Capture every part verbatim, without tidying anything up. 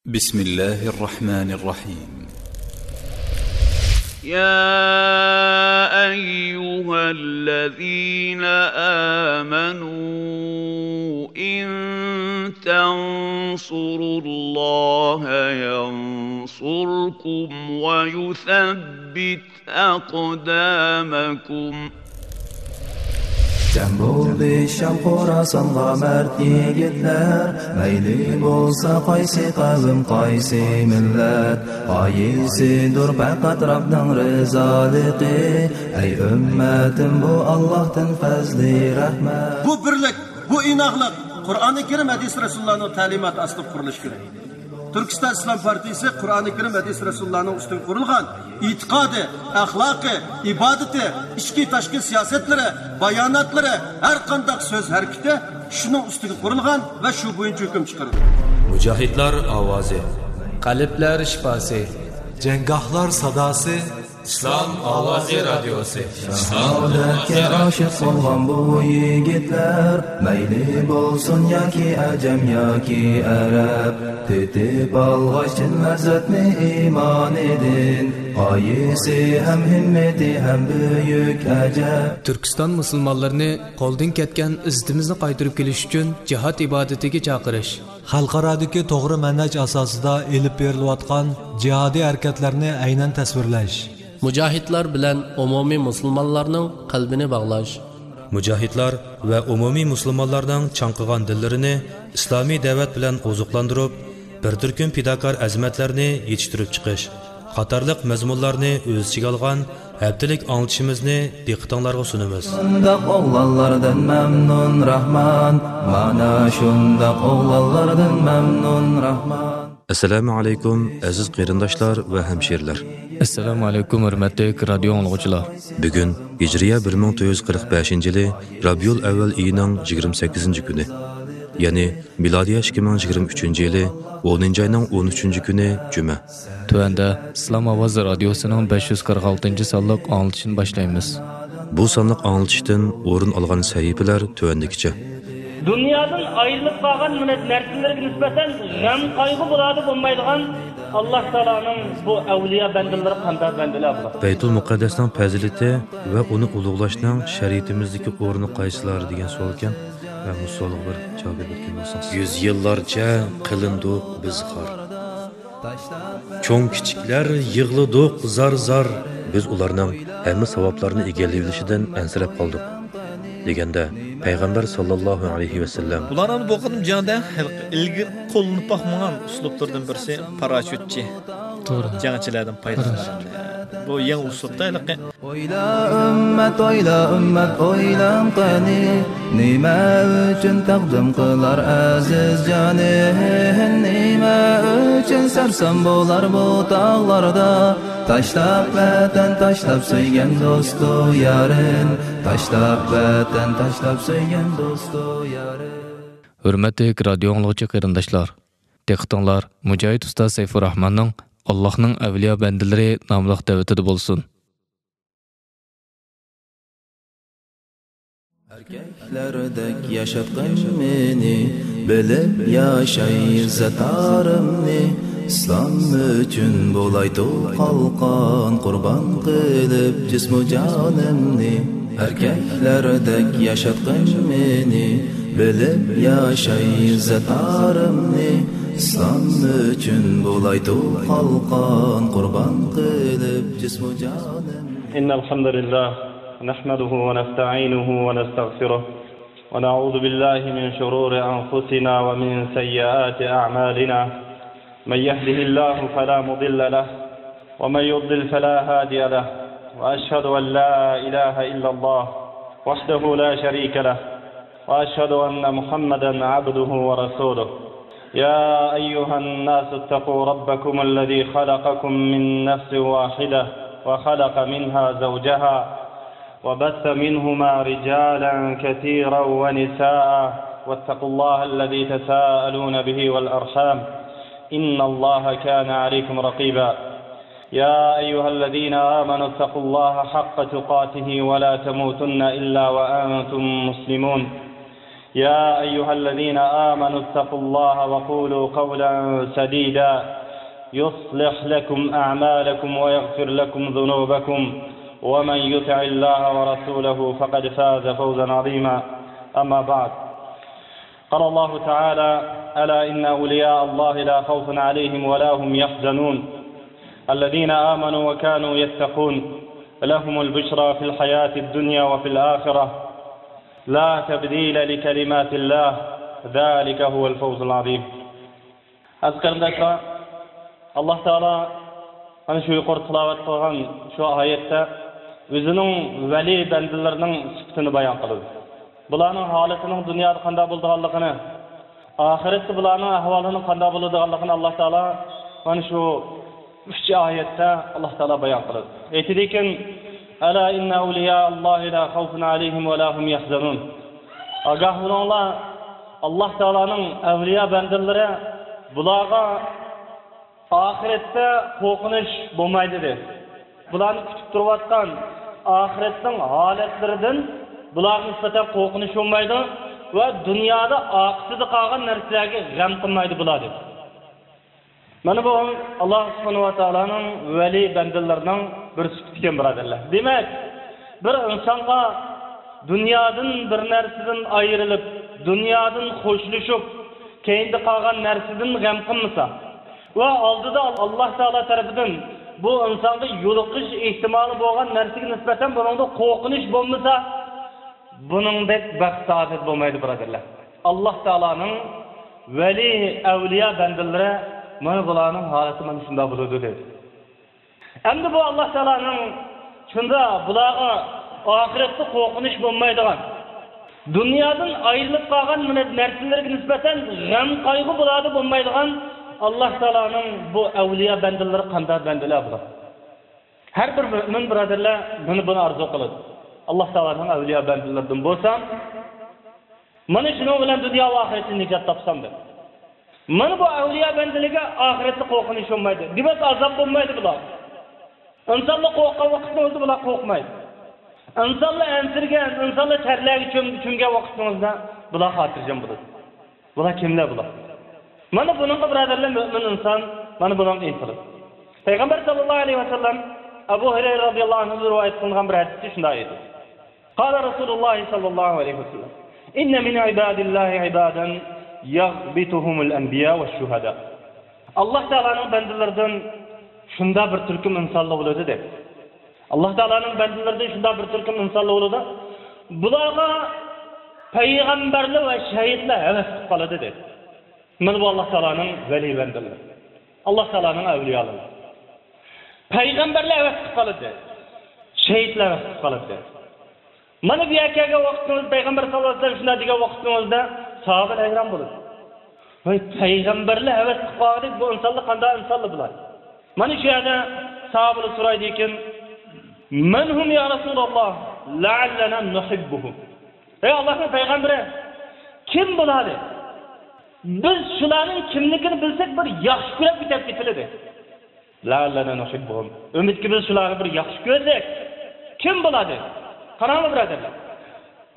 بسم الله الرحمن الرحيم. يا أيها الذين آمنوا إن تنصروا الله ينصركم ويثبت أقدامكم. جەم بولدى شام خوراسانغا مەرد يىگىتلەر، مەيلى بولسا قايسى قەۋم، قايسى مىللەت، غايىسىدۇر پەقەت رەبنىڭ رىزالىقى. ئەي ئۈممەتىم، بۇ ئاللاھتىن پەزلى رەھمەت. بۇ بىرلىك، بۇ ئىناقلىق قۇرئانى كەرىم، ھەدىس رەسۇلۇللانىڭ تەلىماتى ئاستىدا قۇرۇلۇشى كېرەك. تۈركىستان ئىسلام پارتىيىسى قۇرئانى كەرىم، ھەدىس رەسۇلۇللانىڭ ئۈستىگە قۇرۇلغان ئېتىقادى، ئەخلاقى، ئىبادىتى، ئىچكى تاشقى سىياسەتلىرى، باياناتلىرى، ھەر قانداق سۆز ھەرىكىتى شۇنىڭ ئۈستىگە قۇرۇلغان ۋە شۇ بويىچە ھۆكۈم چىقىرىدۇ. مۇجاھىدلار ئاۋازى. قەلبلەر شىپاسى. جەڭگاھلار ساداسى. ئىسلام ئاۋازى رادىيوسى. شاھادەتكە ئاشىق بولغان بۇ يىگىتلەر، مەيلى بولسۇن ياكى ئەجەم ياكى ئەرەب، تېتىپ ئالغاچ چىن لەززەتنى ئىمانىدىن، غايىسى ھەم ھىممىتى ھەم بۈيۈك ئەجەب. تۈركىستان مۇسۇلمانلىرىنى قولدىن كەتكەن ئىززىتىمىزنى قايتۇرۇپ كېلىش ئۈچۈن جىھاد ئىبادىتىگە چاقىرىش. خەلقئارادىكى توغرا مەنھەج ئاساسىدا ئېلىپ بېرىلىۋاتقان جىھادىي ھەرىكەتلەرنى ئەينەن تەسۋىرلەش. مۇجاھىدلار بىلەن ئومۇمىي مۇسۇلمانلارنىڭ قەلبىنى باغلاش. مۇجاھىدلار ۋە ئومۇمىي مۇسۇلمانلارنىڭ چاڭقىغان دىللىرىنى ئىسلامىي دەۋەت بىلەن ئوزۇقلاندۇرۇپ، بىر تۈركۈم پىداكار ئەزىمەتلەرنى يېتىشتۈرۈپ چىقىش قاتارلىق مەزمۇنلارنى ئۆز ئىچىگە ئالغان ھەپتىلىك ئاڭلىتىشىمىزنى دىققىتىڭلارغا سۇنىمىز. شۇنداق ئوغلانلاردىن مەمنۇن راھمان، مانا شۇنداق ئوغلانلاردىن مەمنۇن راھمان. ئەسسالامۇ ئەلەيكۇم، ئەزىز قېرىنداشلار ۋە ھەمشىرىلەر. ئەسسالامۇ ئەلەيكۇم، ھۆرمەتلىك رادىيو ئاڭلىغۇچىلار. بۈگۈن ھىجرىيە بىر مىڭ تۆت يۈز قىرىق بەشىنچى يىلى رابىئۇل ئەۋۋەل ئېيىنىڭ يىگىرمە سەككىزىنچى كۈنى، يەنى مىلادىيە ئىككى مىڭ يىگىرمە ئۈچىنچى يىلى ئونىنچى ئاينىڭ ئون ئۈچىنچى كۈنى جۈمە. تۆۋەندە ئىسلام ئاۋازى رادىيوسىنىڭ بەش يۈز قىرىق ئالتىنچى سانلىق ئاڭلىتىشىنى باشلايمىز. بۇ سانلىق ئاڭلىتىشتىن ئورۇن ئالغان سەھىپىلەر تۆۋەندىكىچە. دۇنيادىن ئايرىلىپ قالغان مىللەت نەرسىلىرىگە نىسبەتەن غەم قايغۇ مۇرادى بولمايدىغان ئاللاھ تائالانىڭ بۇ ئەۋلىيا بەندىلىرى قانداق بەندىلەر بۇلار؟ بەيتۇل مۇقەددەسنىڭ پەزىلىتى ۋە ئۇنى ئۇلۇغلاشنىڭ شەرىئىتىمىزدىكى ئورنى قايسىلار دېگەن سوئالكەن. مەن بۇ سوئالغا بىر جاۋاب بېرىپ ئۆتكەن بولساڭ. يۈز يىللارچە قىلىندۇق بىز خار. چوڭ-كىچىكلەر يىغلىدۇق زار-زار. بىز ئۇلارنىڭ ھەممە ساۋابلارنى ئىگىلىۋېلىشىدىن ئەنسىرەپ قالدۇق، دېگەندە، پەيغەمبەر ساللاللاھۇ ئەلەيھى ۋەسەللەم، ئۇلارنىڭ بۇ قېتىم جەڭدە ھېلىقى ئىلگىرى قوللىنىپ باقمىغان ئۇسلۇبلىرىدىن بىرسى پاراشوتچى توغرا. جەڭچىلەردىن پايدىلىنىش. بۇ يېڭى ئۇسلۇبتا ھېلىقى. ئويلا ئۈممەت، ئويلا ئۈممەت، ئويلاڭ قېنى، نېمە ئۈچۈن تەقدىم قىلار ئەزىز جانى؟ نېمە ئۈچۈن سەرسان بولار بۇ تاغلاردا؟ تاشلاپ ۋەتەن، تاشلاپ سۆيگەن دوستۇ يارىن، تاشلاپ ۋەتەن، تاشلاپ سۆيگەن دوستۇ يارىن. ھۆرمەتلىك رادىيو ئاڭلىغۇچى قېرىنداشلار، دىققىتىڭلار مۇجاھىد ئۇستاز سەيپۇرراھماننىڭ «ئاللاھنىڭ ئەۋلىيا بەندىلىرى» ناملىق دەۋىتىدە بولسۇن. ئەركەكلەردەك ياشاتقىن مېنى، بىلىپ ياشاي ئىززەت-ئارىمنى. ئىسلام ئۈچۈن بولايتۇ قالقان، قۇربان قىلىپ جىسمۇ جانىمنى. ئەركەكلەردەك ياشاتقىن مېنى، بىلىپ ياشاي ئىززەت-ئارىمنى. ئىسلام ئۈچۈن بولايتۇ قالقان، قۇربان قىلىپ جىسمۇ جانىمنى. إن الحمد لله نحمده ونستعينه ونستغفره ونعوذ بالله من شرور أنفسنا ومن سيئات أعمالنا. من يهده الله فلا مضل له ومن يضلل فلا هادي له. وأشهد أن لا إله إلا الله وحده لا شريك له. وأشهد أن محمدا عبده ورسوله. يا أيها الناس اتقوا ربكم الذي خلقكم من نفس واحدة وخلق منها زوجها وبث منهما رجالا كثيرا ونساء واتقوا الله الذي تساءلون به والأرحام إن الله كان عليكم رقيبا. يا أيها الذين آمنوا اتقوا الله حق تقاته ولا تموتن إلا وأنتم مسلمون. يا أيها الذين آمنوا اتقوا الله وقولوا قولا سديدا يصلح لكم أعمالكم ويغفر لكم ذنوبكم ومن يطع الله ورسوله فقد فاز فوزا عظيما. أما بعد، قال الله تعالى: ألا إن أولياء الله لا خوف عليهم ولا هم يحزنون الذين آمنوا وكانوا يتقون لهم البشرى في الحياة الدنيا وفي الآخرة لا تبديل لكلمات الله ذلك هو الفوز العظيم. ئەزىز قېرىنداشلار، ئاللاھ تائالا مانا شۇ يۇقىرى تىلاۋەت قىلغان شۇ ئايەتتە ئۆزىنىڭ ۋەلىي بەندىلىرىنىڭ سۈپىتىنى بايان قىلىدۇ. بۇلارنىڭ ھالىتىنىڭ دۇنيادا قانداق بولىدىغانلىقىنى، ئاخىرەتتە بۇلارنىڭ ئەھۋالىنىڭ قانداق بولىدىغانلىقىنى ئاللاھ تائالا مانا شۇ ئۈچ ئايەتتە ئاللاھ تائالا بايان قىلىدۇ. ئېيتىدىكەن: ألا إن أولياء الله لا خوف عليهم ولا هم يحزنون. ئاگاھ بولۇڭلار، ئاللاھ تائالانىڭ ئەۋلىيا بەندىلىرى، بۇلارغا ئاخىرەتتە قورقۇنچ بولمايدۇ، دېدى. بۇلارنى كۈتۈپ تۇرۇۋاتقان ئاخىرەتنىڭ ھالەتلىرىدىن بۇلارغا نىسبەتەن قورقۇنچ بولمايدۇ ۋە دۇنيادا ئارقىسىدا قالغان نەرسىلەرگە غەم قىلمايدۇ بۇلار، دېدى. مانا بۇ ئاللاھ سۇبھانەھۇ ۋە تائالانىڭ ۋەلىي بەندىلىرىنىڭ بىر سۈپىتى ئىكەن، بۇرادەرلەر. دېمەك، بىر ئىنسانغا دۇنيادىن بىر نەرسىدىن ئايرىلىپ، دۇنيادىن خوشلىشىپ، كەينىدە قالغان نەرسىدىن غەم قىلمىسا ۋە ئالدىدا ئاللاھ تائالا تەرىپىدىن بۇ ئىنسانغا يولۇقۇش ئېھتىمالى بولغان نەرسىگە نىسبەتەن بۇنىڭدا قورقۇنچ بولمىسا، بۇنىڭدەك بەخت سائادەت بولمايدۇ، بۇرادەرلەر. ئاللاھ تائالانىڭ ۋەلىي، ئەۋلىيا بەندىلىرى مانا بۇلارنىڭ ھالىتى مانا شۇنداق بولىدۇ، دېدى. ئەمدى بۇ ئاللاھ تائالانىڭ شۇنداق بۇلارغا ئاخىرەتتە قورقۇنچ بولمايدىغان، دۇنيادىن ئايرىلىپ قالغان مانا نەرسىلەرگە نىسبەتەن غەم قايغۇ بۇلاردا بولمايدىغان ئاللاھ تائالانىڭ بۇ ئەۋلىيا بەندىلىرى قانداق بەندىلەر بۇلار؟ ھەر بىر مۆمىن بۇرادەرلەر مانا بۇنى ئارزۇ قىلىدۇ. ئاللاھ تائالانىڭ ئەۋلىيا بەندىلىرىدىن بولسام، مانا شۇنىڭ بىلەن دۇنيا ۋە ئاخىرەتتىن نىجات تاپسام دەپ. مانا بۇ ئەۋلىيا بەندىلىككە ئاخىرەتتە قورقۇنچ بولمايدۇ. دېمەك، ئازاب بولمايدۇ بۇلار. ئىنسانلار قورققان ۋاقىتنىڭ ئۆزىدە بۇلار قورقمايدۇ. ئىنسانلار ئەنسىرىگەن، ئىنسانلار تەرلەرگە چۆم-، چۆمگەن ۋاقىتنىڭ ئۆزىدە بۇلار خاتىرجەم بولىدۇ. بۇلار كىملەر بۇلار؟ مانا بۇنىڭغا، بۇرادەرلەر، مۆمىن ئىنسان مانا بۇنىڭغا ئىنتىلىدۇ. پەيغەمبەر ساللاللاھۇ ئەلەيھى ۋەسەللەم ئەبۇ ھۇرەيرە رازىياللاھۇ ئەنھۇدىن رىۋايەت قىلىنغان بىر ھەدىستە شۇنداق ئېيتىدۇ. قال رسول الله صلى الله عليه وسلم: إن من عباد الله عبادا يغبطهم الأنبياء والشهداء. ئاللاھ تائالانىڭ بەندىلىرىدىن شۇنداق بىر تۈركۈم ئىنسانلار بولىدۇ، دەيدۇ. ئاللاھ تائالانىڭ بەندىلىرىدىن شۇنداق بىر تۈركۈم ئىنسانلار بولىدۇ. بۇلارغا پەيغەمبەرلەر ۋە شەھىدلەر ھەۋەس قىلىپ قالىدۇ، دەيدۇ. مانا بۇ ئاللاھ تائالانىڭ ۋەلىي بەندىلىرى. ئاللاھ تائالانىڭ ئەۋلىيالىرى. پەيغەمبەرلەر ھەۋەس قىلىپ قالىدۇ. شەھىدلەر ھەۋەس قىلىپ قالىدۇ. مانا بۇ يەرگە كەلگەن ۋاقتىڭىزدا، پەيغەمبەر ساللاللاھۇ ئەلەيھى ۋەسەللەم شۇنداق دېگەن ۋاقتىڭىزدا، ساھابىلەر ھەيران بولىدۇ. ۋاي، پەيغەمبەرلەر ھەۋەس قىلىپ قالغۇدەك بۇ ئىنسانلار قانداق ئىنسانلار بۇلار؟ مانا شۇ يەردە ساھابىلەر سورايدىكەن: من هم يا رسول الله لعلنا نحبهم. ئەي ئاللاھنىڭ پەيغەمبىرى، كىم بۇلار؟ بىز شۇلارنىڭ كىملىكىنى بىلسەك، بىر ياخشى كۆرۈپ كېتەپ كېتىلىدى. لعلنا نحبهم. ئۈمىدكى بىز شۇلارنى بىر ياخشى كۆرسەك، كىم بولىدۇ؟ قاراڭلار، بۇرادەرلەر.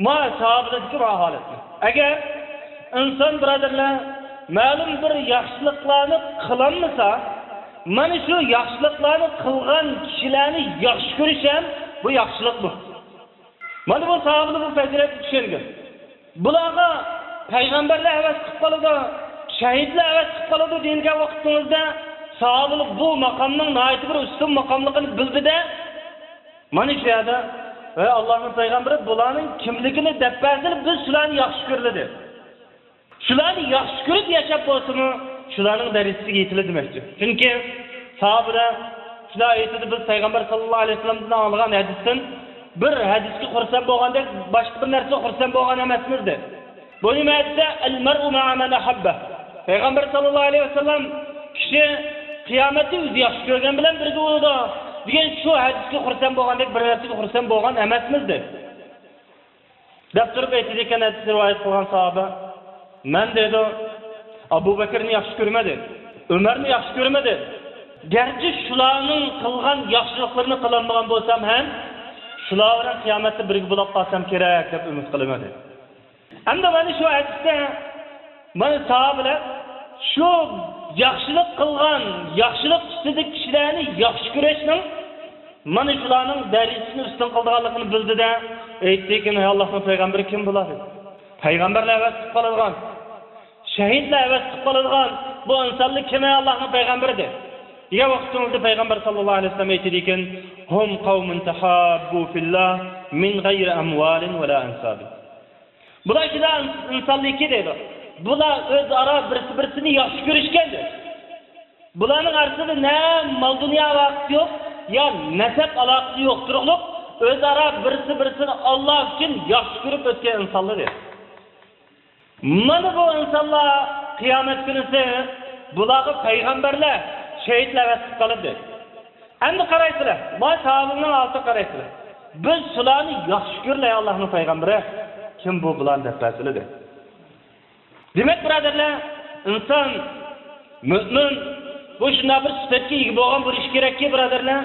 ما ساھابىلەردىكى ما ھالەتنى. ئەگەر ئىنسان، بۇرادەرلەر، مەلۇم بىر ياخشىلىقلارنى قىلالمىسا، مانا شۇ ياخشىلىقلارنى قىلغان كىشىلەرنى ياخشى كۆرۈش ھەم بۇ ياخشىلىق بۇ. مانا بۇ ساھابىلەر بۇ پەزىلەتكە چۈشەنگەن. بۇلارغا پەيغەمبەرلەر ھەۋەس قىلىپ قالىدۇ، شەھىدلەر ھەۋەس قىلىپ قالىدۇ دېگەن ۋاقتىڭىزدا، ساھابىلەر بۇ ماقامنىڭ ناھايىتى بىر ئۈستۈن ماقاملىقىنى بىلدى-دە، مانا شۇ يەردە، ۋەي ئاللاھنىڭ پەيغەمبىرى، بۇلارنىڭ كىملىكىنى دەپ بەرسىلە، بىز شۇلارنى ياخشى كۆرىلىدى. شۇلارنى ياخشى كۆرۈپ ياشاپ بولسىمۇ، شۇلارنىڭ دەرىجىسىگە يېتىلىدۇ دېمەكچى. چۈنكى ساھابىلەر شۇنداق ئېيتىدۇ، بىز پەيغەمبەر ساللاللاھۇ ئەلەيھى ۋەسەللەمدىن ئاڭلىغان ھەدىستىن بىر ھەدىسكە خۇرسەن بولغاندەك، باشقا بىر نەرسىگە خۇرسەن بولغان ئەمەسمىز، دەيدۇ. بۇ نېمە دېسە، المرء مع من أحب. پەيغەمبەر ساللاللاھۇ ئەلەيھى ۋەسەللەم، كىشى قىيامەتتە ئۆزى ياخشى كۆرگەن بىلەن بىرگە بولىدۇ دېگەن شۇ ھەدىسكە خۇرسەن بولغاندەك، بىر نەرسىگە خۇرسەن بولغان ئەمەسمىز، دەيدۇ. دەپ تۇرۇپ ئېيتىدىكەن، ھەدىسنى رىۋايەت قىلغان ساھابە، مەن، دەيدۇ، ئەبۇ بەكرىنى ياخشى كۆرمەيمەن، ئۆمەرنى ياخشى كۆرمەيمەن. گەرچە شۇلارنىڭ قىلغان ياخشىلىقلىرىنى قىلالمىغان بولسام ھەم، شۇلار بىلەن قىيامەتتە بىرگە بولۇپ قالسام كېرەك دەپ ئۈمىد قىلىمەن، دەيدۇ. ئەمدى مانا شۇ ھەدىستە مانا ساھابىلەر شۇ ياخشىلىق قىلغان، ياخشىلىق ئۈستىدىكى كىشىلەرنى ياخشى كۆرۈشنىڭ مانا شۇلارنىڭ دەرىجىسىنى ئۈستۈن قىلىدىغانلىقىنى بىلدى-دە، ئېيتتىكىن، ئەي ئاللاھنىڭ پەيغەمبىرى، كىم بۇلار؟ دېدى. پەيغەمبەرلەر ھەۋەس قىلىپ قالىدىغان، شەھىدلەر ھەۋەس قىلىپ قالىدىغان بۇ ئىنسانلار كىم، ئەي ئاللاھنىڭ پەيغەمبىرى؟ دېگەن ۋاقىتىڭىزدا پەيغەمبەر ساللاللاھۇ ئەلەيھى ۋەسەللەم ئېيتىدىكەن، ھۇم قەۋمۇن تەھاببۇ فىللاھ مىن غەيرى ئەمۋالىن ۋەلا ئەنسابىن. بۇلار شۇنداق ئىنسانلىكى دەيدۇ. بۇلار ئۆزئارا بىرسى-بىرسىنى ياخشى كۆرۈشكەن دەيدۇ. بۇلارنىڭ ئارىسىدا نە مال-دۇنيا ئالاقىسى يوق، يا نەسەب ئالاقىسى يوق تۇرۇقلۇق، ئۆزئارا بىرسى-بىرسىنى ئاللا ئۈچۈن ياخشى كۆرۈپ ئۆتكەن ئىنسانلار دەيدۇ. مانا بۇ ئىنسانلار قىيامەت كۈنىسى بۇلارغا پەيغەمبەرلەر، شېھىتلەر ۋەسىيەت قىلىدۇ. ئەمدى قارايسىلەر، مانا ساھابىنىڭ ھالىتىگە قارايسىلەر. بىز شۇلارنى ياخشى كۆرىلەي، ئاللاھنىڭ پەيغەمبىرى، كىم بۇ بۇلارنى دەپ بەرسىلە دەپ. دېمەك، بۇرادەرلەر، ئىنسان، مۆمىن، بۇ شۇنداق بىر سۈپەتكە ئىگە بولغان بولۇشى كېرەككى، بۇرادەرلەر،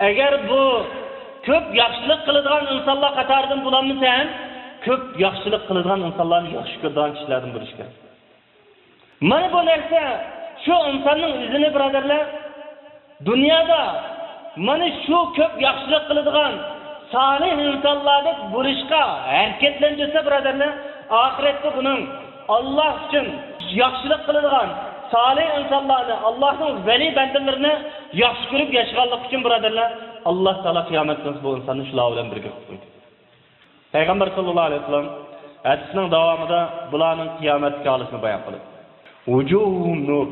ئەگەر بۇ كۆپ ياخشىلىق قىلىدىغان ئىنسانلار قاتارىدىن بولالمىسا ھەم، كۆپ ياخشىلىق قىلىدىغان ئىنسانلارنى ياخشى كۆرىدىغان كىشىلەردىن بولۇشى كېرەك. مانا بۇ نەرسە شۇ ئىنساننىڭ ئۆزىنى، بۇرادەرلەر، دۇنيادا مانا شۇ كۆپ ياخشىلىق قىلىدىغان سالىھ ئىنسانلاردەك بولۇشقا ھەرىكەتلەندۈرسە، بۇرادەرلەر، ئاخىرەتتە بۇنىڭ ئاللا ئۈچۈن ياخشىلىق قىلىدىغان سالىھ ئىنسانلارنى، ئاللانىڭ ۋەلىي بەندىلىرىنى ياخشى كۆرۈپ ياشىغانلىقى ئۈچۈن، بۇرادەرلەر، ئاللا تائالا قىيامەت كۈنى بۇ ئىنساننى شۇلار بىلەن بىرگە قىلىپ قويدى. پەيغەمبەر ساللاللاھۇ ئەلەيھى ۋەسەللەم ھەدىسنىڭ داۋامىدا بۇلارنىڭ قىيامەتتىكى ھالىتىنى بايان قىلىپ، ۋۇجۇھۇھۇم نۇر،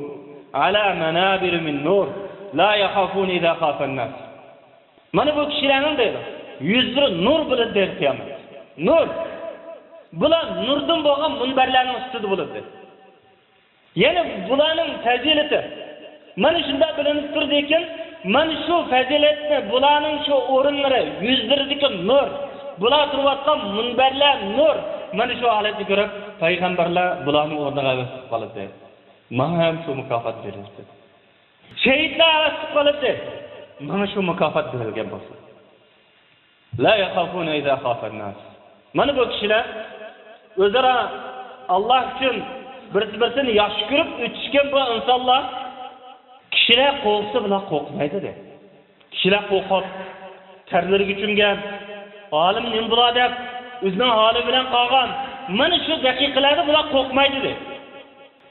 ئەلا مەنابىرە مىن نۇر، لا يەخافۇنە ئىزا خافەن ناس. مانا بۇ كىشىلەرنىڭ دەيدۇ، يۈزلىرى نۇر بولىدۇ دەيدۇ قىيامەتتە. نۇر. بۇلار نۇردىن بولغان مۇنبەرلەرنىڭ ئۈستىدە بولىدۇ دەيدۇ. يەنى بۇلارنىڭ پەزىلىتى مانا شۇنداق بىلىنىپ تۇرىدىكەن، مانا شۇ پەزىلەتنى، بۇلارنىڭ شۇ ئورۇنلىرى، يۈزلىرىدىكى نۇر، بۇلار تۇرۇۋاتقان مۇنبەرلەر نۇر، مانا شۇ ھالەتنى كۆرۈپ، پەيغەمبەرلەر بۇلارنىڭ ئورنىغا ھەۋەس قىلىپ قالىدۇ. ماڭا ھەم شۇ مۇكاپات بېرىلسۇن. شېھىتلەر ھەۋەس قىلىپ قالىدۇ. ماڭا شۇ مۇكاپات بېرىلگەن بولسۇن. لا يەخافۇنە ئىزا خافەن ناس. مانا بۇ كىشىلەر ئۆزئارا ئاللا ئۈچۈن بىرسى بىرسىنى ياخشى كۆرۈپ ئۆتۈشكەن بۇ ئىنسانلار، كىشىلەر قورقسا بۇلار قورقمايدۇ دەيدۇ. كىشىلەر قورقۇپ، تەرلىرىگە چۆمگەن، ئالىم نېمە بولا دەپ ئۆزىنىڭ ھالى بىلەن قالغان مانا شۇ دەقىقىلەردە بۇلار قورقمايدۇ دەيدۇ.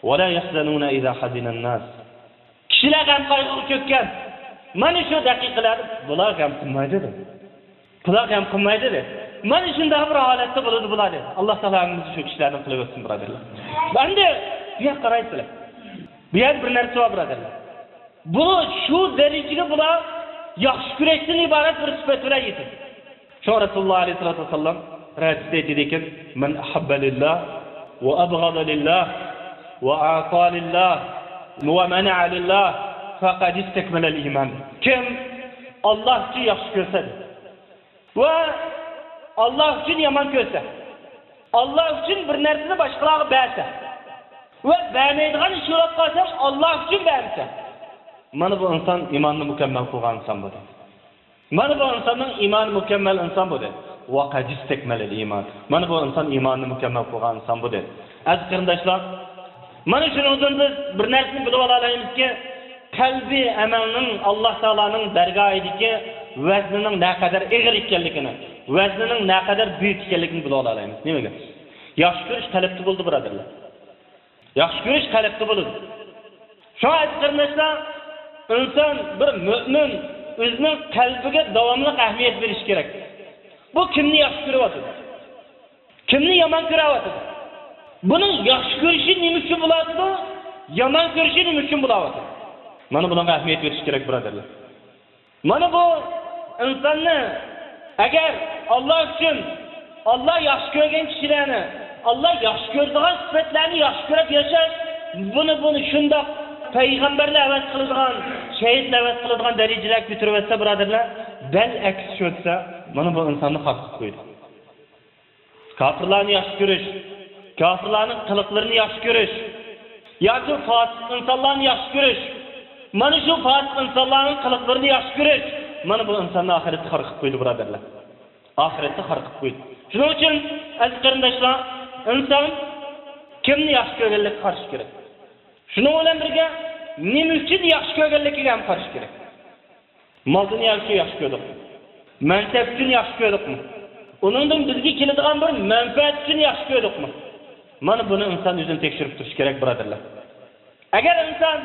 ۋەلا يەھزەنۇنە ئىزا ھەزىنەن ناس. كىشىلەر غەم قايغۇغا چۆككەن مانا شۇ دەقىقىلەردە بۇلار غەم قىلمايدۇ دەيدۇ. بۇلار غەم قىلمايدۇ دەيدۇ. مانا شۇنداق بىر ھالەتتە بولىدۇ بۇلار دەيدۇ. ئاللا تائالا ھەممىمىزنى شۇ كىشىلەردىن قىلىۋەتسۇن، بۇرادەرلەر. ئەمدى بۇ يەرگە قارايسىلەر. بۇ يەردە بىر نەرسە بار، بۇرادەرلەر. بۇ شۇ دەرىجىگە بۇلار ياخشى كۆرۈشتىن ئىبارەت بىر سۈپەت بىلەن يېتىدۇ. شۇڭا رەسۇلۇللا ئەلەيھىسسالاتۇ ۋەسسالام بىر ھەدىستە ئېيتىدىكەن، مەن ئەھەببە لىللا ۋە ئەبغەزە لىللا ۋە ئەئتە لىللا ۋە مەنەئە لىللا فەقەد ئىستەكمەلەل ئىمان. كىم ئاللا ئۈچۈن ياخشى كۆرسە ۋە ئاللا ئۈچۈن يامان كۆرسە، ئاللا ئۈچۈن بىر نەرسىنى باشقىلارغا بەرسە ۋە بەرمەيدىغان ئىش بولۇپ قالسا، ئاللا ئۈچۈن بەرمىسە، مانا بۇ ئىنسان ئىمانىنى مۇكەممەل قىلغان ئىنسان بولدى. مانا بۇ ئىنساننىڭ ئىمانى مۇكەممەل ئىنسان بۇ دەيدۇ. ۋەقەد ئىستەكمەلەل ئىمان. مانا بۇ ئىنسان ئىمانىنى مۇكەممەل قىلغان ئىنسان بۇ دەيدۇ. ئەزىز قېرىنداشلار، مانا شۇنىڭدىن بىز بىر نەرسىنى بىلىپ ئالالايمىزكى، قەلبىي ئەمەلنىڭ ئاللا تائالانىڭ دەرگاھىدىكى ۋەزنىنىڭ نەقەدەر ئېغىر ئىكەنلىكىنى، ۋەزنىنىڭ نەقەدەر بۈيۈك ئىكەنلىكىنى بىلىپ ئالالايمىز. نېمىگە؟ ياخشى كۆرۈش قەلبتە بولىدۇ، بۇرادەرلەر. ياخشى كۆرۈش قەلبتە بولىدۇ. شۇڭا ئەزىز قېرىنداشلار، ئىنسان، بىر مۆمىن ئۆزىنىڭ قەلبىگە داۋاملىق ئەھمىيەت بېرىشى كېرەك. بۇ كىمنى ياخشى كۆرۈۋاتىدۇ؟ كىمنى يامان كۆرۈۋاتىدۇ؟ بۇنىڭ ياخشى كۆرۈشى نېمە ئۈچۈن بولۇۋاتىدۇ؟ يامان كۆرۈشى نېمە ئۈچۈن بولۇۋاتىدۇ؟ مانا بۇنىڭغا ئەھمىيەت بېرىش كېرەك، بۇرادەرلەر. مانا بۇ ئىنساننى، ئەگەر ئاللا ئۈچۈن، ئاللا ياخشى كۆرگەن كىشىلەرنى، ئاللا ياخشى كۆرىدىغان سۈپەتلەرنى ياخشى كۆرۈپ ياشاش، بۇنى، بۇنى شۇنداق پەيغەمبەرلەر ھەۋەس قىلىدىغان، شەھىدلەر ھەۋەس قىلىدىغان دەرىجىلەرگە كۆتۈرۈۋەتسە، بۇرادەرلەر، دەل ئەكسىچە ئۆتسە، مانا بۇ ئىنساننى خار قىلىپ قويىدۇ. كاپىرلارنى ياخشى كۆرۈش، كاپىرلارنىڭ قىلىقلىرىنى ياخشى كۆرۈش ياكى فاسىق ئىنسانلارنى ياخشى كۆرۈش، مانا شۇ فاسىق ئىنسانلارنىڭ قىلىقلىرىنى ياخشى كۆرۈش، مانا بۇ ئىنساننى ئاخىرەتتە خار قىلىپ قويىدۇ، بۇرادەرلەر. ئاخىرەتتە خار قىلىپ قويىدۇ. شۇنىڭ ئۈچۈن، ئەزىز قېرىنداشلار، ئىنسان كىمنى ياخشى كۆرگەنلىكىگە قارىشى كېرەك. شۇنىڭ بىلەن بىرگە، نېمە ئۈچۈن ياخشى كۆرگەنلىكىگە ھەم قارىشى كېرەك. مال دۇنيا ئۈچۈن ياخشى كۆردۇقمۇ؟ مەنسەپ ئۈچۈن ياخشى كۆردۇقمۇ؟ ئۇنىڭدىن بىزگە كېلىدىغان بىر مەنپەئەت ئۈچۈن ياخشى كۆردۇقمۇ؟ مانا بۇنى ئىنسان ئۆزىنى تەكشۈرۈپ تۇرۇشى كېرەك، بۇرادەرلەر. ئەگەر ئىنسان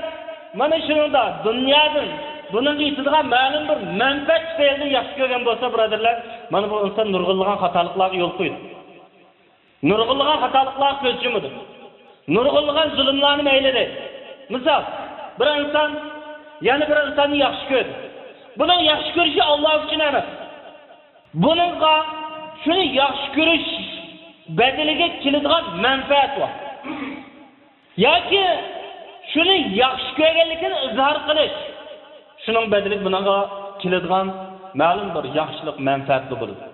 مانا شۇنىڭدا دۇنيادىن بۇنىڭغا يېتىدىغان مەلۇم بىر مەنپەئەت تۈپەيلىدىن ياخشى كۆرگەن بولسا، بۇرادەرلەر، مانا بۇ ئىنسان نۇرغۇنلىغان خاتالىقلارغا يول قويىدۇ. نۇرغۇنلىغان خاتالىقلارغا كۆز يۇمىدۇ. نۇرغۇنلىغان زۇلۇملارنى مەيلىدەيدۇ. مىسال، بىر ئىنسان يەنە بىر ئىنساننى ياخشى كۆردى. بۇنىڭ ياخشى كۆرۈشى ئاللا ئۈچۈن ئەمەس. بۇنىڭغا شۇنى ياخشى كۆرۈش بەدىلىگە كېلىدىغان مەنپەئەت بار. ياكى شۇنى ياخشى كۆرگەنلىكىنى ئىزھار قىلىش، شۇنىڭ بەدىلىگە بۇنىڭغا كېلىدىغان مەلۇم بىر ياخشىلىق، مەنپەئەتلىك بولىدۇ.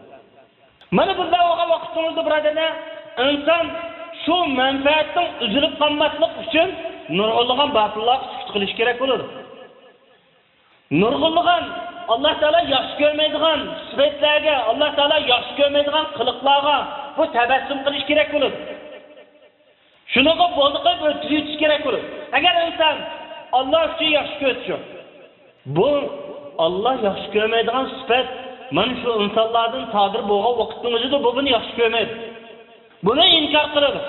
مانا بۇنداق بولغان ۋاقتىڭىزدا، بۇرادەرلەر، ئىنسان شۇ مەنپەئەتنىڭ ئۈزۈلۈپ قالماسلىق ئۈچۈن نۇرغۇنلىغان باتىللارغا سۈكۈت قىلىش كېرەك بولىدۇ. نۇرغۇنلىغان ئاللا تائالا ياخشى كۆرمەيدىغان سۈپەتلەرگە، ئاللا تائالا ياخشى كۆرمەيدىغان قىلىقلارغا بۇ تەبەسسۇم قىلىش كېرەك بولىدۇ. شۇنىڭغا بولدى قىلىپ ئۆتكۈزۈۋېتىش كېرەك بولىدۇ. ئەگەر ئىنسان ئاللا ئۈچۈن ياخشى كۆرسە، بۇ ئاللا ياخشى كۆرمەيدىغان سۈپەت، مانا شۇ ئىنسانلاردىن سادىر بولغان ۋاقىتنىڭ ئۆزىدە بۇ بۇنى ياخشى كۆرمەيدۇ. بۇنى ئىنكار قىلىدۇ.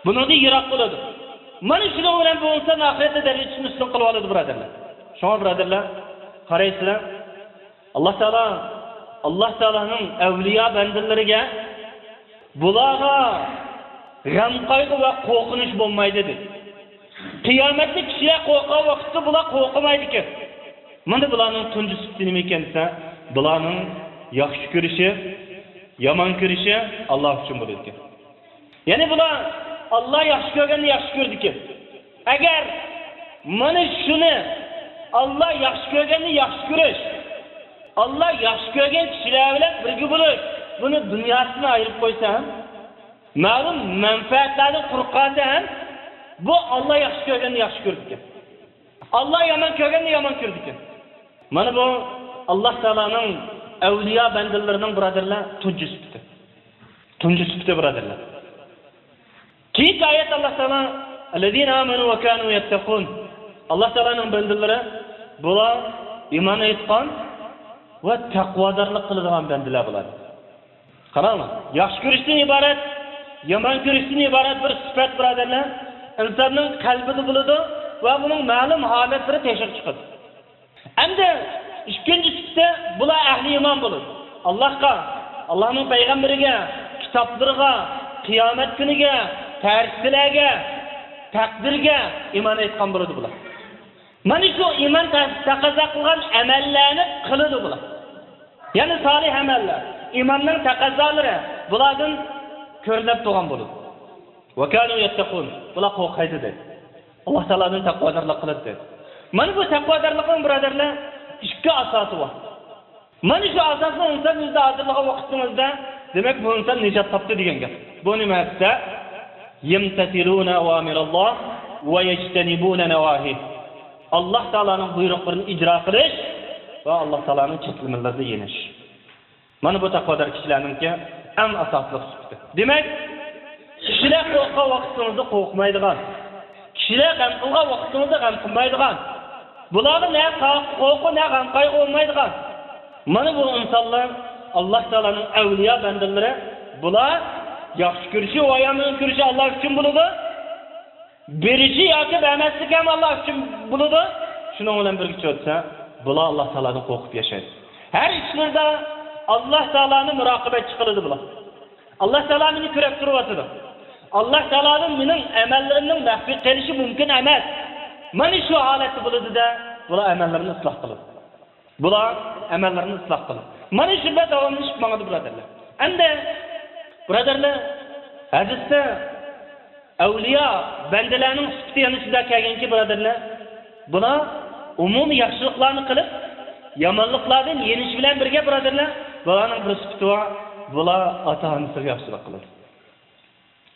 بۇنىڭدىن يىراق بولىدۇ. مانا شۇنىڭ بىلەن بۇ ئىنسان ئاخىرەتتە دەرىجىسىنى ئۈستۈن قىلىۋالىدۇ، بۇرادەرلەر. شۇڭا، بۇرادەرلەر، قارايسىلەر، ئاللا تائالا، ئاللا تائالانىڭ ئەۋلىيا بەندىلىرىگە، بۇلارغا غەم-قايغۇ ۋە قورقۇنچ بولمايدۇ، دېدى. قىيامەتتە كىشىلەر قورققان ۋاقىتتا بۇلار قورقمايدىكەن. مانا بۇلارنىڭ تۇنجى سۈپىتى نېمە ئىكەن دېسە، بۇلارنىڭ ياخشى كۆرۈشى، يامان كۆرۈشى ئاللا ئۈچۈن بولىدىكەن. يەنى بۇلار ئاللا ياخشى كۆرگەننى ياخشى كۆرىدىكەن. ئەگەر مانا شۇنى، ئاللا ياخشى كۆرگەننى ياخشى كۆرۈش، ئاللا ياخشى كۆرگەن كىشىلەر بىلەن بىرگە بولۇش، بۇنى دۇنياسىدىن ئايرىپ قويسا ھەم، مەلۇم مەنپەئەتلەردىن قۇرۇق قالسا ھەم، بۇ ئاللا ياخشى كۆرگەننى ياخشى كۆرىدىكەن. ئاللا يامان كۆرگەننى يامان كۆرىدىكەن. مانا بۇ ئاللا تائالانىڭ ئەۋلىيا بەندىلىرىنىڭ، بۇرادەرلەر، تۇنجى سۈپىتى. تۇنجى سۈپىتى، بۇرادەرلەر. كېيىنكى ئايەت ئاللا تائالا، «الذين آمنوا وكانوا يتقون». ئاللا تائالانىڭ بەندىلىرى، بۇلار ئىمان ئېيتقان ۋە تەقۋادارلىق قىلىدىغان بەندىلەر بۇلار. قاراڭلار، ياخشى كۆرۈشتىن ئىبارەت، يامان كۆرۈشتىن ئىبارەت بىر سۈپەت، بۇرادەرلەر، ئىنساننىڭ قەلبىدە بولىدۇ ۋە بۇنىڭ مەلۇم ھالەتلىرى تېشىغا چىقىدۇ. ئەمدى ئىككىنچى سۈپىتى، بۇلار ئەھلى ئىمان بولىدۇ. ئاللاھقا، ئاللاھنىڭ پەيغەمبىرىگە، كىتابلىرىغا، قىيامەت كۈنىگە، پەرىشتىلەرگە، تەقدىرگە ئىمان ئېيتقان بولىدۇ بۇلار. مانا شۇ ئىمان تا-، تەقەززا قىلغان ئەمەللەرنى قىلىدۇ بۇلار. يەنى سالىھ ئەمەللەر، ئىماننىڭ تەقەززالىرى بۇلاردىن كۆرۈنۈپ تۇرغان بولىدۇ. «وكانوا يتقون». بۇلار قورقايدۇ دەيدۇ. ئاللا تائالادىن تەقۋادارلىق قىلىدۇ دەيدۇ. مانا بۇ تەقۋادارلىقنىڭ، بۇرادەرلەر، ئىككى ئاساسى بار. مانا شۇ ئاساسنى ئىنسان ئۆزىدە ھازىرلىغان ۋاقتىڭىزدا، دېمەك، بۇ ئىنسان نىجات تاپتى دېگەن گەپ. بۇ نېمە دېسە، «يمتثلون أوامر الله ويجتنبون نواهيه». ئاللا تائالانىڭ بۇيرۇقلىرىنى ئىجرا قىلىش ۋە ئاللا تائالانىڭ چەكلىمىلىرىدە يېنىش. مانا بۇ تەقۋادار كىشىلەرنىڭكى ئەڭ ئاساسلىق سۈپىتى. دېمەك، كىشىلەر قورققان ۋاقتىڭىزدا قورقمايدىغان، كىشىلەر غەم قىلغان ۋاقتىڭىزدا غەم قىلمايدىغان، بۇلارغا نە قا-، قورقۇ، نە غەم قايغۇ بولمايدىغان. مانا بۇ ئىنسانلار، ئاللا تائالانىڭ ئەۋلىيا بەندىلىرى، بۇلار ياخشى كۆرۈشى ۋە يامان كۆرۈشى ئاللا ئۈچۈن بولىدۇ. بېرىشى ياكى بەرمەسلىكى ھەم ئاللا ئۈچۈن بولىدۇ. شۇنىڭ بىلەن بىرگە چۆتسە، بۇلار ئاللا تائالادىن قورقۇپ ياشايدۇ. ھەر ئىشلىرىدا ئاللا تائالانى مۇراقىبەتچى قىلىدۇ بۇلار. ئاللا تائالا مېنى كۆرۈپ تۇرۇۋاتىدۇ. ئاللا تائالادىن مېنىڭ ئەمەللىرىمنىڭ مەخپىي قېلىشى مۇمكىن ئەمەس. مانا شۇ ھالەتتە بولىدۇ-دە، بۇلار ئەمەللىرىنى ئىسلاھ قىلىدۇ. بۇلار ئەمەللىرىنى ئىسلاھ قىلىدۇ. مانا شۇنداق داۋاملىشىپ ماڭىدۇ، بۇرادەرلەر. ئەمدى، بۇرادەرلەر، ھەدىستە ئەۋلىيا بەندىلەرنىڭ سۈپىتى يەنە شۇنداق كەلگەنكى، بۇرادەرلەر، بۇلار ئومۇمىي ياخشىلىقلارنى قىلىپ، يامانلىقلاردىن يېنىش بىلەن بىرگە، بۇرادەرلەر، بۇلارنىڭ بىر سۈپىتى بار، بۇلار ئاتا-ئانىسىغا ياخشىلىق قىلىدۇ.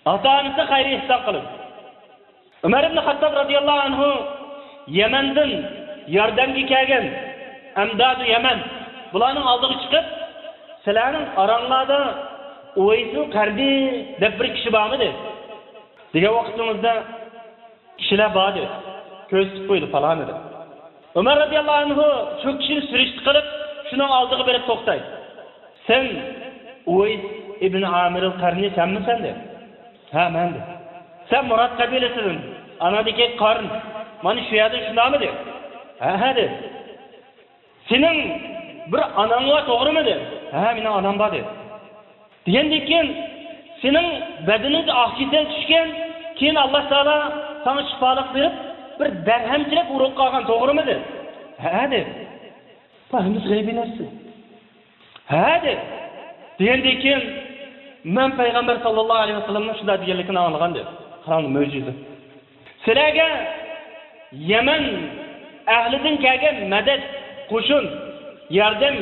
ئاتا-ئانىسىغا خەير-ئېھسان قىلىدۇ. ئۆمەر ئىبن خەتتاب رازىياللاھۇ ئەنھۇ يەمەندىن ياردەمگە كەلگەن ئەمدادۇ يەمەن بۇلارنىڭ ئالدىغا چىقىپ، سىلەرنىڭ ئاراڭلاردا ئۇۋەيسۇل قەرنى دەپ بىر كىشى بارمىدى؟ دېگەن ۋاقتىڭىزدا، كىشىلەر بار دېدى. كۆرسىتىپ قويدى، پالانى دەپ. ئۆمەر رەزىياللاھۇ ئەنھۇ شۇ كىشىنى سۈرۈشتە قىلىپ، شۇنىڭ ئالدىغا بېرىپ توختايدۇ. سەن ئۇۋەيس ئىبن ئامىرىل قەرنى سەنمۇ سەن دېدى. ھە، مەن دېدى. سەن مۇراد قەبىلىسىدىن، ئانادىكى قارن، مانا شۇ يەردىن شۇنداقمۇ دېدى. ھە، ھە دېدى. سېنىڭ بىر ئاناڭ بار، توغرىمۇ دېدى. ھە، مېنىڭ ئانام بار دېدى. دېگەندىن كېيىن، سېنىڭ بەدىنىڭگە ئاق كېسەل چۈشكەن، كېيىن ئاللا تائالا ساڭا شىپالىق بېرىپ، بىر دەرھەمچىلەپ ئۇرۇپ قالغان، توغرىمۇ دېدى. ھە دېدى. بۇ ھەممىسى غەيبىي نەرسە. ھە دېدى. دېگەندىن كېيىن، مەن پەيغەمبەر ساللاللاھۇ ئەلەيھى ۋەسەللەمنىڭ شۇنداق دېگەنلىكىنى ئاڭلىغان دېدى. قاراڭ، مۆجىزە. سىلەرگە يەمەن ئەھلىدىن كەلگەن مەدەت، قوشۇن، ياردەم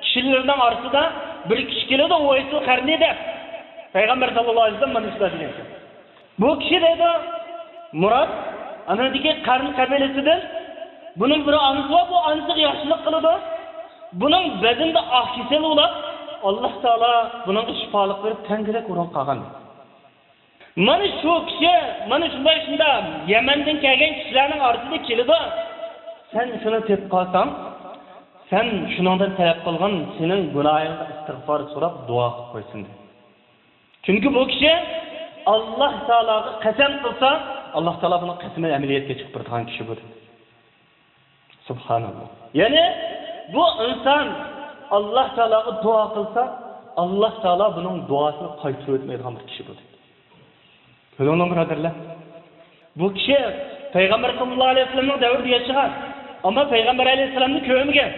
كىشىلىرىنىڭ ئارىسىدا بىر كىشى كېلىدۇ، ئۇۋەيسۇل قەرنى دەپ. پەيغەمبەر ساللاللاھۇ ئەلەيھى ۋەسەللەم مانا شۇنداق دېگەن. بۇ كىشى دەيدۇ، مۇراد، ئانىدىكى قەرن قەبىلىسىدىن، بۇنىڭ بىر ئانىسى بار، بۇ ئانىسىغا ياخشىلىق قىلىدۇ. بۇنىڭ بەدىنىدە ئاق كېسەل بولۇپ، ئاللا تائالا بۇنىڭغا شىپالىق بېرىپ، تەڭگىدەك ئورۇن قالغان. مانا شۇ كىشى، مانا شۇنداق، شۇنداق يەمەندىن كەلگەن كىشىلەرنىڭ ئارىسىدا كېلىدۇ. سەن شۇنى تېپىپ قالساڭ، سەن شۇنىڭدىن تەلەپ قىلغىن، سېنىڭ گۇناھىڭغا ئىستىغپار سوراپ دۇئا قىلىپ قويسۇن دېدى. چۈنكى بۇ كىشى ئاللا تائالاغا قەسەم قىلسا، ئاللا تائالا بۇنىڭ قەسىمىنى ئەمەلىيەتكە چىقىرىدىغان كىشى بۇ دېدى. سۇبھاناللا. يەنى بۇ ئىنسان ئاللا تائالاغا دۇئا قىلسا، ئاللا تائالا بۇنىڭ دۇئاسىنى قايتۇرۇۋەتمەيدىغان بىر كىشى بۇ دېدى. كۆرۈڭلار، بۇرادەرلەر. بۇ كىشى پەيغەمبەر ساللاللاھۇ ئەلەيھى ۋەسەللەمنىڭ دەۋرىدە ياشىغان، ئەمما پەيغەمبەر ئەلەيھىسسالامنى كۆرمىگەن.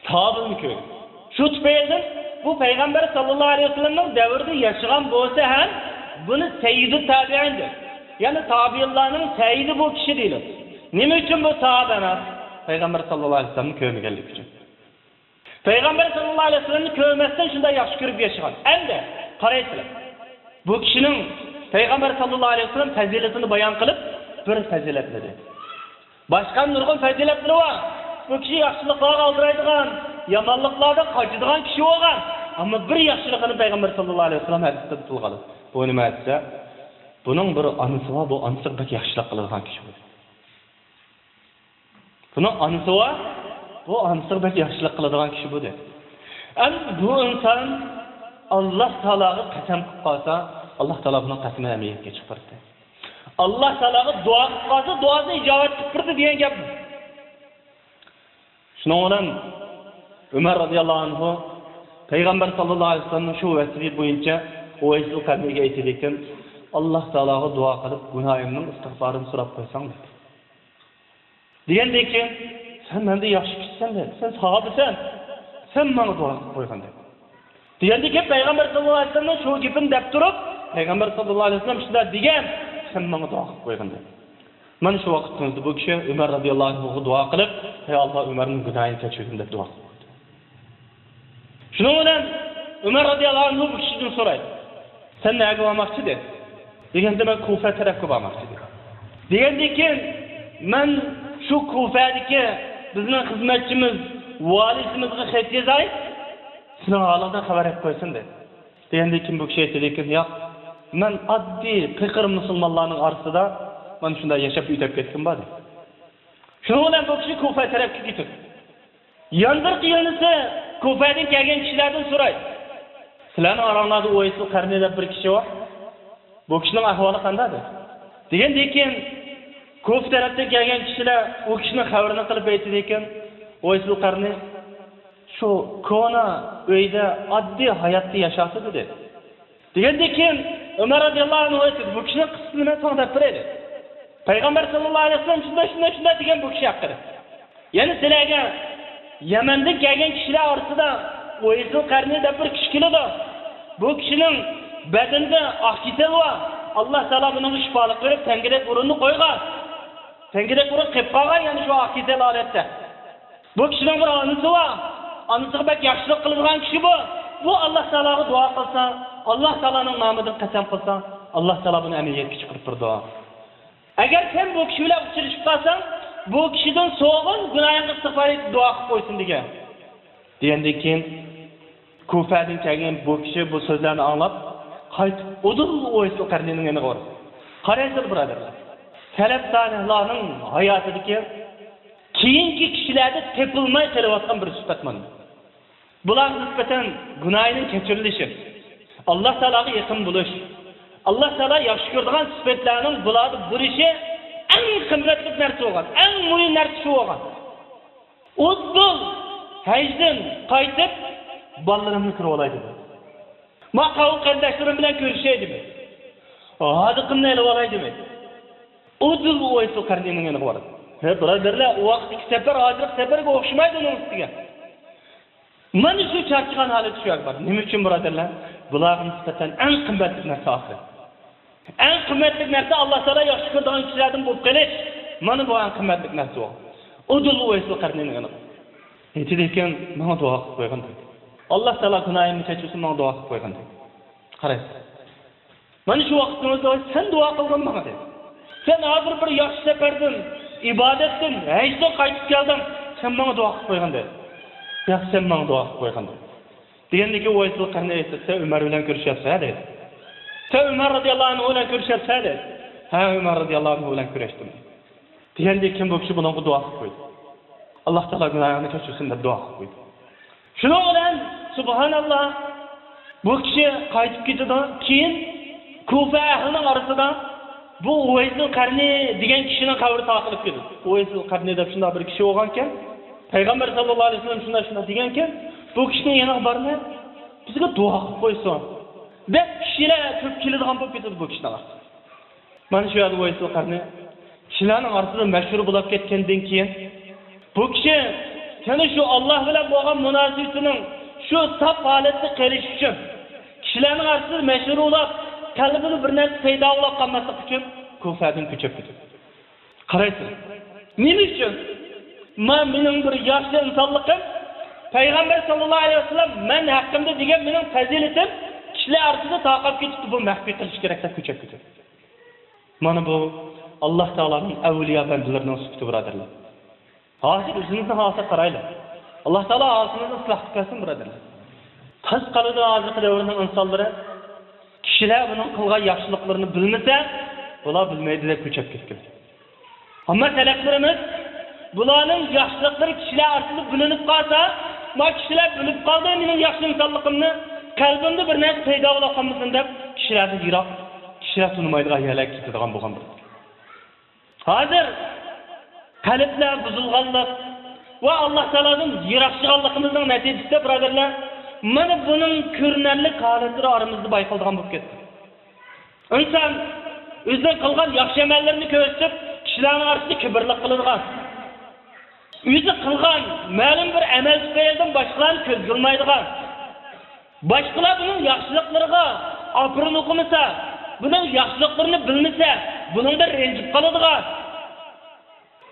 ساھابىنى كۆرگەن. شۇ تۈپەيلىدىن بۇ پەيغەمبەر ساللاللاھۇ ئەلەيھى ۋەسەللەمنىڭ دەۋرىدە ياشىغان بولسا ھەم، بۇنى سەييىدۇ تابىئىن دەپ، يەنى تابىئىنلارنىڭ سەييىدى بۇ كىشى دېيىلىدۇ. نېمە ئۈچۈن بۇ ساھابە ئەمەس؟ پەيغەمبەر ساللاللاھۇ ئەلەيھى ۋەسەللەمنى كۆرمىگەنلىكى ئۈچۈن. پەيغەمبەر ساللاللاھۇ ئەلەيھى ۋەسەللەمنى كۆرمەستىن شۇنداق ياخشى كۆرۈپ ياشىغان. ئەمدى قارايسىلەر. بۇ كىشىنىڭ پەيغەمبەر ساللاللاھۇ ئەلەيھى ۋەسەللەم پەزىلىتىنى بايان قىلىپ، بىر پەزىلەتلىرى. باشقا نۇرغۇن پەزىلەتلىرى بار. بۇ كىشى ياخشىلىقلارغا ئالدىرايدىغان، يامانلىقلاردىن قاچىدىغان كىشى بولغان. ئەمما بىر ياخشىلىقىنى پەيغەمبەر ساللاللاھۇ ئەلەيھى ۋەسەللەم ھەدىستە تىلغا ئالىدۇ. بۇ نېمە دېسە، بۇنىڭ بىر ئانىسى بار، بۇ ئانىسىغا بەك ياخشىلىق قىلىدىغان كىشى بۇ. بۇنىڭ ئانىسى بار، بۇ ئانىسىغا بەك ياخشىلىق قىلىدىغان كىشى بۇ دېدى. ئەمدى بۇ ئىنسان ئاللا تائالاغا قەسەم قىلىپ قالسا، ئاللا تائالا بۇنىڭ قەسىمىنى ئەمەلىيەتكە چىقىرىدۇ. ئاللا تائالاغا دۇئا قىلىپ قالسا، دۇئاسىنى ئىجابەت قىلىپ بېرىدۇ دېگەن گەپ. شۇنىڭ بىلەن ئۆمەر رازىياللاھۇ ئەنھۇ پەيغەمبەر ساللاللاھۇ ئەلەيھى ۋەسەللەمنىڭ شۇ ۋەسىيىتى بويىچە ئۇۋەيسۇل قەرنىيگە ئېيتىدىكەن، ئاللا تائالاغا دۇئا قىلىپ، گۇناھىمنىڭ ئىستىغپارىنى سوراپ قويساڭ دېدى. دېگەندىن كېيىن، سەن مەندىن ياخشى كىشىسەن دېدى، سەن ساھابىسەن، سەن ماڭا دۇئا قىلىپ قويغىن دېدى. دېگەندىن كېيىن پەيغەمبەر ساللاللاھۇ ئەلەيھى ۋەسەللەمنىڭ شۇ گېپىنى دەپ تۇرۇپ، پەيغەمبەر ساللاللاھۇ ئەلەيھى ۋەسەللەم شۇنداق دېگەن، سەن ماڭا دۇئا قىلىپ قويغىن دېدى. مانا شۇ ۋاقىتتا بۇ كىشى ئۆمەر رازىياللاھۇ ئەنھۇغا دۇئا قىلىپ، ئەي ئاللا، ئۆمەرنىڭ گۇناھىنى كەچۈرگىن دەپ دۇئا قىلىپ قويدى. شۇنىڭ بىلەن ئۆمەر رازىياللاھۇ ئەنھۇ بۇ كىشىدىن سورايدۇ، سەن نەگە بارماقچى دېدى. دېگەندە مەن كۇفە تەرەپكە بارماقچى دېدى. دېگەندىن كېيىن مەن شۇ كۇفەدىكى بىزنىڭ خىزمەتچىمىز، ۋالىسىمىزغا خەت يازاي، سېنىڭ ھالىڭدىن خەۋەر ئېلىپ قويسۇن دېدى. دېگەندىن كېيىن بۇ كىشى ئېيتىدىكەن، ياق، مەن ئاددىي قېقىر مۇسۇلمانلارنىڭ ئارىسىدا مانا شۇنداق ياشاپ ئۆتۈپ كەتكىنىم بار دېدى. شۇنىڭ بىلەن بۇ كىشى كۇفە تەرەپكە كېتىدۇ. ياندىرقى يۆنىسى كۇفەدىن كەلگەن كىشىلەردىن سورايدۇ، سىلەرنىڭ ئاراڭلاردا ئۇۋەيسۇل قەرنى دەپ بىر كىشى بار. بۇ كىشىنىڭ ئەھۋالى قانداق دەپ. دېگەندىن كېيىن كۇفە تەرەپتىن كەلگەن كىشىلەر ئۇ كىشىنىڭ خەۋىرىنى قىلىپ ئېيتىدىكەن، ئۇۋەيسۇل قەرنى شۇ كونا ئۆيدە ئاددىي ھاياتتا ياشايتتى دېدى. دېگەندىن كېيىن ئۆمەر رازىياللاھۇ ئەنھۇ ئېيتتى، بۇ كىشىنىڭ قىسسىسىنى مەن ساڭا دەپ بېرەيلى. پەيغەمبەر ساللاللاھۇ ئەلەيھى ۋەسەللەم شۇنداق، شۇنداق، شۇنداق دېگەن بۇ كىشى ھەققىدە. يەنى سىلەرگە يەمەندىن كەلگەن كىشىلەر ئارىسىدا ئۇۋەيسۇل قەرنى دەپ بىر كىشى كېلىدۇ. بۇ كىشىنىڭ بەدىنىدە ئاق كېسەل بار. ئاللا تائالا بۇنىڭغا شىپالىق بېرىپ، تەڭگىدەك ئورۇننى قويغان. تەڭگىدەك ئورۇن قېلىپ قالغان، يەنى شۇ ئاق كېسەل ھالەتتە. بۇ كىشىنىڭ بىر ئانىسى بار. ئانىسىغا بەك ياخشىلىق قىلىدىغان كىشى بۇ. بۇ ئاللا تائالاغا دۇئا قىلسا، ئاللا تائالانىڭ نامىدىن قەسەم قىلسا، ئاللا تائالا بۇنى ئەمەلىيەتكە چىقىرىپ بېرىدۇ. ئەگەر سەن بۇ كىشى بىلەن ئۇچرىشىپ قالساڭ، بۇ كىشىدىن سوغۇن، گۇناھىڭغا ئىستىغپار ئېيتىپ دۇئا قىلىپ قويسۇن دېگەن. دېگەندىن كېيىن كۇفەدىن كەلگەن بۇ كىشى بۇ سۆزلەرنى ئاڭلاپ، قايتىپ ئۇدۇل ئۇۋەيسۇل قەرنىينىڭ يېنىغا بارىدۇ. قارايسىز، بۇرادەرلەر، سەلەف سالىھلارنىڭ ھاياتىدىكى كېيىنكى كىشىلەردە تېپىلماي قېلىۋاتقان بىر سۈپەت مانا. بۇلارغا نىسبەتەن گۇناھىنىڭ كەچۈرۈلۈشى، ئاللا تائالاغا يېقىن بولۇش، ئاللا تائالا ياخشى كۆرىدىغان سۈپەتلەرنىڭ بۇلاردا بولۇشى ئەڭ قىممەتلىك نەرسە بولغان، ئەڭ مۇھىم نەرسە شۇ بولغان. ئۇدۇل ھەجدىن قايتىپ، بالىلىرىمنى كۆرۈۋالاي دېدى. ما قاۋۇل قېرىنداشلىرىم بىلەن كۆرۈشەي دېدى. ھازىقىمنى ئېلىۋالاي دېدى. ئۇدۇل ئۇۋەيسۇل قەرنىينىڭ يېنىغا بارىدۇ. ھە، بۇرادەرلەر، ئۇ ۋاقىتتىكى سەپەر ھازىرقى سەپەرگە ئوخشىمايدۇ ئۇنىڭ ئۈستىگە. مانا شۇ چارچىغان ھالەت شۇ يەردە بار. نېمە ئۈچۈن، بۇرادەرلەر؟ بۇلارغا نىسبەتەن ئەڭ قىممەتلىك نەرسە ئاخىرەت. ئەڭ قىممەتلىك نەرسە ئاللا تائالا ياخشى كۆرىدىغان كىشىلەردىن بولۇپ قېلىش. مانا بۇ ئەڭ قىممەتلىك نەرسە بۇ. ئۇدۇل ئۇۋەيسۇل قەرنىينىڭ يېنىغا. ئېيتىدىكەن، ماڭا دۇئا قىلىپ قويغىن دېدى. ئاللا تائالا گۇناھىمنى كەچۈرسۇن، ماڭا دۇئا قىلىپ قويغىن دېدى. قارايسىز. مانا شۇ ۋاقىتتا سەن دۇئا قىلغىن ماڭا دېدى. سەن ھازىر بىر ياخشى سەپەردىن، ئىبادەتتىن، ھەجدىن قايتىپ كەلدىڭ، سەن ماڭا دۇئا قىلىپ قويغىن دېدى. ياق، سەن ماڭا دۇئا قىلىپ قويغىن دېدى. دېگەندىكىن ئۇۋەيسۇل قەرنى ئېيتتى، سەن ئۆمەر بىلەن كۆرۈشەتسەن دېدى. سەن ئۆمەر رەزىياللاھۇ ئەنھۇ بىلەن كۆرۈشەتسەن دېدى. ھە، ئۆمەر رەزىياللاھۇ ئەنھۇ بىلەن كۆرۈشتۈم. دېگەندىن كېيىن بۇ كىشى بۇنىڭغا دۇئا قىلىپ قويدى. ئاللا تائالا گۇناھىڭنى كەچۈرسۇن دەپ دۇئا قىلىپ قويدى. شۇنىڭ بىلەن، سۇبھاناللا، بۇ كىشى قايتىپ كېتىدۇ. كېيىن كۇفە ئەھلىنىڭ ئارىسىدا بۇ ئۇۋەيسۇل قەرنى دېگەن كىشىنىڭ قەبرى تاقىلىپ كېتىدۇ. ئۇۋەيسۇل قەرنى دەپ شۇنداق بىر كىشى بولغانكەن. پەيغەمبەر ساللاللاھۇ ئەلەيھى ۋەسەللەم شۇنداق، شۇنداق دېگەنكەن، بۇ كىشىنىڭ يېنىغا بارماي، بىزگە دۇئا قىلىپ قويسۇن دەپ كىشىلەر كۆپ كېلىدىغان بولۇپ كېتىدۇ بۇ كىشىنىڭ ئارىسىدا. مانا شۇ يەردە ئۇۋەيسۇل قەرنى كىشىلەرنىڭ ئارىسىدا مەشھۇر بولۇپ كەتكەندىن كېيىن، بۇ كىشى يەنە شۇ ئاللا بىلەن بولغان مۇناسىۋىتىنىڭ شۇ ساپ ھالەتتە قېلىش ئۈچۈن، كىشىلەرنىڭ ئارىسىدا مەشھۇر بولۇپ، قەلبىدە بىر نەرسە پەيدا بولۇپ قالماسلىق ئۈچۈن كۇفەدىن كۆچۈپ كېتىدۇ. قارايسىز، نېمە ئۈچۈن؟ ما مېنىڭ بىر ياخشى ئىنسانلىقىم، پەيغەمبەر ساللاللاھۇ ئەلەيھى ۋەسەللەم مەن ھەققىمدە دېگەن مېنىڭ پەزىلىتىم كىشىلەر ئارىسىدا تارقاپ كېتىپتۇ، بۇ مەخپىي قىلىش كېرەك دەپ كۆچۈپ كېتىدۇ. مانا بۇ ئاللا تائالانىڭ ئەۋلىيا بەندىلىرىنىڭ سۈپىتى، بۇرادەرلەر. ھازىر ئۆزىمىزنى ھالىغا قارايلى. ئاللا تائالا ھالىمىزنى ئىسلاھ قىلىپ بەرسۇن، بۇرادەرلەر. قىز قالىدۇ ھازىرقى دەۋرنىڭ ئىنسانلىرى. كىشىلەر بۇنىڭ قىلغان ياخشىلىقلىرىنى بىلمىسە، بۇلار بىلمەيدۇ دەپ كۆچۈپ كەتكەن. ئەمما سەلەفلىرىمىز بۇلارنىڭ ياخشىلىقلىرى كىشىلەر ئارىسىدا بىلىنىپ قالسا، ما كىشىلەر بىلىپ قالدى مېنىڭ ياخشى ئىنسانلىقىمنى، قەلبىمدە بىر نەرسە پەيدا بولا قالمىسۇن دەپ، كىشىلەردىن يىراق، كىشىلەر تونۇمايدىغان يەرلەرگە كېتىدىغان بولغان بىر. ھازىر قەلبلەر بۇزۇلغانلىق ۋە ئاللا تائالادىن يىراقلاشقانلىقىمىزنىڭ نەتىجىسىدە، بۇرادەرلەر، مانا بۇنىڭ كۆرۈنەرلىك ھالەتلىرى ئارىمىزدا بايقىلىدىغان بولۇپ كەتتى. ئىنسان ئۆزىنىڭ قىلغان ياخشى ئەمەللىرىنى كۆرسىتىپ، كىشىلەرنىڭ ئارىسىدا كىبىرلىق قىلىدىغان، ئۆزى قىلغان مەلۇم بىر ئەمەل تۈپەيلىدىن باشقىلارنى كۆزگە ئىلمايدىغان، باشقىلار بۇنىڭ ياخشىلىقلىرىغا ئاپىرىن ئوقۇمىسا، بۇنىڭ ياخشىلىقلىرىنى بىلمىسە، بۇنىڭدىن رەنجىپ قالىدىغان.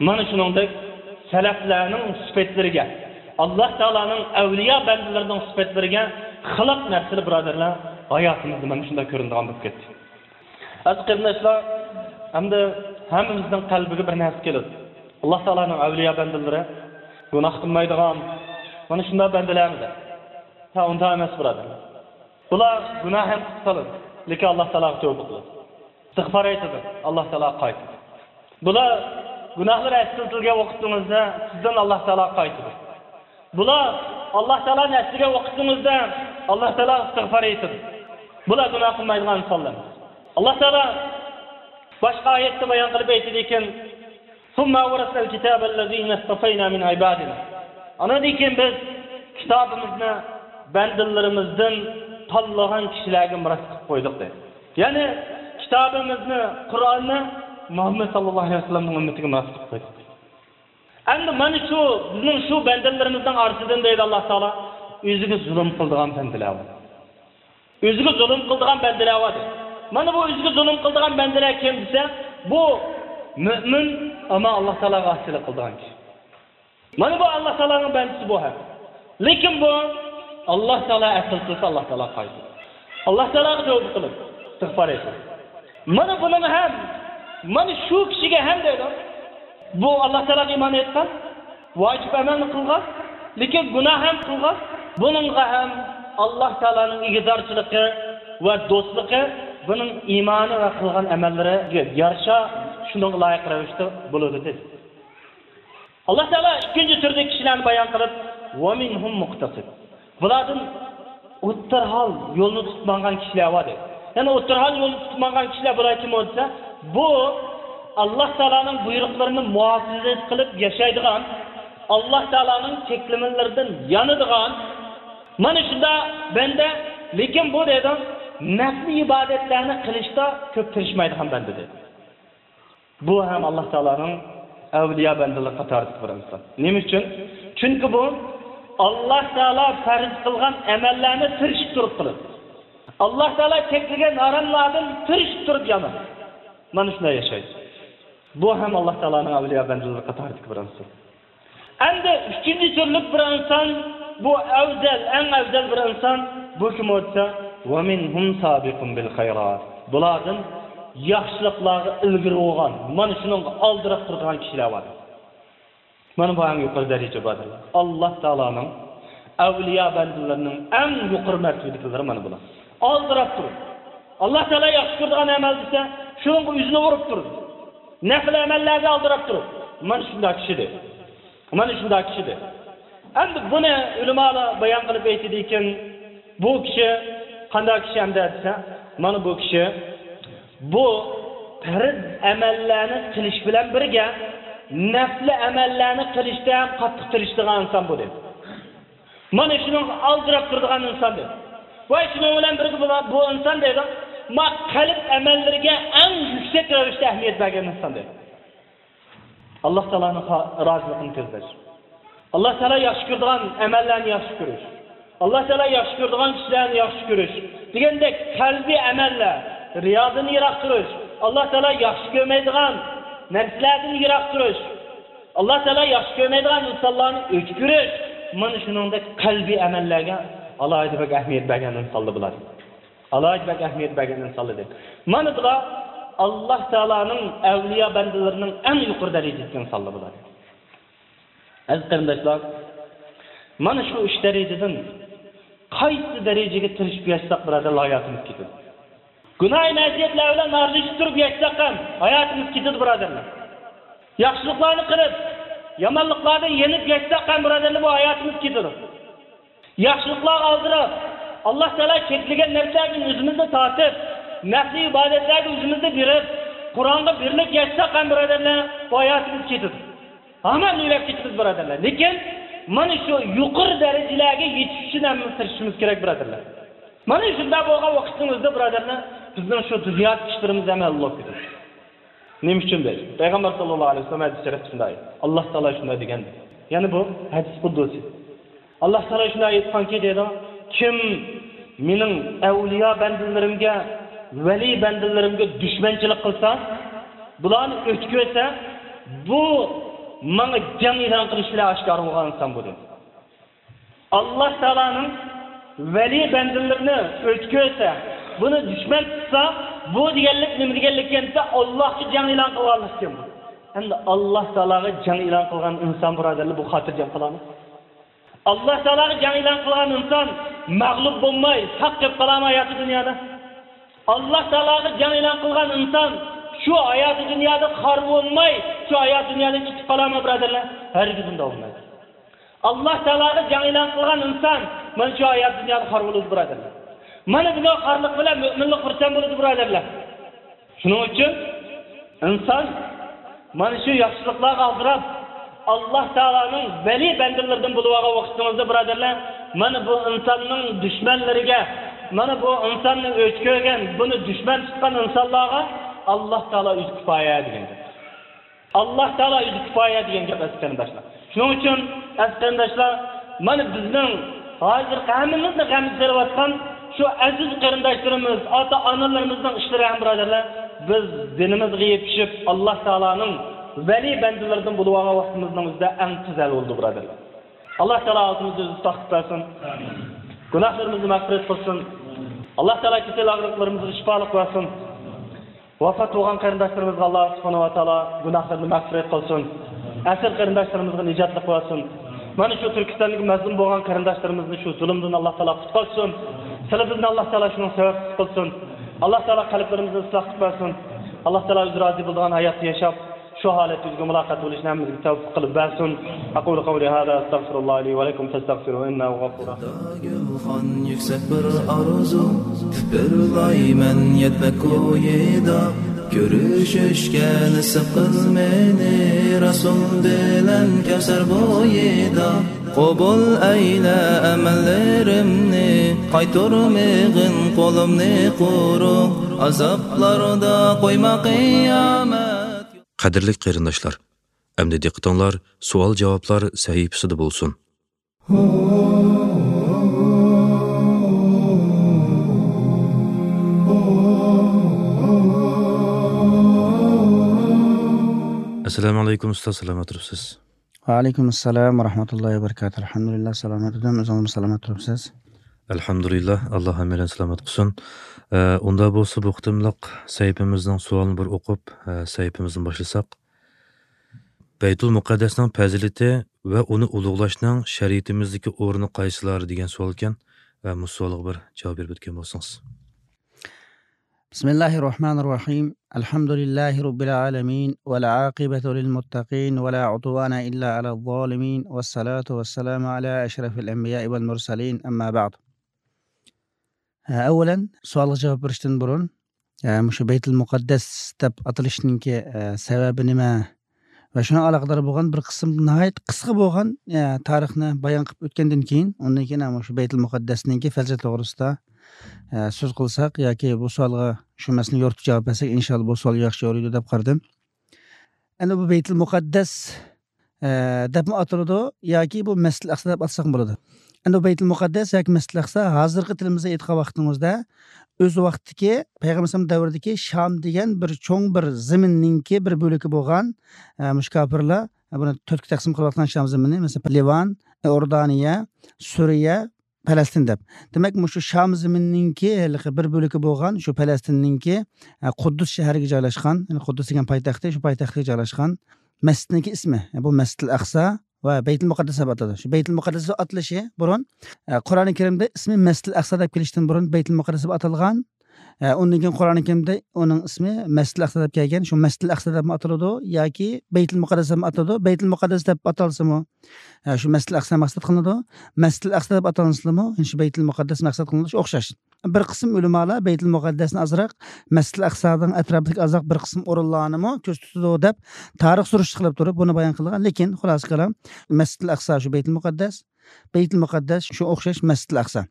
مانا شۇنىڭدەك سەلەفلەرنىڭ سۈپەتلىرىگە، ئاللا تائالانىڭ ئەۋلىيا بەندىلىرىنىڭ سۈپەتلىرىگە خىلاپ نەرسىلەر، بۇرادەرلەر، ھاياتىمىزدا مانا شۇنداق كۆرۈنىدىغان بولۇپ كەتتى. ئەزىز قېرىنداشلار، ئەمدى ھەممىمىزنىڭ قەلبىگە بىر نەرسە كېلىدۇ. ئاللا تائالانىڭ ئەۋلىيا بەندىلىرى گۇناھ قىلمايدىغان، مانا شۇنداق بەندىلەرمىدى؟ ھە، ئۇنداق ئەمەس، بۇرادەرلەر. بۇلار گۇناھ ھەم قىلىپ قالىدۇ، لېكىن ئاللا تائالاغا تەۋبە قىلىدۇ، ئىستىغپار ئېيتىدۇ، ئاللا تائالاغا قايتىدۇ. بۇلار گۇناھلىرى ئەسلىتىلگەن ۋاقتىڭىزدا سىزدىن ئاللا تائالاغا قايتىدۇ. بۇلار ئاللا تائالانى ئەسلىگەن ۋاقتىڭىزدا ئاللا تائالاغا ئىستىغپار ئېيتىدۇ. بۇلار گۇناھ قىلمايدىغان ئىنسانلار. ئاللا تائالا باشقا ئايەتتە بايان قىلىپ ئېيتىدىكەن، ثم أورثنا الكتاب الذين اصطفينا من عبادنا. ئاندىن كېيىن بىز كىتابىمىزنى بەندىلىرىمىزدىن تاللىغان كىشىلەرگە مىراس قىلىپ قويدۇق دەيدۇ. يەنى كىتابىمىزنى، قۇرئاننى مۇھەممەد ساللاللاھۇ ئەلەيھى ۋەسەللەمنىڭ ئۈممىتىگە مىراس قىلىپ قويدۇق دەيدۇ. ئەمدى مانا شۇ بىزنىڭ شۇ بەندىلىرىمىزنىڭ ئارىسىدىن دەيدۇ ئاللا تائالا، ئۆزىگە زۇلۇم قىلىدىغان بەندىلەر بار. ئۆزىگە زۇلۇم قىلىدىغان بەندىلەر بار دەيدۇ. مانا بۇ ئۆزىگە زۇلۇم قىلىدىغان بەندىلەر كىم دېسە، بۇ مۆمىن، ئەمما ئاللا تائالاغا ئاسىيلىق قىلىدىغان كىشى. مانا بۇ ئاللا تائالانىڭ بەندىسى بۇ ھەم. لېكىن بۇ ئاللا تائالا ئەسلىتىلسە ئاللا تائالاغا قايتىدۇ. ئاللا تائالاغا تەۋبە قىلىدۇ، ئىستىغپار ئېيتىدۇ. مانا بۇنىڭ ھەم، مانا شۇ كىشىگە ھەم دەيدۇ. بۇ ئاللا تائالاغا ئىمان ئېيتقان، ۋاجىپ ئەمەلنى قىلغان، لېكىن گۇناھ ھەم قىلغان. بۇنىڭغا ھەم ئاللاھ تائالانىڭ ئىگىدارچىلىقى ۋە دوستلۇقى بۇنىڭ ئىمانى ۋە قىلغان ئەمەللىرىگە يارىشا، شۇنىڭغا لايىق رەۋىشتە بولىدۇ، دېدى. ئاللاھ تائالا ئىككىنچى تۈردىكى كىشىلەرنى بايان قىلىپ، «ۋە مىنھۇم مۇقتەسىد.» بۇلاردىن ئوتتۇرا ھال يولنى تۇتۇپ ماڭغان كىشىلەر بار، دېدى. يەنى ئوتتۇرا ھال يولنى تۇتۇپ ماڭغان كىشىلەر بۇلار كىم دېسە، بۇ ئاللاھ تائالانىڭ بۇيرۇقلىرىنى مۇھافىزە قىلىپ ياشايدىغان، ئاللاھ تائالانىڭ چەكلىمىلىرىدىن يانىدىغان، مانا شۇنداق بەندە، لېكىن بۇ دېدى، نەپلى ئىبادەتلەرنى قىلىشتا كۆپ تىرىشمايدىغان بەندە، دېدى. بۇ ھەم ئاللاھ تائالانىڭ ئەۋلىيا بەندىلىرى قاتارىدىكى بىر ئىنسان. نېمە ئۈچۈن؟ چۈنكى بۇ ئاللاھ تائالا پەرز قىلغان ئەمەللەرنى تىرىشىپ تۇرۇپ قىلىدۇ. ئاللاھ تائالا چەكلىگەن ھاراملاردىن تىرىشىپ تۇرۇپ يانىدۇ. مانا شۇنداق ياشايدۇ. بۇ ھەم ئاللاھ تائالانىڭ ئەۋلىيا بەندىلىرى قاتارىدىكى بىر ئىنسان. ئەمدى ئۈچىنچى تۈرلۈك بىر ئىنسان، بۇ ئەۋزەل، ئەڭ ئەۋزەل بىر ئىنسان، بۇ كىم دېسە، «ۋە مىنھۇم سابىقۇن بىل خەيرات.» بۇلاردىن ياخشىلىقلارغا ئىلگىرى بولغان، مانا شۇنىڭغا ئالدىراپ تۇرىدىغان كىشىلەر بار. مانا بۇ ئەڭ يۇقىرى دەرىجە بۇرادەرلەر. ئاللاھ تائالانىڭ ئەۋلىيا بەندىلىرىنىڭ ئەڭ يۇقىرى مەرتىۋىدىكىلىرى مانا بۇلار. ئالدىراپ تۇرۇپ، ئاللاھ تائالا ياخشى كۆرىدىغان ئەمەل دېسە، شۇنىڭغا ئۆزىنى ئۇرۇپ تۇرىدۇ. نەپلى ئەمەللەرگە ئالدىراپ تۇرۇپ، مانا شۇنداق كىشى دېدى. مانا شۇنداق كىشى دېدى. ئەمدى بۇنى ئۆلىمالار بايان قىلىپ ئېيتىدىكەن، بۇ كىشى قانداق كىشى ئەمدى دېسە، مانا بۇ كىشى بۇ پەرز ئەمەللەرنى قىلىش بىلەن بىرگە، نەپلى ئەمەللەرنى قىلىشتا ھەم قاتتىق تىرىشىدىغان ئىنسان بۇ دېدى. مانا شۇنىڭغا ئالدىراپ تۇرىدىغان ئىنسان دېدى. ۋە شۇنىڭ بىلەن بىرگە بۇ، بۇ ئىنسان دېدى، ما قەلب ئەمەللىرىگە ئەڭ يۈكسەك رەۋىشتە ئەھمىيەت بەرگەن ئىنسان دېدى. ئاللاھ تائالانىڭ خا-، رازىلىقىنى كۆزلەش. ئاللاھ تائالا ياخشى كۆرىدىغان ئەمەللەرنى ياخشى كۆرۈش. ئاللاھ تائالا ياخشى كۆرىدىغان كىشىلەرنى ياخشى كۆرۈش. دېگەندەك قەلبىي ئەمەللەر، رىيادىن يىراق تۇرۇش. ئاللاھ تائالا ياخشى كۆرمەيدىغان نەرسىلەردىن يىراق تۇرۇش. ئاللاھ تائالا ياخشى كۆرمەيدىغان ئىنسانلارنى ئۆچ كۆرۈش. مانا شۇنىڭدەك قەلبىي ئەمەللەرگە ئالاھىدە بەك ئەھمىيەت بەرگەن ئىنسانلار بۇلار. ئالاھىدە بەك ئەھمىيەت بەرگەن ئىنسانلار دېدى. مانا بۇلار ئاللاھ تائالانىڭ ئەۋلىيا بەندىلىرىنىڭ ئەڭ يۇقىرى دەرىجىدىكى ئىنسانلار بۇلار. ئەزىز قېرىنداشلار، مانا شۇ ئۈچ دەرىجىدىن قايسى دەرىجىگە تىرىشىپ ياشىساق، بۇرادەرلەر، ھاياتىمىز كېتىدۇ. گۇناھ مەسىيەتلەر بىلەن ئارىلىشىپ تۇرۇپ ياشىساق ھەم ھاياتىمىز كېتىدۇ، بۇرادەرلەر. ياخشىلىقلارنى قىلىپ، يامانلىقلاردىن يېنىپ ياشىساق ھەم، بۇرادەرلەر، بۇ ھاياتىمىز كېتىدۇ. ياخشىلىقلارغا ئالدىراپ، ئاللاھ تائالا چەكلىگەن نەرسىلەردىن ئۆزىمىزنى تارتىپ، نەپلى ئىبادەتلەرگە ئۆزىمىزنى بېرىپ، قۇرئانغا بېرىلىپ ياشىساق ھەم، بۇرادەرلەر، بۇ ھاياتىمىز كېتىدۇ. ھامان ئۆلۈپ كېتىمىز، بۇرادەرلەر. لېكىن مانا شۇ يۇقىرى دەرىجىلەرگە يېتىش ئۈچۈن ھەممىمىز تىرىشىشىمىز كېرەك، بۇرادەرلەر. مانا شۇنداق بولغان ۋاقىتنىڭ ئۆزىدە، بۇرادەرلەر، بىزنىڭ شۇ دۇنيادىكى ئىشلىرىمىز ھەم ھەل بولۇپ كېتىدۇ. نېمە ئۈچۈن دەيسىز؟ پەيغەمبەر ساللاللاھۇ ئەلەيھى ۋەسەللەم ھەدىس شەرىپتە شۇنداق، ئاللاھ تائالا شۇنداق دېگەن. يەنى بۇ ھەدىس قۇددۇسى. ئاللاھ تائالا شۇنداق ئېيتقانكى، دەيدۇ، كىم مېنىڭ ئەۋلىيا بەندىلىرىمگە، ۋەلىي بەندىلىرىمگە دۈشمەنچىلىك قىلسا، بۇلارنى ئۆچ كۆرسە، بۇ ماڭا جەڭ ئېلان قىلىش بىلەن ئاشكارا بولغان ئىنسان بۇ، دېدى. ئاللاھ تائالانىڭ ۋەلىي بەندىلىرىنى ئۆچ كۆرسە، بۇنى دۈشمەن تۇتسا، بۇ دېگەنلىك نېمە دېگەنلىككەن دېسە، ئاللاھقا جەڭ ئېلان قىلغانلىقكەن بۇ. ئەمدى ئاللاھ تائالاغا جەڭ ئېلان قىلغان ئىنسان، بۇرادەرلەر، بۇ خاتىرجەم قالامدۇ؟ ئاللاھ تائالاغا جەڭ ئېلان قىلغان ئىنسان مەغلۇپ بولماي ساق قېلىپ قالامدۇ ھاياتى دۇنيادا؟ ئاللاھ تائالاغا جەڭ ئېلان قىلغان ئىنسان شۇ ھاياتى دۇنيادا خار بولماي، شۇ ھاياتى دۇنيادىن كېتىپ قالامدۇ، بۇرادەرلەر؟ ھەرگىز ئۇنداق بولمايدۇ. ئاللاھ تائالاغا جەڭ ئېلان قىلغان ئىنسان مانا شۇ ھاياتى دۇنيادا خار بولىدۇ، بۇرادەرلەر. مانا بۇ خارلىق بىلەن مۆمىنلىك خۇرسەن بولىدۇ، بۇرادەرلەر. شۇنىڭ ئۈچۈن ئىنسان مانا شۇ ياخشىلىقلارغا ئالدىراپ، ئاللاھ تائالانىڭ ۋەلىي بەندىلىرىدىن بولۇۋالغان ۋاقتىڭىزدا، بۇرادەرلەر، مانا بۇ ئىنساننىڭ دۈشمەنلىرىگە، مانا بۇ ئىنساننى ئۆچ كۆرگەن، بۇنى دۈشمەن تۇتقان ئىنسانلارغا ئاللاھ تائالا ئۆزى كۇپايە دېگەن گەپ. ئاللاھ تائالا ئۆزى كۇپايە دېگەن گەپ، ئەزىز قېرىنداشلار. شۇنىڭ ئۈچۈن، ئەزىز قېرىنداشلار، مانا بىزنىڭ ھازىرقى ھەممىمىزنى غەم سېلىۋاتقان شۇ ئەزىز قېرىنداشلىرىمىز، ئاتا-ئانىلىرىمىزنىڭ ئىشلىرى ھەم، بۇرادەرلەر، بىز دىنىمىزغا يېپىشىپ، ئاللاھ تائالانىڭ ۋەلىي بەندىلىرىدىن بولۇۋالغان ۋاقتىمىزنىڭ ئۆزىدە ئەڭ تېز ھەل بولىدۇ، بۇرادەرلەر. ئاللاھ تائالا ھالىتىمىزنى ئۆزى ساقلاپ بەرسۇن. گۇناھلىرىمىزنى مەغپىرەت قىلسۇن. ئاللاھ تائالا كېسەل ئاغرىقلىرىمىزغا شىپالىق بەرسۇن. ۋاپات بولغان قېرىنداشلىرىمىزغا ئاللاھ سۇبھانەھۇ ۋە تائالا گۇناھلىرىنى مەغپىرەت قىلسۇن. ئەسىر قېرىنداشلىرىمىزغا نىجاتلىق بەرسۇن. مانا شۇ تۈركىستاندىكى مەزلۇم بولغان قېرىنداشلارىمىزنى شۇ زۇلۇمدىن ئاللا تائالا قۇتقۇزسۇن. سىلەر بىزنى ئاللا تائالا شۇنىڭ سەۋەبچىسى قىلسۇن. ئاللا تائالا قەلبلىرىمىزنى ئىسلاھ قىلىپ بەرسۇن. ئاللا تائالا ئۆزى رازى بولىدىغان ھاياتتا ياشاپ، شۇ ھالەتتە ئۆزىگە مۇلاقات بولۇشنى ھەممىمىزگە تەۋپىق قىلىپ بەرسۇن. أقول قولي هذا أستغفر الله لي ولكم فاستغفروه إنه غفور رحيم. گۈلخان يۈكسەك بىر ئارزۇ، پىپىرلايمەن يەتمەك كويىدا. كۆرۈشۈشكە نېسىپ قىل مېنى، رەسۇل بىلەن كەۋسەر بويىدا. قوبۇل ئەيلە ئەمەللىرىمنى، قايتۇرمىغىن قولۇمنى قۇرۇق، ئازابلاردا قويما قىيامەت. قەدىرلىك قېرىنداشلار، ئەمدى دىققىتىڭلار سوئال-جاۋابلار سەھىپىسىدە بولسۇن. ئەسسالامۇ ئەلەيكۇم ئۇستاز، سالامەت تۇرۇپسىز؟ ۋەئەلەيكۇم ئەسسالام ۋە رەھمەتۇللاھى ۋە بەرىكاتۇھ. ئەلھەمدۇلىللا، سالامەت ئىدىم. ئۆزىڭىزمۇ سالامەت تۇرۇپسىز؟ ئەلھەمدۇلىللا، ئاللا ھەممەيلەن سالامەت قىلسۇن. ئە، ئۇندا بولسا بۇ قېتىملىق سەھىپىمىزنىڭ سوئالىنى بىر ئوقۇپ، ئە، سەھىپىمىزنى باشلىساق. بەيتۇل مۇقەددەسنىڭ پەزىلىتى ۋە ئۇنى ئۇلۇغلاشنىڭ شەرىئىتىمىزدىكى ئورنى قايسىلار دېگەن سوئال ئىكەن. ئە، مۇشۇ سوئالغا بىر جاۋاب بېرىپ ئۆتكەن بولسىڭىز. بسم الله الرحمن الرحيم. الحمد لله رب العالمين، والعاقبة للمتقين، ولا عدوان إلا على الظالمين، والصلاة والسلام على أشرف الأنبياء والمرسلين، أما بعد. ئەۋۋەلەن، سوئالغا جاۋاب بېرىشتىن بۇرۇن، مۇشۇ بەيتۇل مۇقەددەس دەپ ئاتىلىشنىڭكى سەۋەبى نېمە؟ ۋە شۇنىڭ ئالاقىدار بولغان بىر قىسىم ناھايىتى قىسقا بولغان، ئە، تارىخنى بايان قىلىپ ئۆتكەندىن كېيىن، ئۇندىن كېيىن مۇشۇ بەيتۇل مۇقەددەسنىڭكى پەزىلىتى توغرىسىدا، ئە، سۆز قىلساق ياكى بۇ سوئالغا شۇ مەسىلىنى يورۇتۇپ جاۋاب بەرسەك، ئىنشاللا بۇ سوئال ياخشى يورۇيدۇ دەپ قارىدىم. ئەمدى بۇ بەيتۇل مۇقەددەس، ئە، دەپمۇ ئاتىلىدۇ ياكى بۇ مەسجىدىل ئەقسا دەپ ئاتىساقمۇ بولىدۇ. ئەمدى بۇ بەيتۇل مۇقەددەس ياكى مەسجىدىل ئەقسا ھازىرقى تىلىمىزدا ئېيتقان ۋاقتىمىزدا ئۆز ۋاقتىدىكى پەيغەمبەر ئەلەيھىسسالام دەۋرىدىكى شام دېگەن بىر چوڭ بىر زېمىننىڭكى بىر بۆلىكى بولغان، ئە، مۇشۇ كاپىرلار، ئە، بۇنى تۆتكە تەقسىم قىلىۋاتقان شام زېمىنى، مەسىلەن، لىۋان، ئە، ئوردانىيە، سۈرىيە، پەلەستىن دەپ. دېمەك، مۇشۇ شام زېمىنىنىڭكى ھېلىقى بىر بۆلىكى بولغان شۇ پەلەستىننىڭكى، ئە، قۇددۇس شەھىرىگە جايلاشقان، يەنى قۇددۇس دېگەن پايتەختى، شۇ پايتەختكە جايلاشقان مەسچىتنىڭكى ئىسمى، ئە، بۇ مەسجىدىل ئەقسا ۋە بەيتۇل مۇقەددەس دەپ ئاتىلىدۇ. شۇ بەيتۇل مۇقەددەس دەپ ئاتىلىشى بۇرۇن، ئە، قۇرئانى كەرىمدە ئىسمى مەسجىدىل ئەقسا دەپ كېلىشتىن بۇرۇن بەيتۇل مۇقەددەس دەپ ئاتالغان. ئە، ئۇندىن كېيىن قۇرئانى كەرىمدە ئۇنىڭ ئىسمى مەسجىدىل ئەقسا دەپ كەلگەن. شۇ مەسجىدىل ئەقسا دەپمۇ ئاتىلىدۇ ياكى بەيتۇل مۇقەددەس دەپمۇ ئاتىلىدۇ. بەيتۇل مۇقەددەس دەپ ئاتالسىمۇ، ئە، شۇ مەسجىدىل ئەقسا مەقسەت قىلىنىدۇ. مەسجىدىل ئەقسا دەپ ئاتالسىمۇ، شۇ بەيتۇل مۇقەددەس مەقسەت قىلىنىدۇ. شۇ ئوخشاش. بىر قىسىم ئۆلىمالار بەيتۇل مۇقەددەسنى ئازراق مەسجىدىل ئەقسانىڭ ئەتراپىدىكى ئازراق بىر قىسىم ئورۇنلارنىمۇ كۆرسىتىدۇ دەپ تارىخ سۈرۈشتە قىلىپ تۇرۇپ بۇنى بايان قىلغان. لېكىن خۇلاسە كالام، مەسجىدىل ئەقسا شۇ بەيتۇل مۇقەددەس، بەيتۇل مۇقەددەس شۇ ئوخشاش مەسجىدىل ئەقسا.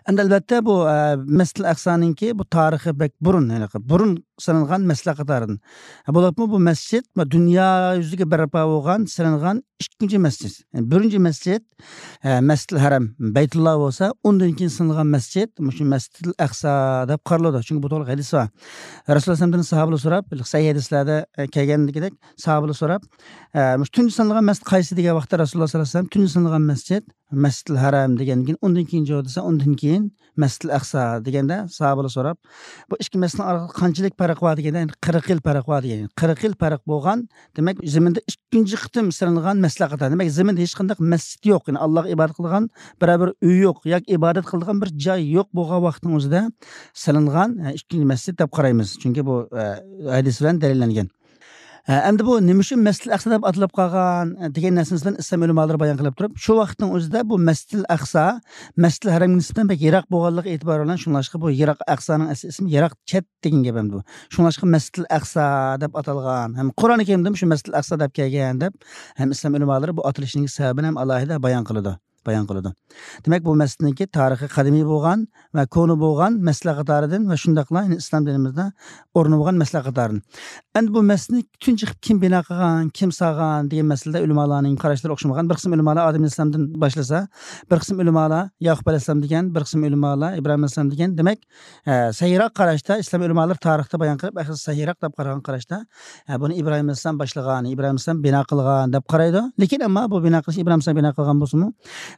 ئەمدى ئەلۋەتتە بۇ، ئە، مەسجىدىل ئەقسانىڭكى بۇ تارىخى بەك بۇرۇن، يەنى بۇرۇن سېلىنغان مەسچىتلەر قاتارىدىن. بولۇپمۇ بۇ مەسچىت دۇنيا يۈزىگە بەرپا بولغان، سېلىنغان ئىككىنچى مەسچىت. يەنى بىرىنچى مەسچىت، ئە، مەسجىدىل ھەرەم، بەيتۇللا بولسا، ئۇندىن كېيىن سېلىنغان مەسچىت مۇشۇ مەسجىدىل ئەقسا دەپ قارىلىدۇ. چۈنكى بۇ توغرىلىق ھەدىس بار. رەسۇلۇللا ئەلەيھىسسالامدىن ساھابىلەر سوراپ، سەھىھ ھەدىسلەردە، ئە، كەلگەندىكىدەك ساھابىلەر سوراپ، ئە، مۇشۇ تۇنجى سېلىنغان مەسچىت قايسى دېگەن ۋاقىتتا رەسۇلۇللا ساللاللاھۇ ئەلەيھى ۋەسەللەم تۇنجى سېلىنغان مەسچىت مەسجىدىل ھەرەم دېگەندىن كېيىن، ئۇندىن كېيىن جاۋاب دېسە، ئۇندىن كېيىن مەسجىدىل ئەقسا دېگەندە، ساھابىلەر سوراپ، بۇ ئىككى مەسچىتنىڭ ئارىلىقىدا قانچىلىك پەرق بار دېگەندە، يەنى قىرىق يىل پەرق بار دېگەن. قىرىق يىل پەرق بولغان، دېمەك، زېمىندا ئىككىنچى قېتىم سېلىنغان مەسچىتلەر قاتارى. دېمەك، زېمىندا ھېچقانداق مەسچىت يوق. يەنى ئاللاغا ئىبادەت قىلىدىغان بىرەر بىر ئۆي يوق، ياكى ئىبادەت قىلىدىغان بىر جاي يوق بولغان ۋاقىتنىڭ ئۆزىدە سېلىنغان، ئە، ئىككىنچى مەسچىت دەپ قارايمىز. چۈنكى بۇ، ئە، ھەدىس بىلەن دەلىللەنگەن. ئە، ئەمدى بۇ نېمە ئۈچۈن مەسجىدىل ئەقسا دەپ ئاتىلىپ قالغان، ئە، دېگەن نەرسىنى بىلەن ئىسلام ئۆلىمالىرى بايان قىلىپ تۇرۇپ، شۇ ۋاقىتنىڭ ئۆزىدە بۇ مەسجىدىل ئەقسا، مەسجىدىل ھەرەمگە نىسبەتەن بەك يىراق بولغانلىقى ئېتىبارى بىلەن، شۇڭلاشقا بۇ يىراق، ئەقسانىڭ ئەسلى ئىسمى يىراق، چەت دېگەن گەپ ئەمدى بۇ. شۇڭلاشقا مەسجىدىل ئەقسا دەپ ئاتالغان. ھەم قۇرئانى كەرىمدىمۇ شۇ مەسجىدىل ئەقسا دەپ كەلگەن دەپ، ھەم ئىسلام ئۆلىمالىرى بۇ ئاتىلىشنىڭ سەۋەبىنى ھەم ئالاھىدە بايان قىلىدۇ. بايان قىلىدۇ. دېمەك، بۇ مەسچىتنىڭكى تارىخى قەدىمىي بولغان ۋە كونا بولغان مەسچىتلەر قاتارىدىن ۋە شۇنداقلا، يەنى ئىسلام دىنىمىزدا ئورنى بولغان مەسچىتلەر قاتارىدىن. ئەمدى بۇ مەسچىتنى تۇنجى قىلىپ كىم بىنا قىلغان، كىم سالغان دېگەن مەسىلىدە ئۆلىمالارنىڭ قاراشلىرى ئوخشىمىغان. بىر قىسىم ئۆلىمالار ئادەم ئەلەيھىسسالامدىن باشلىسا، بىر قىسىم ئۆلىمالار ياقۇپ ئەلەيھىسسالام دېگەن، بىر قىسىم ئۆلىمالار ئىبراھىم ئەلەيھىسسالام دېگەن. دېمەك، ئە، سەھىھراق قاراشتا، ئىسلام ئۆلىمالىرى تارىختا بايان قىلىپ، ئەھلى سەھىھراق دەپ قارىغان قاراشتا، ئە، بۇنى ئىبراھىم ئەلەيھىسسالام باشلىغان، ئىبراھىم ئەلەيھىسسالام بىنا قىلغان دەپ قارايدۇ. لېكىن ئەمما بۇ بىنا قىلىش ئىبراھىم ئەلەيھىسسالام بىنا قىلغان بولسىمۇ،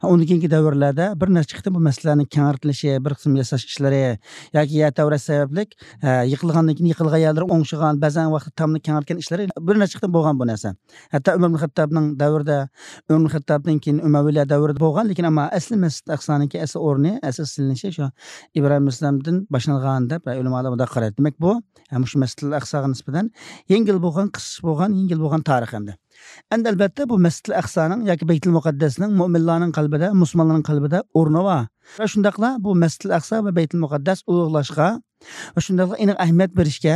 ئۇندىن كېيىنكى دەۋرلەردە بىر نەچچە قېتىم بۇ مەسچىتلەرنىڭ كەڭرىتىلىشى، بىر قىسىم ياساش ئىشلىرى ياكى يەر تەۋرەش سەۋەبلىك، ئە، يىقىلغاندىن كېيىن يىقىلغان يەرلىرى ئوڭشىغان، بەزەن ۋاقىتتا تامنى كەڭرىتكەن ئىشلىرى بىر نەچچە قېتىم بولغان بۇ نەرسە. ھەتتا ئۆمەر ئىبن خەتتابنىڭ دەۋرىدە، ئۆمەر ئىبن خەتتابتىن كېيىن ئۆمەۋىيلەر دەۋرىدە بولغان، لېكىن ئەمما ئەسلى مەسچىت ئەقسانىڭكى ئەسلى ئورنى، ئەسلى سېلىنىشى شۇ ئىبراھىم ئەلەيھىسسالامدىن باشلانغان دەپ ئۆلىمالار مۇنداق قارايدۇ. دېمەك، بۇ، ھە، مۇشۇ مەسچىتۇل ئەقساغا نىسبەتەن يەڭگىل بولغان، قىسقىچە بولغان، يەڭگىل بولغان تارىخ ئەمدى. ئەمدى ئەلبەتتە بۇ مەسچىتۇل ئەقسانىڭ ياكى بەيتۇل مۇقەددەسنىڭ مۆمىنلارنىڭ قەلبىدە، مۇسۇلمانلارنىڭ قەلبىدە ئورنى بار. ۋە شۇنداقلا بۇ مەسچىتۇل ئەقسا ۋە بەيتۇل مۇقەددەس ئۇلۇغلاشقا ۋە شۇنداقلا ئېنىق ئەھمىيەت بېرىشكە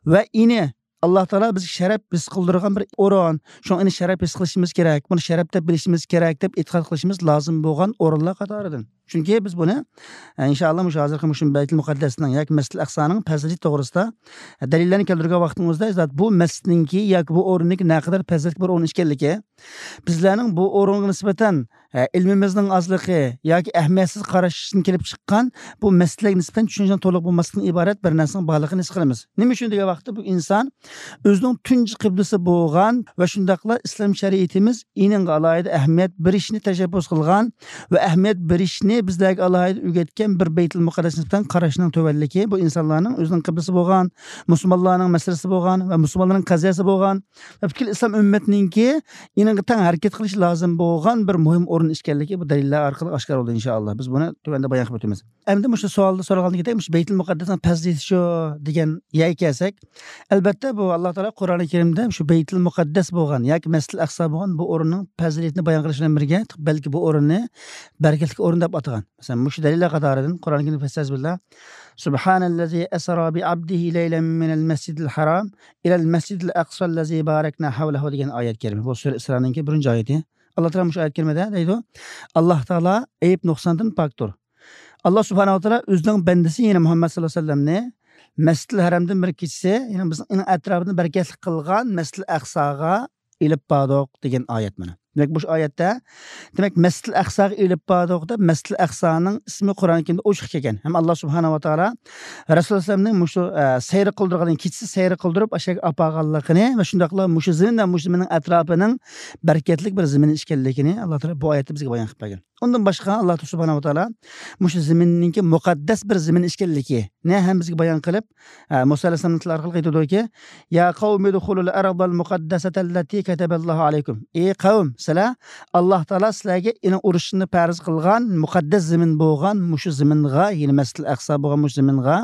ۋە ئېنى ئاللا تائالا بىزگە شەرەپ ھېس قىلدۇرغان بىر ئورۇن. شۇڭا ئېنى شەرەپ ھېس قىلىشىمىز كېرەك، بۇنى شەرەپ دەپ بىلىشىمىز كېرەك دەپ ئېتىقاد قىلىشىمىز لازىم بولغان ئورۇنلار قاتارىدىن. چۈنكى بىز بۇنى، ئە، ئىنشائاللا مۇشۇ ھازىرقى مۇشۇ بەيتۇل مۇقەددەسنىڭ ياكى مەسچىدىل ئەقسانىڭ پەزىلىتى توغرىسىدا، ئە، دەلىللەرنى كەلتۈرگەن ۋاقتىمىزدا، زات بۇ مەسچىتنىڭكى ياكى بۇ ئورۇننىڭكى نەقەدەر پەزىلەتلىك بىر ئورۇن ئىكەنلىكى، بىزلەرنىڭ بۇ ئورۇنغا نىسبەتەن، ئە، ئىلمىمىزنىڭ ئازلىقى ياكى ئەھمىيەتسىز قاراشتىن كېلىپ چىققان بۇ مەسچىتلەرگە نىسبەتەن چۈشەنچىنىڭ تولۇق بولماسلىقتىن ئىبارەت بىر نەرسىنىڭ بارلىقىنى ھېس قىلىمىز. نېمە ئۈچۈن دېگەن ۋاقىتتا بۇ ئىنسان ئۆزىنىڭ تۇنجى قىبلىسى بولغان ۋە شۇنداقلا ئىسلام شەرىئىتىمىز ئېنىڭغا ئالاھىدە ئەھمىيەت بېرىشنى تەشەببۇس قىلغان ۋە ئەھمىيەت بېرىشنى بىزلەرگە ئالاھىدە ئۆگەتكەن بىر بەيتۇل مۇقەددەسكە نىسبەتەن قاراشنىڭ تۆۋەنلىكى بۇ ئىنسانلارنىڭ ئۆزىنىڭ قىبلىسى بولغان، مۇسۇلمانلارنىڭ مەسىلىسى بولغان ۋە مۇسۇلمانلارنىڭ قەزىيەسى بولغان ۋە پۈتكۈل ئىسلام ئۈممىتىنىڭكى ئېنىڭغا تەڭ ھەرىكەت قىلىشى لازىم بولغان بىر مۇھىم ئورۇن ئىكەنلىكى بۇ دەلىللەر ئارقىلىق ئاشكارا بولدى، ئىنشائاللا. بىز بۇنى تۆۋەندە بايان قىلىپ ئۆتىمىز. ئەمدى مۇشۇ سوئالدا سورالغاندىكىدەك، مۇشۇ بەيتۇل مۇقەددەسنىڭ پەزىلىتى شۇ دېگەن يەرگە كەلسەك، ئەلبەتتە، بۇ ئاللا تائالا قۇرئانى كەرىمدە مۇشۇ بەيتۇل مۇقەددەس بولغان ياكى مەسجىدىل ئەقسا بولغان بۇ ئورۇننىڭ پەزىلىتىنى بايان قىلىش بىلەن بىرگە، بەلكى بۇ ئورۇننى بەرىكەتلىك ئورۇن دەپ ئاتىغان. مەسىلەن، مۇشۇ دەلىللەر قاتارىدىن قۇرئانى كەرىمدە فەستەئىزبىللا، سۇبھانەللەزى ئەسرا بىئەبدىھى لەيلەن مىنەل مەسجىدىل ھارام ئىلەل مەسجىدىل ئەقسەللەزى بارەكنا ھەۋلەھۇ دېگەن ئايەت كەرىمە. بۇ سۈرە ئىسرانىڭكى بىرىنچى ئايىتى. ئاللا تائالا مۇشۇ ئايەت كەرىمىدە دەيدۇ، ئاللا تائالا ئەيىب نۇقساندىن پاكتۇر. ئاللا سۇبھانەھۇ ۋە تائالا ئۆزىنىڭ بەندىسى، يەنى مۇھەممەد سەللەللاھۇ ئەلەيھى ۋەسەللەمنى مەسجىدىل ھەرەمدىن بىر كېچىسى، يەنى بىزنىڭ ئېنىڭ ئەتراپىنى بەرىكەتلىك قىلغان مەسجىدىل ئەقساغا ئېلىپ باردۇق دېگەن ئايەت مانا. دېمەك، مۇشۇ ئايەتتە، دېمەك، مەسجىدىل ئەقساغا ئېلىپ باردۇق دەپ، مەسجىدىل ئەقسانىڭ ئىسمى قۇرئان كەرىمدە ئوچۇق كەلگەن. ھەم ئاللا سۇبھانەھۇ ۋە تائالا رەسۇلۇللاھ ئەلەيھىسسالامنى مۇشۇ، ئە، سەير قىلدۇرغان، كېچىسى سەير قىلدۇرۇپ، ئاشۇ يەرگە ئاپارغانلىقىنى ۋە شۇنداقلا مۇشۇ زېمىن ۋە مۇشۇ زېمىننىڭ ئەتراپىنىڭ بەرىكەتلىك بىر زېمىن ئىكەنلىكىنى ئاللا تائالا بۇ ئايەتتە بىزگە بايان قىلىپ بەرگەن. ئۇندىن باشقا، ئاللا سۇبھانەھۇ ۋە تائالا مۇشۇ زېمىننىڭكى مۇقەددەس بىر زېمىن ئىكەنلىكىنى ھەم بىزگە بايان قىلىپ، ئە، مۇسا ئەلەيھىسسالامنىڭ تىلى ئارقىلىق ئېيتىدۇكى، يا قەۋمى ئۇدخۇلۇل ئەرزەل مۇقەددەسەتەللەتى كەتەبەللاھۇ ئەلەيكۇم. ئى قەۋم، سىلەر، ئاللا تائالا سىلەرگە ئېنىڭ ئۇرۇشنى پەرز قىلغان مۇقەددەس زېمىن بولغان مۇشۇ زېمىنغا، يەنى مەسجىدىل ئەقسا بولغان مۇشۇ زېمىنغا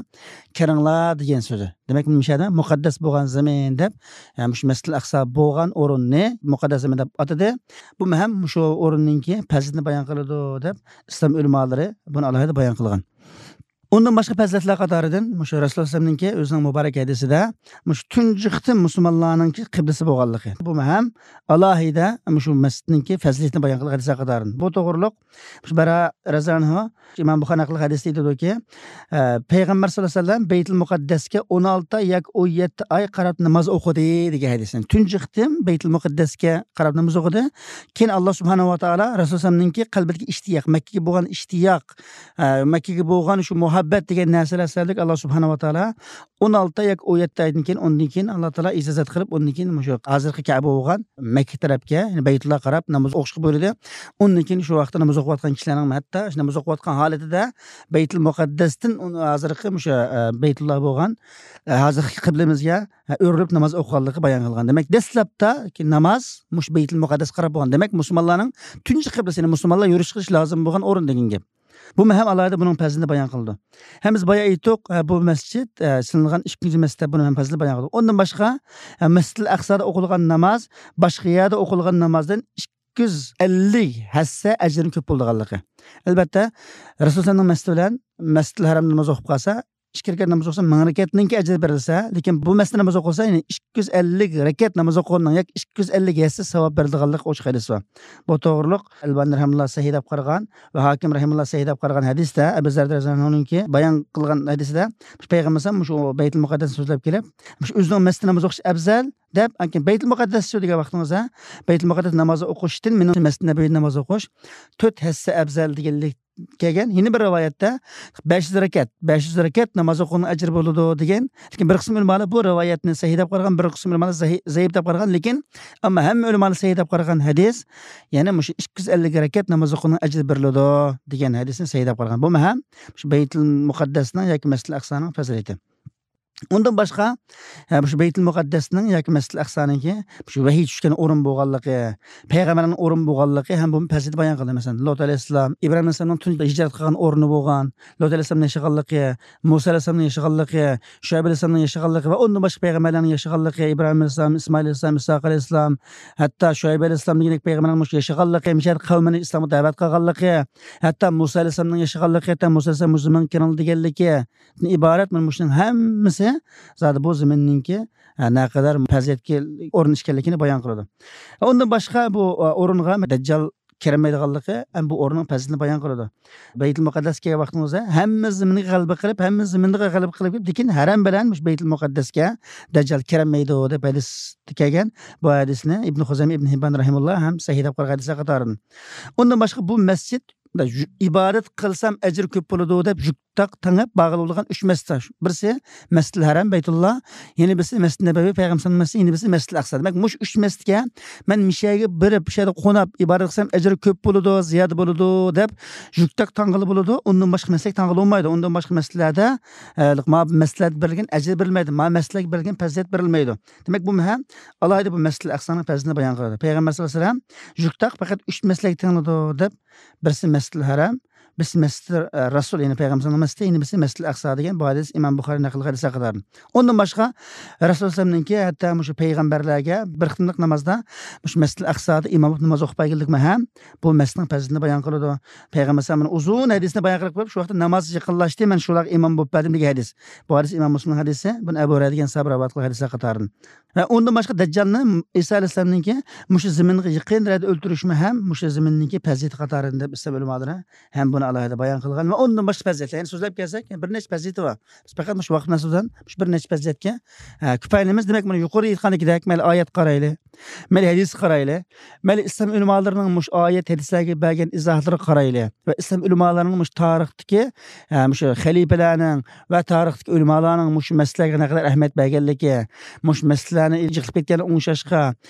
كىرىڭلار دېگەن سۆزى. دېمەك، مۇشۇ يەردە مۇقەددەس بولغان زېمىن دەپ، يەنى مۇشۇ مەسجىدىل ئەقسا بولغان ئورۇننى مۇقەددەس زېمىن دەپ ئاتىدى. بۇ ھەم مۇشۇ ئورۇننىڭكى پەزىلىتىنى بايان قىلىدۇ دەپ ئىسلام ئۆلىمالىرى بۇنى ئالاھىدە بايان قىلغان. ئۇندىن باشقا پەزىلەتلەر قاتارىدىن مۇشۇ رەسۇلۇللاھ ئەلەيھىسسالامنىڭكى ئۆزىنىڭ مۇبارەك ھەدىسىدە مۇشۇ تۇنجى قېتىم مۇسۇلمانلارنىڭكى قىبلىسى بولغانلىقى. بۇ ھەم ئالاھىدە مۇشۇ مەسجىدنىڭكى پەزىلىتىنى بايان قىلغان ھەدىسلەر قاتارىدىن. بۇ توغرۇلۇق مۇشۇ بەرا رەزىياللاھۇ ئەنھۇ ئىمام بۇخارى نەقىل قىلغان ھەدىستە ئېيتىدۇكى، ئە، پەيغەمبەر سەللەللاھۇ ئەلەيھى ۋەسەللەم بەيتۇل مۇقەددەسكە ئون ئالتە ياكى ئون يەتتە ئاي قاراپ ناماز ئوقۇدى دېگەن ھەدىس. تۇنجى قېتىم بەيتۇل مۇقەددەسكە قاراپ ناماز ئوقۇدى. كېيىن ئاللا سۇبھانەھۇ ۋە تائالا رەسۇلۇللاھنىڭكى قەلبىدىكى ئىشتىياق، مەككىگە بولغان ئىشتىياق، ئە، مەككىگە بولغان شۇ مۇھەببەت دېگەن نەرسىلەر سەۋەبلىك ئاللا سۇبھانەھۇ ۋە تائالا ئون ئالتە ياكى ئون يەتتە ئايدىن كېيىن، ئۇندىن كېيىن ئاللا تائالا ئىجازەت قىلىپ، ئۇندىن كېيىن مۇشۇ ھازىرقى كەبە بولغان مەككە تەرەپكە، يەنى بەيتۇللاھقا قاراپ ناماز ئوقۇشقا بۇيرۇدى. ئۇندىن كېيىن شۇ ۋاقىتتا ناماز ئوقۇۋاتقان كىشىلەرنىڭ ھەتتا شۇ ناماز ئوقۇۋاتقان ھالىتىدە بەيتۇل مۇقەددەستىن ئۇن-، ھازىرقى مۇشۇ، ئە، بەيتۇللاھ بولغان، ئە، ھازىرقى قىبلىمىزگە، ئە، ئۆرۈلۈپ ناماز ئوقۇغانلىقى بايان قىلغان. دېمەك، دەسلەپتە ناماز مۇشۇ بەيتۇل مۇقەددەسكە قاراپ بولغان. دېمەك، مۇسۇلمانلارنىڭ تۇنجى قىبلىسى، يەنى مۇسۇلمانلار يۈرۈش قىلىش لازىم بولغان ئورۇن دېگەن گەپ. بۇمۇ ھەم ئالاھىدە بۇنىڭ پەزىلىتىنى بايان قىلىدۇ. ھەم بىز بايا ئېيتتۇق، ئە، بۇ مەسچىت، ئە، سېلىنغان ئىككىنچى مەسچىت دەپ بۇنى ھەم پەزىلىتىنى بايان قىلدۇق. ئۇندىن باشقا، ئە، مەسجىدىل ئەقسادا ئوقۇلغان ناماز باشقا يەردە ئوقۇلغان نامازدىن ئىككى يۈز ئەللىك ھەسسە ئەجرىنىڭ كۆپ بولىدىغانلىقى. ئەلبەتتە، رەسۇلۇللاھنىڭ مەسچىتى بىلەن مەسجىدىل ھەرەمدە ناماز ئوقۇپ قالسا، ئىككى رەكەت ناماز ئوقۇسا، مىڭ رەكەتنىڭكى ئەجرى بېرىلسە، لېكىن بۇ مەسچىتتە ناماز ئوقۇسا، يەنى ئىككى يۈز ئەللىك رەكەت ناماز ئوقۇغاننىڭ ياكى ئىككى يۈز ئەللىك ھەسسە ساۋاب بېرىدىغانلىق ئوچۇق ھەدىس بار. بۇ توغرۇلۇق ئەلبانى رەھىمۇللا سەھىھ دەپ قارىغان ۋە ھاكىم رەھىمۇللا سەھىھ دەپ قارىغان ھەدىستە، ئەبۇ زەر رەزىياللاھۇنىڭكى بايان قىلغان ھەدىستە، مۇشۇ پەيغەمبەر ئەلەيھىسسالام مۇشۇ بەيتۇل مۇقەددەسنى سۆزلەپ كېلىپ، مۇشۇ ئۆزىنىڭ مەسچىتىدە ناماز ئوقۇش ئەۋزەل دەپ، ئانكىن بەيتۇل مۇقەددەس شۇ دېگەن ۋاقتىڭىزدا، بەيتۇل مۇقەددەس ناماز ئوقۇشتىن مېنىڭ مەسجىدى نەبەۋىدە ناماز ئوقۇش تۆت ھەسسە ئەۋزەل دېگەنلىك كەلگەن. يەنە بىر رىۋايەتتە بەش يۈز رەكەت، بەش يۈز رەكەت ناماز ئوقۇغان ئەجرى بولىدۇ دېگەن. لېكىن بىر قىسىم ئۆلىمالار بۇ رىۋايەتنى سەھىھ دەپ قارىغان، بىر قىسىم ئۆلىمالار زەھى-، زەئىپ دەپ قارىغان. لېكىن ئەمما ھەممە ئۆلىمالار سەھىھ دەپ قارىغان ھەدىس، يەنى مۇشۇ ئىككى يۈز ئەللىك رەكەت ناماز ئوقۇغان ئەجرى بېرىلىدۇ دېگەن ھەدىسنى سەھىھ دەپ قارىغان. بۇمۇ ھەم مۇشۇ بەيتۇل مۇقەددەسنىڭ ياكى مەسجىدىل ئەقسانىڭ پەزىلىتى. ئۇندىن باشقا، ھە، مۇشۇ بەيتۇل مۇقەددەسنىڭ ياكى مەسجىدىل ئەقسانىڭكى مۇشۇ ۋەھىي چۈشكەن ئورۇن بولغانلىقى، پەيغەمبەرنىڭ ئورنى بولغانلىقى ھەم بۇ پەزىلەتنى بايان قىلدى. مەسىلەن، لۇت ئەلەيھىسسالام، ئىبراھىم ئەلەيھىسسالامنىڭ تۇنجى ھىجرەت قىلغان ئورنى بولغان، لۇت ئەلەيھىسسالامنىڭ ياشىغانلىقى، مۇسا ئەلەيھىسسالامنىڭ ياشىغانلىقى، شۇئەيب ئەلەيھىسسالامنىڭ ياشىغانلىقى ۋە ئۇندىن باشقا پەيغەمبەرلەرنىڭ ياشىغانلىقى، ئىبراھىم ئەلەيھىسسالام، ئىسمائىل ئەلەيھىسسالام، ئىسھاق ئەلەيھىسسالام، ھەتتا شۇئەيب ئەلەيھىسسالام دېگەندەك پەيغەمبەرنىڭ مۇشۇ ياشىغانلىقى، مۇشۇ يەردە قەۋمىنى ئىسلامغا دەۋەت قىلغانلىقى، ھەتتا مۇسا ئەلەيھىسسالامنىڭ ياشىغانلىقى، ھەتتا مۇسا ئەلەيھىسسالام مۇشۇ زېمىنغا كىرىڭ دېگەنلىكى، ئىبارەت. مانا مۇشۇنىڭ ھەممىسى زادى بۇ زېمىننىڭكى، ئە، نەقەدەر پەزىلەتكە ئورۇن ئىكەنلىكىنى بايان قىلىدۇ. ئۇندىن باشقا بۇ، ئە، ئورۇنغا دەججال كىرەلمەيدىغانلىقى ھەم بۇ ئورۇننىڭ پەزىلىتىنى بايان قىلىدۇ. بەيتۇل مۇقەددەسكە كەلگەن ۋاقتىڭىزدا ھەممە زېمىنگە غەلىبە قىلىپ، ھەممە زېمىنغا غەلىبە قىلىپ، لېكىن ھەرەم بىلەن مۇشۇ بەيتۇل مۇقەددەسكە دەججال كىرەلمەيدۇ دەپ ھەدىستە كەلگەن. بۇ ھەدىسنى ئىبن خۇزەيمە، ئىبن ھىببان رەھىمۇللا ھەم سەھىھ دەپ قارىغان ھەدىسلەر قاتارىدىن. ئۇندىن باشقا بۇ مەسچىت ئىبادەت قىلسام ئەجىر كۆپ بولىدۇ دەپ جۈك تاق تاڭاپ بارغىلى بولىدىغان ئۈچ مەسچىت. بىرسى مەسجىدىل ھەرەم، بەيتۇللا، يەنە بىرسى مەسجىدىل نەبەۋى، پەيغەمبەرنىڭ مەسچىتى، يەنە بىرسى مەسجىدىل ئەقسا. دېمەك، مۇشۇ ئۈچ مەسچىتكە مەن مۇشۇ يەرگە بېرىپ، مۇشۇ يەردە قوناپ ئىبادەت قىلسام ئەجرى كۆپ بولىدۇ، زىيادە بولىدۇ دەپ جۈك تاق تاڭغىلى بولىدۇ. ئۇندىن باشقا مەسچىتكە تاڭغىلى بولمايدۇ. ئۇندىن باشقا مەسچىتلەردە، ئە، ما مەسچىتلەردە بېرىلگەن ئەجىر بېرىلمەيدۇ. ما مەسچىتلەرگە بېرىلگەن پەزىلەت بېرىلمەيدۇ. دېمەك، بۇ مەھەم ئالاھىدە بۇ مەسجىدىل ئەقسانىڭ پەزىلىتىنى بايان قىلىدۇ. پەيغەمبەر سەللەللاھۇ ئەلەيھى ۋەسەللەم جۈك تاق پەقەت ئۈچ مەسچىتكە تېڭىلىدۇ دەپ، بىرسى مەسجىدىل ھەرەم، بىرسى مەسجىدى، ئە، رەسۇل، يەنى پەيغەمبەرنىڭ مەسجىتى، يەنە بىرسى مەسجىدىل ئەقسا دېگەن بۇ ھەدىس ئىمام بۇخارى نەقىل قىلغان ھەدىسلەر قاتارىدىن. ئۇندىن باشقا، رەسۇل ئەلەيھىسسالامنىڭكى ھەتتا مۇشۇ پەيغەمبەرلەرگە بىر قېتىملىق نامازدا مۇشۇ مەسجىدىل ئەقسادا ئىماملىق ناماز ئوقۇپ بەرگەنلىكىمۇ ھەم بۇ مەسجىتنىڭ پەزىلىتىنى بايان قىلىدۇ. پەيغەمبەر ئەلەيھىسسالام ئۇزۇن ھەدىسنى بايان قىلىپ قويۇپ، شۇ ۋاقىتتا ناماز يېقىنلاشتى، مەن شۇلارغا ئىمام بولۇپ بەردىم دېگەن ھەدىس. بۇ ھەدىس ئىمام مۇسلىمنىڭ ھەدىسى، بۇنى ئەبۇ ھۇرەيرە دېگەن ساھابە رىۋايەت قىلغان ھەدىسلەر قاتارىدىن. ۋە ئۇندىن باشقا دەججالنى ئىسا ئەلەيھىسسالامنىڭكى مۇشۇ زېمىنغا يېقىن يەردە ئۆلتۈرۈشمۇ ھەم مۇشۇ زېمىننىڭكى پەزىلىتى قاتارىدىن دەپ ئىسلام ئۆلىمالىرى ھەم بۇنى ئالاھىدە بايان قىلغان. ۋە ئۇندىن باشقا پەزىلەتلەر، يەنى سۆزلەپ كەلسەك، بىر نەچچە پەزىلىتى بار. بىز پەقەت مۇشۇ ۋاقىت مەنسۇبىدىن مۇشۇ بىر نەچچە پەزىلەتكە، ئە، كۇپايىلىنىمىز. دېمەك، مانا يۇقىرىدا ئېيتقاندىكىدەك، مەيلى ئايەتكە قارايلى، مەيلى ھەدىسكە قارايلى، مەيلى ئىسلام ئۆلىمالىرىنىڭ مۇشۇ ئايەت، ھەدىسلەرگە بەرگەن ئىزاھلىرىغا قارايلى ۋە ئىسلام ئۆلىمالىرىنىڭ مۇشۇ تارىختىكى، ئە، مۇشۇ خەلىپىلەرنىڭ ۋە تارىختىكى ئۆلىمالارنىڭ مۇشۇ مەسىلىلەرگە نەقەدەر ئەھمىيەت بەرگەنلىكى، مۇشۇ مەسىلىلەرنى يىغىپ كەتكەنلىكىگە ئوڭشاشقا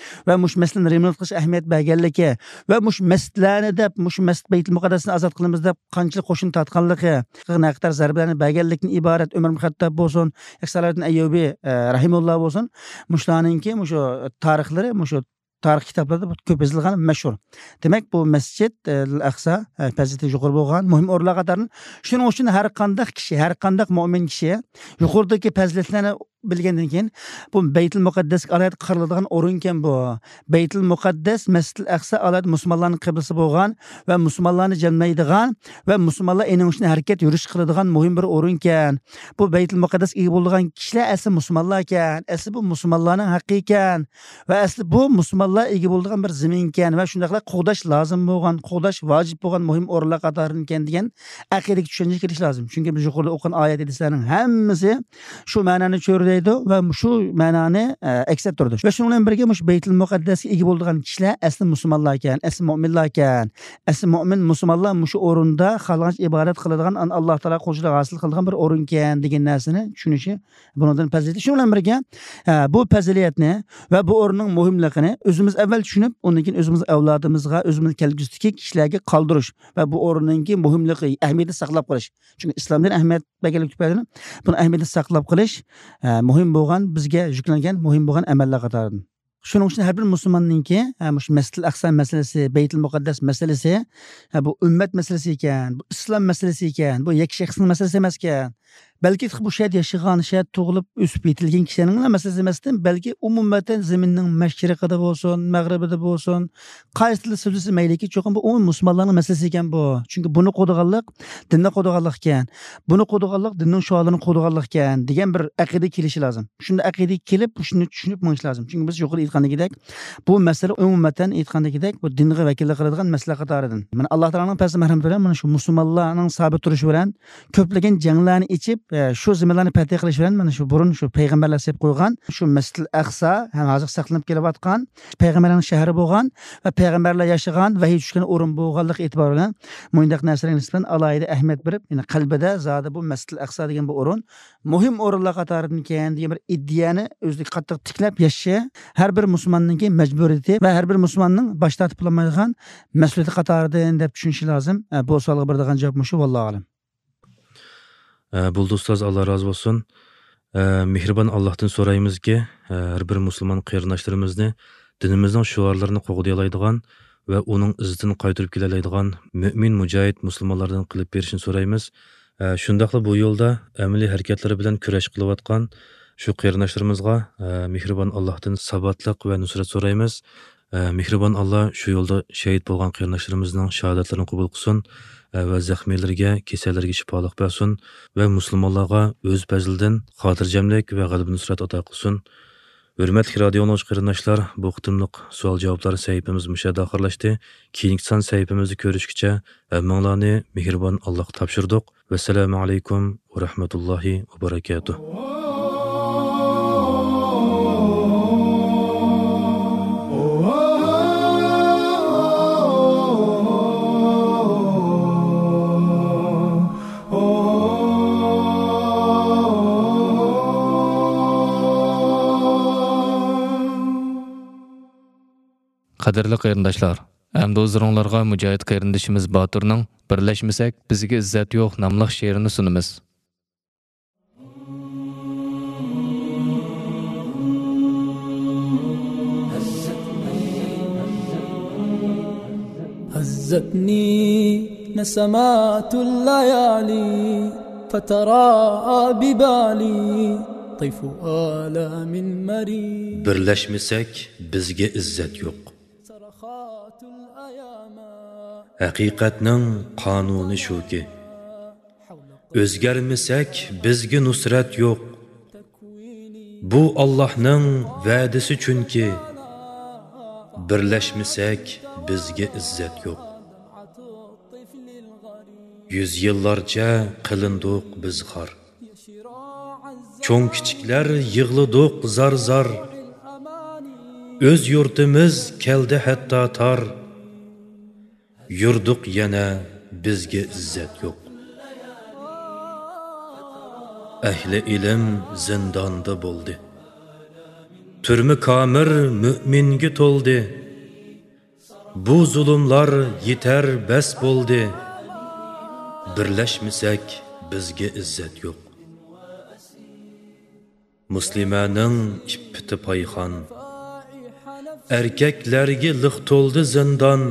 ۋە مۇشۇ مەسىلىنى رېمونت قىلىشقا ئەھمىيەت بەرگەنلىكى ۋە مۇشۇ مەسچىتلەرنى دەپ، مۇشۇ مەسچىت بەيتۇل مۇقەددەسنى ئازاد قىلىمىز دەپ قانچىلىك قوشۇن تارتقانلىقى، نەقەدەر زەربىلەرنى بەرگەنلىكىدىن ئىبارەت ئۆمەر ئىبن خەتتاب بولسۇن، ياكى سالاھىدىن ئەييۇبى، ئە، رەھىمۇللا بولسۇن، مۇشۇلارنىڭكى مۇشۇ تارىخلىرى مۇشۇ تارىخ كىتابلاردا كۆپ يېزىلغان، مەشھۇر. دېمەك، بۇ مەسچىت، ئە، ئەقسا، ئە، پەزىلىتى يۇقىرى بولغان مۇھىم ئورۇنلار قاتارىدىن. شۇنىڭ ئۈچۈن ھەر قانداق كىشى، ھەر قانداق مۆمىن كىشى يۇقىرىدىكى پەزىلەتلەرنى بىلگەندىن كېيىن، بۇ بەيتۇل مۇقەددەسكە ئالاھىدە قارىلىدىغان ئورۇنكەن بۇ. بەيتۇل مۇقەددەس، مەسجىدىل ئەقسا ئالاھىدە مۇسۇلمانلارنىڭ قىبلىسى بولغان ۋە مۇسۇلمانلارنى جەملەيدىغان ۋە مۇسۇلمانلار ئېنىڭ ئۈچۈن ھەرىكەت، يۈرۈش قىلىدىغان مۇھىم بىر ئورۇنكەن. بۇ بەيتۇل مۇقەددەسكە ئىگە بولىدىغان كىشىلەر ئەسلى مۇسۇلمانلاركەن. ئەسلى بۇ مۇسۇلمانلارنىڭ ھەققىكەن. ۋە ئەسلى بۇ مۇسۇلمانلار ئىگە بولىدىغان بىر زېمىنكەن ۋە شۇنداقلا قوغداش لازىم بولغان، قوغداش ۋاجىپ بولغان مۇھىم ئورۇنلار قاتارىدىكەن دېگەن ئەقىدىگە چۈشەنچە كېلىش لازىم. چۈنكى بىز يۇقىرىدا ئوقۇغان ئايەت ھەدىسلەرنىڭ ھەممىسى شۇ مەنانى چۆرىدەيدۇ ۋە شۇ مەنانى، ئە، ئەكس ئەتتۈرىدۇ. ۋە شۇنىڭ بىلەن بىرگە مۇشۇ بەيتۇل مۇقەددەسكە ئىگە بولىدىغان كىشىلەر ئەسلى مۇسۇلمانلاركەن، ئەسلى مۆمىنلاركەن. ئەسلى مۆمىن مۇسۇلمانلار مۇشۇ ئورۇندا خالىغانچە ئىبادەت قىلىدىغان، ئان-، ئاللا تائالا قۇلچىلىقى ھاسىل قىلىدىغان بىر ئورۇنكەن دېگەن نەرسىنى چۈشىنىشى بۇنىڭدىن پەزىلىتى. شۇنىڭ بىلەن بىرگە، ئە، بۇ پەزىلەتنى ۋە بۇ ئورۇننىڭ مۇھىملىقىنى ئۆزىمىز ئەۋۋەل چۈشىنىپ، ئۇندىن كېيىن ئۆزىمىز ئەۋلادىمىزغا، ئۆزىمىز كەلگۈسىدىكى كىشىلەرگە قالدۇرۇش ۋە بۇ ئورۇننىڭكى مۇھىملىقى، ئەھمىيىتىنى ساقلاپ قېلىش. چۈنكى ئىسلام دىنى ئەھمىيەت بەرگەنلىك تۈپەيلىدىن بۇنىڭ ئەھمىيىتىنى ساقلاپ قېلىش، ئە، مۇھىم بولغان، بىزگە يۈكلەنگەن مۇھىم بولغان ئەمەللەر قاتارىدىن. شۇنىڭ ئۈچۈن ھەر بىر مۇسۇلماننىڭكى، ھە، مۇشۇ مەسجىدىل ئەقسا مەسىلىسى، بەيتۇل مۇقەددەس مەسىلىسى، ھە، بۇ ئۈممەت مەسىلىسى ئىكەن، بۇ ئىسلام مەسىلىسى ئىكەن، بۇ يەككە شەخسنىڭ مەسىلىسى ئەمەسكەن. بەلكى بۇ شەھەردە ياشىغان، شەھەردە تۇغۇلۇپ، ئۆسۈپ يېتىلگەن كىشىلەرنىڭلا مەسىلىسى ئەمەستىن، بەلكى ئومۇمەن زېمىننىڭ مەشرىقىدا بولسۇن، مەغرىبىدە بولسۇن، قايسى تىلدا سۆزلىسە مەيلىكى، چوقۇم بۇ ئومۇمەن مۇسۇلمانلارنىڭ مەسىلىسى ئىكەن بۇ. چۈنكى بۇنى قوغدىغانلىق دىننى قوغدىغانلىق ئىكەن، بۇنى قوغدىغانلىق دىننىڭ شوئارلىرىنى قوغدىغانلىق ئىكەن دېگەن بىر ئەقىدىگە كېلىشى لازىم. شۇنداق ئەقىدىگە كېلىپ، شۇنى چۈشىنىپ مېڭىش لازىم. چۈنكى بىز يۇقىرىدا ئېيتقاندىكىدەك، بۇ مەسىلە ئومۇمەن ئېيتقاندىكىدەك، بۇ دىنغا ۋەكىللىك قىلىدىغان مەسىلە قاتارىدىن. مانا، ئاللا تائالانىڭ پەزلى مەرھەمىتى بىلەن مانا شۇ مۇسۇلمانلارنىڭ سابىت تۇرۇشى بىلەن كۆپلىگەن جەڭلەرنى ئېچىپ، ئە، شۇ زېمىنلارنى پەتھى قىلىش بىلەن، مانا شۇ بۇرۇن شۇ پەيغەمبەرلەر سېلىپ قويغان شۇ مەسجىدىل ئەقسا ھەم ھازىر ساقلىنىپ كېلىۋاتقان پەيغەمبەرلەرنىڭ شەھىرى بولغان ۋە پەيغەمبەرلەر ياشىغان، ۋەھىي چۈشكەن ئورۇن بولغانلىقى ئېتىبارى بىلەن مۇنداق نەرسىلەرگە نىسبەتەن ئالاھىدە ئەھمىيەت بېرىپ، يەنى قەلبىدە زادى بۇ مەسجىدىل ئەقسا دېگەن بۇ ئورۇن مۇھىم ئورۇنلار قاتارىدىن ئىكەن دېگەن بىر ئىدىيەنى ئۆزىدىكى قاتتىق تىكلەپ ياشىشى ھەر بىر مۇسۇلماننىڭكى مەجبۇرىيىتى ۋە ھەر بىر مۇسۇلماننىڭ باش تارتىپ بولالمايدىغان مەسئۇلىيىتى قاتارىدىن دەپ چۈشىنىشى لازىم. ئە، بۇ سوئالغا بېرىدىغان جاۋاب مۇشۇ، ۋاللاھۇ ئەلەم. ئە، بولدى ئۇستاز، ئاللا رازى بولسۇن. ئە، مېھرىبان ئاللاھتىن سورايمىزكى، ئە، ھەر بىر مۇسۇلمان قېرىنداشلىرىمىزنى دىنىمىزنىڭ شوئارلىرىنى قوغدىيالايدىغان ۋە ئۇنىڭ ئىززىتىنى قايتۇرۇپ كېلەلەيدىغان مۆمىن، مۇجاھىد مۇسۇلمانلاردىن قىلىپ بېرىشىنى سورايمىز. ئە، شۇنداقلا بۇ يولدا ئەمەلىي ھەرىكەتلىرى بىلەن كۈرەش قىلىۋاتقان شۇ قېرىنداشلىرىمىزغا، ئە، مېھرىبان ئاللاھتىن ساباتلىق ۋە نۇسرەت سورايمىز. ئە، مېھرىبان ئاللا شۇ يولدا شېھىت بولغان قېرىنداشلىرىمىزنىڭ شاھادەتلىرىنى قوبۇل قىلسۇن، ئە، ۋە زەخمىيلىرىگە، كېسەللەرگە شىپالىق بەرسۇن ۋە مۇسۇلمانلارغا ئۆز پەزلىدىن خاتىرجەملىك ۋە غەلىبە نۇسرەت ئاتا قىلسۇن. ھۆرمەتلىك رادىئو ئاڭلىغۇچى قېرىنداشلار، بۇ قېتىملىق سوئال جاۋابلار سەھىپىمىز مۇشۇ يەردە ئاخىرلاشتى. كېيىنكى سان سەھىپىمىزدە كۆرۈشكىچە ھەممىڭلارنى مېھرىبان ئاللاغا تاپشۇردۇق. ۋەسسالامۇ ئەلەيكۇم ۋە رەھمەتۇللاھى ۋە بەرەكاتۇھ. قەدىرلىك قېرىنداشلار، ئەمدى ھۇزۇرۇڭلارغا مۇجاھىد قېرىندىشىمىز باتۇرنىڭ «بىرلەشمىسەك، بىزگە ئىززەت يوق» ناملىق شېئىرىنى سۇنىمىز. هزتني نسمات الليالي فتراءى ببالي طيف آلام مرير. بىرلەشمىسەك، بىزگە ئىززەت يوق. ھەقىقەتنىڭ قانۇنى شۇكى، ئۆزگەرمىسەك، بىزگە نۇسرەت يوق. بۇ ئاللاھنىڭ ۋەدىسى چۈنكى، بىرلەشمىسەك، بىزگە ئىززەت يوق. يۈز يىللارچە قىلىندۇق بىز خار. چوڭ-كىچىكلەر يىغلىدۇق زار-زار. ئۆز يۇرتىمىز كەلدى ھەتتا تار. يۈردۇق يەنە، بىزگە ئىززەت يوق. ئەھلى ئىلىم زىنداندا بولدى. تۈرمە كامېر مۆمىنگە تولدى. بۇ زۇلۇملار يېتەر بەس بولدى. بىرلەشمىسەك، بىزگە ئىززەت يوق. مۇسلىمەنىڭ ئىپپىتى پايخان، ئەركەكلەرگە لىق تولدى زىندان.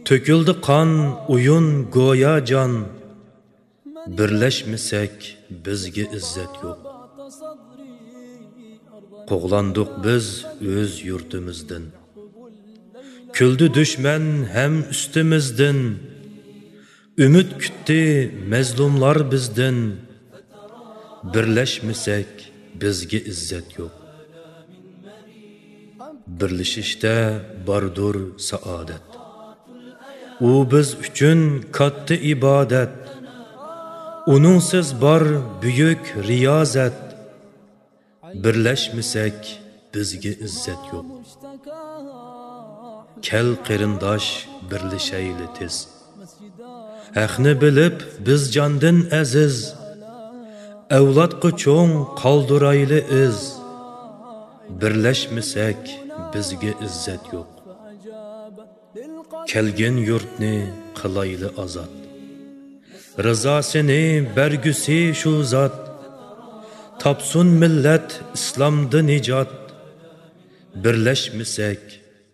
تۆكۈلدى قان، ئويۇن گويا جان. بىرلەشمىسەك، بىزگە ئىززەت يوق. قوغلاندۇق بىز ئۆز يۇرتىمىزدىن. كۈلدى دۈشمەن ھەم ئۈستىمىزدىن. ئۈمىد كۈتتى مەزلۇملار بىزدىن. بىرلەشمىسەك، بىزگە ئىززەت يوق. بىرلىشىشتە باردۇر سائادەت. ئۇ بىز ئۈچۈن كاتتا ئىبادەت. ئۇنىڭسىز بار بۈيۈك رىيازەت. بىرلەشمىسەك، بىزگە ئىززەت يوق. كەل قېرىنداش، بىرلىشەيلى تېز. ھەقنى بىلىپ بىز جاندىن ئەزىز. ئەۋلادقا چوڭ قالدۇرايلى ئىز. بىرلەشمىسەك، بىزگە ئىززەت يوق. كەلگىن يۇرتنى قىلايلى ئازاد. رىزاسىنى بەرگۈسى شۇ زات. تاپسۇن مىللەت ئىسلامدا نىجات. بىرلەشمىسەك،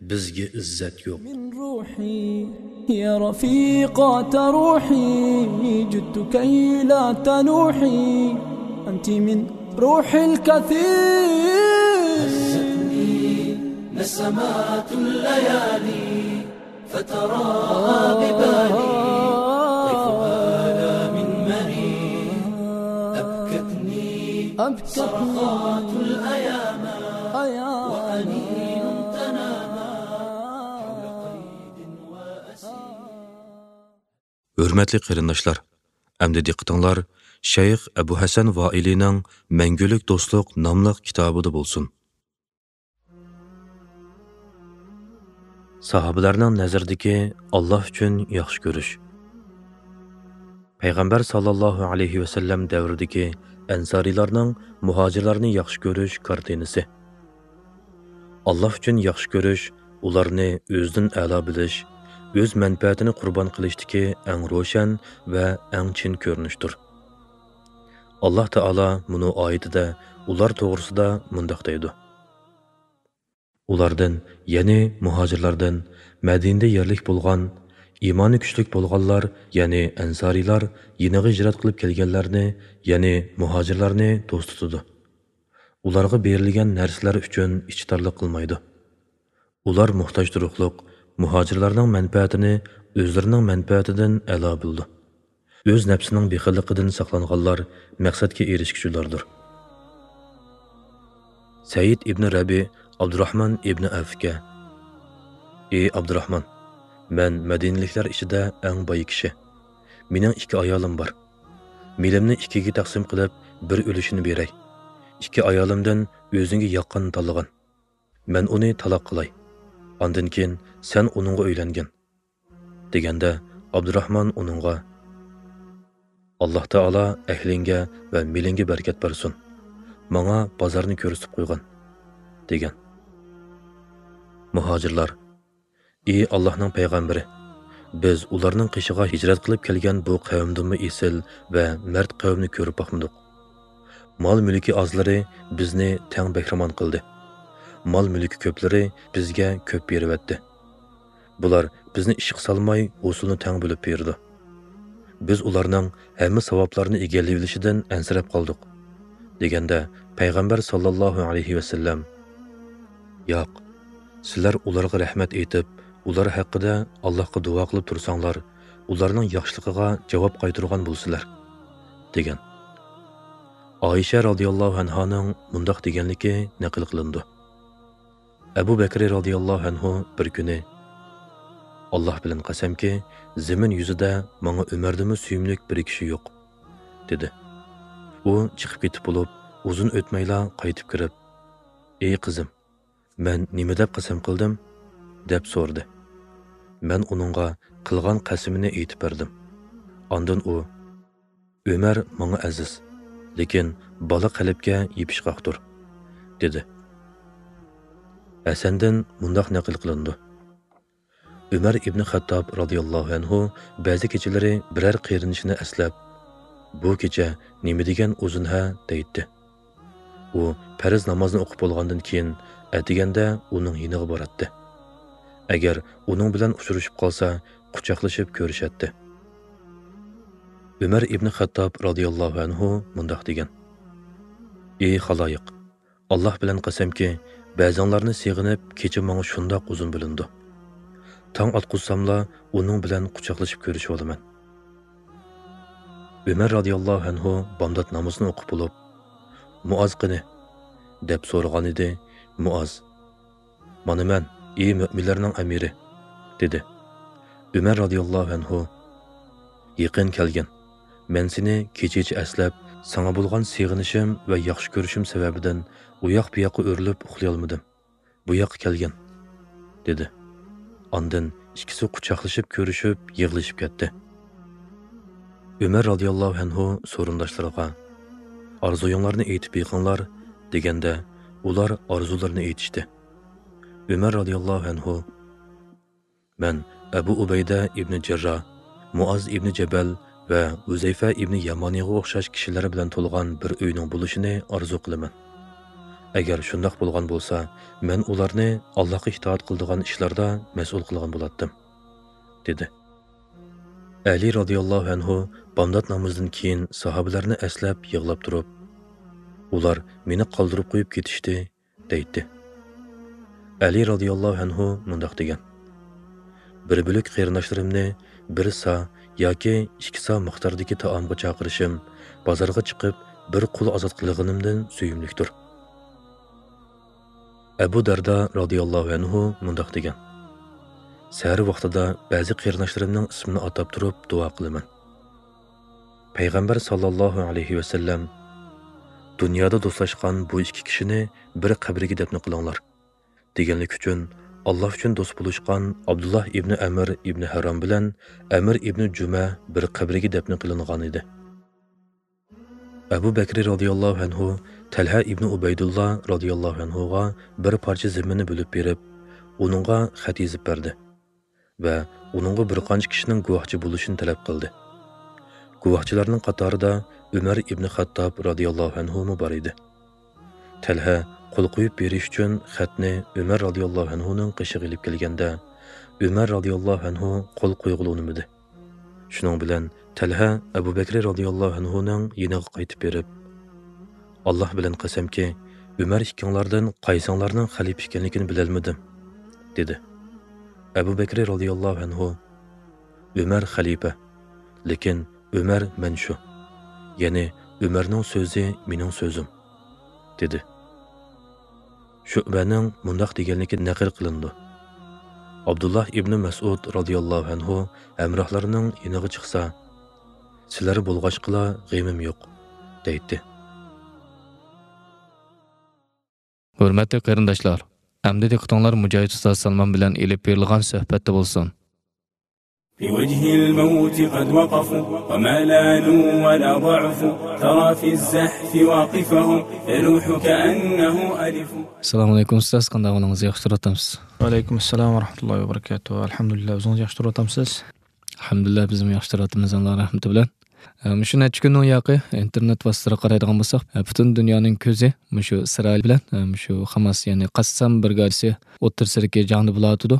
بىزگە ئىززەت يوق. من روحي يا رفيقة روحي جدت كي لا تنوحي أنت من روحي الكثير. هزتني نسمات الليالي فترى ببالي طيف آلام مرير. أبكتني صرخات الأيام وأنين تنامى حول قيد وأسير. ھۆرمەتلىك قېرىنداشلار، ئەمدى دىققىتىڭلار شەيخ ئەبۇ ھەسەن ۋائىلىنىڭ مەڭگۈلۈك دوستلۇق ناملىق كىتابىدا بولسۇن. ساھابىلەرنىڭ نەزىرىدىكى ئاللا ئۈچۈن ياخشى كۆرۈش. پەيغەمبەر ساللاللاھۇ ئەلەيھى ۋەسەللەم دەۋرىدىكى ئەنسارىيلارنىڭ مۇھاجىرلارنى ياخشى كۆرۈش كارتىنىسى. ئاللا ئۈچۈن ياخشى كۆرۈش، ئۇلارنى ئۆزىدىن ئەلا بىلىش، ئۆز مەنپەئەتىنى قۇربان قىلىشتىكى ئەڭ روشەن ۋە ئەڭ چىن كۆرۈنۈشتۇر. ئاللا تائالا مۇنۇ ئايىتىدە ئۇلار توغرىسىدا مۇنداق دەيدۇ: ئۇلاردىن، يەنى مۇھاجىرلاردىن، مەدىنىدە يەرلىك بولغان، ئىمانى كۈچلۈك بولغانلار، يەنى ئەنسارىيلار يېنىغا ھىجرەت قىلىپ كەلگەنلەرنى، يەنى مۇھاجىرلارنى دوست تۇتىدۇ. ئۇلارغا بېرىلگەن نەرسىلەر ئۈچۈن ئىچى تارلىق قىلمايدۇ. ئۇلار موھتاج تۇرۇقلۇق، مۇھاجىرلارنىڭ مەنپەئەتىنى ئۆزلىرىنىڭ مەنپەئەتىدىن ئەلا بىلىدۇ. ئۆز نەپسىنىڭ بېخىللىقىدىن ساقلانغانلار مەقسەتكە ئېرىشكۈچىلەردۇر. سەئىد ئىبنى رەبى ئابدۇراھمان ئىبنى ئەۋفكە: ئى ئابدۇراھمان، مەن مەدىنىلىكلەر ئىچىدە ئەڭ باي كىشى. مېنىڭ ئىككى ئايالىم بار. مېلىمنى ئىككىگە تەقسىم قىلىپ، بىر ئۈلۈشىنى بېرەي. ئىككى ئايالىمدىن ئۆزۈڭگە ياققىنىنى تاللىغىن. مەن ئۇنى تالاق قىلاي. ئاندىن كېيىن سەن ئۇنىڭغا ئۆيلەنگىن، دېگەندە، ئابدۇراھمان ئۇنىڭغا: ئاللا تائالا ئەھلىڭگە ۋە مېلىڭگە بەرىكەت بەرسۇن. ماڭا بازارنى كۆرسىتىپ قويغىن، دېگەن. مۇھاجىرلار: ئى ئاللاھنىڭ پەيغەمبىرى، بىز ئۇلارنىڭ قېشىغا ھىجرەت قىلىپ كەلگەن بۇ قەۋمدىنمۇ ئېسىل ۋە مەرد قەۋمنى كۆرۈپ باقمىدۇق. مال-مۈلكى ئازلىرى بىزنى تەڭ بەھرىمەن قىلدى. مال-مۈلكى كۆپلىرى بىزگە كۆپ بېرىۋەتتى. بۇلار بىزنى ئىشقا سالماي، ھوسۇلنى تەڭ بۆلۈپ بېرىدۇ. بىز ئۇلارنىڭ ھەممە ساۋابلارنى ئىگىلىۋېلىشىدىن ئەنسىرەپ قالدۇق، دېگەندە، پەيغەمبەر ساللاللاھۇ ئەلەيھى ۋەسەللەم: ياق، سىلەر ئۇلارغا رەھمەت ئېيتىپ، ئۇلار ھەققىدە ئاللاھقا دۇئا قىلىپ تۇرساڭلار، ئۇلارنىڭ ياخشىلىقىغا جاۋاب قايتۇرغان بولىسىلەر، دېگەن. ئائىشە رازىياللاھۇ ئەنھانىڭ مۇنداق دېگەنلىكى نەقىل قىلىنىدۇ. ئەبۇ بەكرى رازىياللاھۇ ئەنھۇ بىر كۈنى: ئاللاھ بىلەن قەسەمكى، زېمىن يۈزىدە ماڭا ئۆمەردىنمۇ سۆيۈملۈك بىر كىشى يوق، دېدى. ئۇ چىقىپ كېتىپ بولۇپ، ئۇزۇن ئۆتمەيلا قايتىپ كىرىپ: ئى قىزىم، مەن نېمە دەپ قەسەم قىلدىم؟ دەپ سورىدى. مەن ئۇنىڭغا قىلغان قەسىمىنى ئېيتىپ بەردىم. ئاندىن ئۇ: ئۆمەر ماڭا ئەزىز، لېكىن بالا قەلبكە يېپىشقاقتۇر، دېدى. ھەسەندىن مۇنداق نەقىل قىلىنىدۇ: ئۆمەر ئىبنى خەتتاب رازىياللاھۇ ئەنھۇ بەزى كېچىلىرى بىرەر قېرىندىشىنى ئەسلەپ، بۇ كېچە نېمە دېگەن ئۇزۇن ھە، دەيتتى. ئۇ پەرز نامازنى ئوقۇپ بولغاندىن كېيىن، ئەتىگەندە ئۇنىڭ يېنىغا باراتتى. ئەگەر ئۇنىڭ بىلەن ئۇچرىشىپ قالسا، قۇچاقلىشىپ كۆرۈشەتتى. ئۆمەر ئىبنى خەتتاب رازىياللاھۇ ئەنھۇ مۇنداق دېگەن: ئى خالايىق، ئاللاھ بىلەن قەسەمكى، بەزىڭلارنى سېغىنىپ، كېچە ماڭا شۇنداق ئۇزۇن بىلىنىدۇ. تاڭ ئاتقۇزساملا، ئۇنىڭ بىلەن قۇچاقلىشىپ كۆرۈشۈۋالىمەن. ئۆمەر رازىياللاھۇ ئەنھۇ بامدات نامىزىنى ئوقۇپ بولۇپ، مۇئاز قېنى؟ دەپ سورىغانىدى. مۇئاز: مانا مەن، ئى مۆمىنلەرنىڭ ئەمىرى، دېدى. ئۆمەر رازىياللاھۇ ئەنھۇ: يېقىن كەلگىن، مەن سېنى كېچىچە ئەسلەپ، ساڭا بولغان سېغىنىشىم ۋە ياخشى كۆرۈشۈم سەۋەبىدىن ئۇياق-بۇياققا ئۆرۈلۈپ ئۇخلىيالمىدىم. بۇ ياققا كەلگىن، دېدى. ئاندىن ئىككىسى قۇچاقلىشىپ كۆرۈشۈپ، يىغلىشىپ كەتتى. ئۆمەر رازىياللاھۇ ئەنھۇ سورۇنداشلىرىغا: ئارزۇيۇڭلارنى ئېيتىپ بېقىڭلار، دېگەندە، ئۇلار ئارزۇلىرىنى ئېيتىشتى. ئۆمەر رازىياللاھۇ ئەنھۇ: مەن ئەبۇ ئۇبەيدە ئىبنى جەرراھ، مۇئاز ئىبنى جەبەل ۋە ھۇزەيفە ئىبنى يامانىغا ئوخشاش كىشىلەر بىلەن تولغان بىر ئۆينىڭ بولۇشىنى ئارزۇ قىلىمەن. ئەگەر شۇنداق بولغان بولسا، مەن ئۇلارنى ئاللاھقا ئىتائەت قىلىدىغان ئىشلاردا مەسئۇل قىلغان بولاتتىم، دېدى. ئەلى رازىياللاھۇ ئەنھۇ بامدات نامىزىدىن كېيىن ساھابىلەرنى ئەسلەپ يىغلاپ تۇرۇپ: ئۇلار مېنى قالدۇرۇپ قويۇپ كېتىشتى، دەيتتى. ئەلى رازىياللاھۇ ئەنھۇ مۇنداق دېگەن: بىر بۆلەك قېرىنداشلىرىمنى بىر سا ياكى ئىككى سا مىقداردىكى تائامغا چاقىرىشىم، بازارغا چىقىپ بىر قۇل ئازاد قىلغىنىمدىن سۆيۈملۈكتۇر. ئەبۇ دەردا رازىياللاھۇ ئەنھۇ مۇنداق دېگەن: سەھەر ۋاقتىدا بەزى قېرىنداشلىرىمنىڭ ئىسمىنى ئاتاپ تۇرۇپ دۇئا قىلىمەن. پەيغەمبەر ساللاللاھۇ ئەلەيھى ۋەسەللەم، «دۇنيادا دوستلاشقان بۇ ئىككى كىشىنى بىر قەبرىگە دەپنە قىلىڭلار» دېگەنلىكى ئۈچۈن، ئاللا ئۈچۈن دوست بولۇشقان ئابدۇللا ئىبنى ئەمر ئىبنى ھارام بىلەن ئەمر ئىبنى جۈمە بىر قەبرىگە دەپنە قىلىنغان ئىدى. ئەبۇ بەكرى رازىياللاھۇ ئەنھۇ تەلھە ئىبنى ئۇبەيدۇللا رازىياللاھۇ ئەنھۇغا بىر پارچە زېمىننى بۆلۈپ بېرىپ، ئۇنىڭغا خەت يېزىپ بەردى ۋە ئۇنىڭغا بىر قانچە كىشىنىڭ گۇۋاھچى بولۇشىنى تەلەپ قىلدى. گۇۋاھچىلارنىڭ قاتارىدا ئۆمەر ئىبنى خەتتاب رازىياللاھۇ ئەنھۇمۇ بار ئىدى. تەلھە قول قويۇپ بېرىش ئۈچۈن خەتنى ئۆمەر رازىياللاھۇ ئەنھۇنىڭ قېشىغا ئېلىپ كەلگەندە، ئۆمەر رازىياللاھۇ ئەنھۇ قول قويغىلى ئۇنىمىدى. شۇنىڭ بىلەن تەلھە ئەبۇ بەكرى رازىياللاھۇ ئەنھۇنىڭ يېنىغا قايتىپ بېرىپ، «ئاللا بىلەن قەسەمكى، ئۆمەر ئىككىڭلاردىن قايسىڭلارنىڭ خەلىپە ئىكەنلىكىنى بىلەلمىدىم» دېدى. ئەبۇ بەكرى رازىياللاھۇ ئەنھۇ، «ئۆمەر خەلىپە، لېكىن ئۆمەر مەن شۇ، يەنى ئۆمەرنىڭ سۆزى مېنىڭ سۆزۈم» دېدى. شۇئبەنىڭ مۇنداق دېگەنلىكى نەقىل قىلىنىدۇ: ئابدۇللا ئىبنى مەسئۇد رازىياللاھۇ ئەنھۇ ھەمراھلىرىنىڭ يېنىغا چىقسا، «سىلەر بولغاچقىلا غېمىم يوق» دەيتتى. ھۆرمەتلىك قېرىنداشلار، ئەمدى دىققىتىڭلار مۇجاھىد ئۇستاز سالمان بىلەن ئېلىپ بېرىلغان سۆھبەتتە بولسۇن. في وجه الموت قد وقفوا، وما لانوا ولا ضعفوا، ترى في الزحف واقفهم، يلوح كأنه ألف. ئەسسالامۇ ئەلەيكۇم ئۇستاز، قانداق ئەھۋالىڭىز؟ ياخشى تۇرۇۋاتامسىز؟ ۋەئەلەيكۇم ئەسسالام ۋە رەھمەتۇللاھى ۋە بەرىكاتۇھۇ. ئەلھەمدۇلىللا، ئۆزىڭىز ياخشى تۇرۇۋاتامسىز؟ ئەلھەمدۇلىللا، بىزمۇ ياخشى تۇرۇۋاتىمىز، ئاللا رەھمىتى بىلەن. ئە، مۇشۇ نەچچە كۈننىڭ ياقى ئىنتېرنېت ۋاسىتىلىرىغا قارايدىغان بولساق، ئە، پۈتۈن دۇنيانىڭ كۆزى مۇشۇ ئىسرائىل بىلەن، ئە، مۇشۇ خاماس، يەنى قەسسام برىگادىسى ئوتتۇرىسىدىكى جەڭدە بولۇۋاتىدۇ.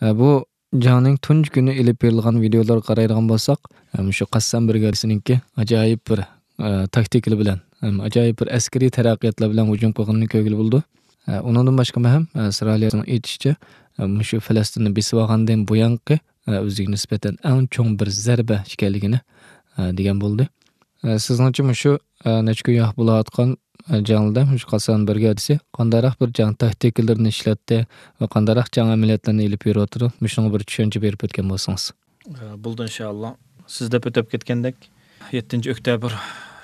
ئە، بۇ جەڭنىڭ تۇنجى كۈنى ئېلىپ بېرىلغان ۋىدېئولارغا قارايدىغان بولساق، ئە، مۇشۇ قەسسام برىگادىسىنىڭكى ئاجايىپ بىر، ئە، تاكتىكىلار بىلەن، ھەم ئاجايىپ بىر ئەسكىرىي تەرەققىياتلار بىلەن ھۇجۇم قىلغىنىنى كۆرگىلى بولىدۇ. ئە، ئۇنىڭدىن باشقا مۇھىم، ئە، ئىسرائىلىيەنىڭ ئېيتىشىچە، ئە، مۇشۇ فەلەستىننى بېسىۋالغاندىن بۇيانقى، ئە، ئۆزىگە نىسبەتەن ئەڭ چوڭ بىر زەربە ئىكەنلىكىنى، ئە، دېگەن بولدى. ئە، سىزنىڭچە مۇشۇ، ئە، نەچچە كۈن ياق بولۇۋاتقان، ئە، جەڭلەردە مۇشۇ قەسسام برىگادىسى قانداقراق بىر جەڭ تاكتىكىلىرىنى ئىشلەتتى ۋە قانداقراق جەڭ ئەمەلىياتلىرىنى ئېلىپ بېرىۋاتىدۇ؟ مۇشۇنىڭغا بىر چۈشەنچە بېرىپ ئۆتكەن بولسىڭىز. ئە، بولدى، ئىنشائاللا. سىز دەپ ئۆتۈپ كەتكەندەك، يەتتىنچى ئۆكتەبىر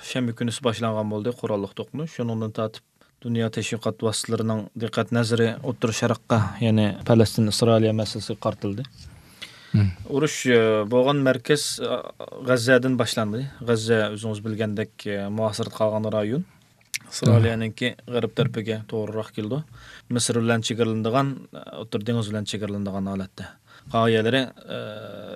شەنبە كۈنىسى باشلانغان بولدى قوراللىق توقۇنۇش. شۇنىڭدىن تارتىپ دۇنيا تەشۋىقات ۋاسىتىلىرىنىڭ دىققەت نەزىرى ئوتتۇرا شەرققە، يەنى پەلەستىن، ئىسرائىلىيە مەسىلىسىگە قارىتىلدى. مم. ئۇرۇش، ئە، بولغان مەركەز، ئە، غەززەدىن باشلاندى. غەززە ئۆزىڭىز بىلگەندەك، ئە، مۇھاسىرىدە قالغان رايون. ئىسرائىلىيەنىڭكى غەرب تەرىپىگە توغرىراق كېلىدۇ. مىسىر بىلەن چېگرىلىنىدىغان، ئوتتۇرا دېڭىز بىلەن چېگرىلىنىدىغان ھالەتتە. قالغان يەرلىرى، ئە،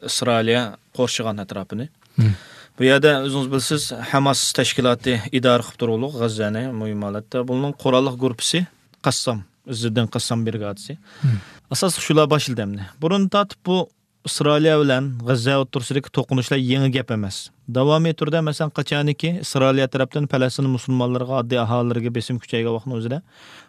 ئىسرائىلىيە قورشىغان ئەتراپىنى. مم. بۇ يەردە ئۆزىڭىز بىلىسىز، ھەماس تەشكىلاتى ئىدارە قىلىپ تۇرغۇلۇق غەززەنى مۇھىم ھالەتتە. بۇنىڭ قوراللىق گۇرۇپپىسى قەسسام، ئىززىدىن قەسسام برىگادىسى. مم. ئاساسلىق شۇلار باشلىدى ئەمدى. بۇرۇن تارتىپ بۇ ئىسرائىلىيە بىلەن غەززە ئوتتۇرىسىدىكى توقۇنۇشلار يېڭى گەپ ئەمەس. داۋامىي تۈردە، مەسىلەن، قاچانكى ئىسرائىلىيە تەرەپتىن پەلەستىن مۇسۇلمانلىرىغا، ئاددىي ئاھالىلەرگە بېسىم كۈچەيگەن ۋاقىتنىڭ ئۆزىدە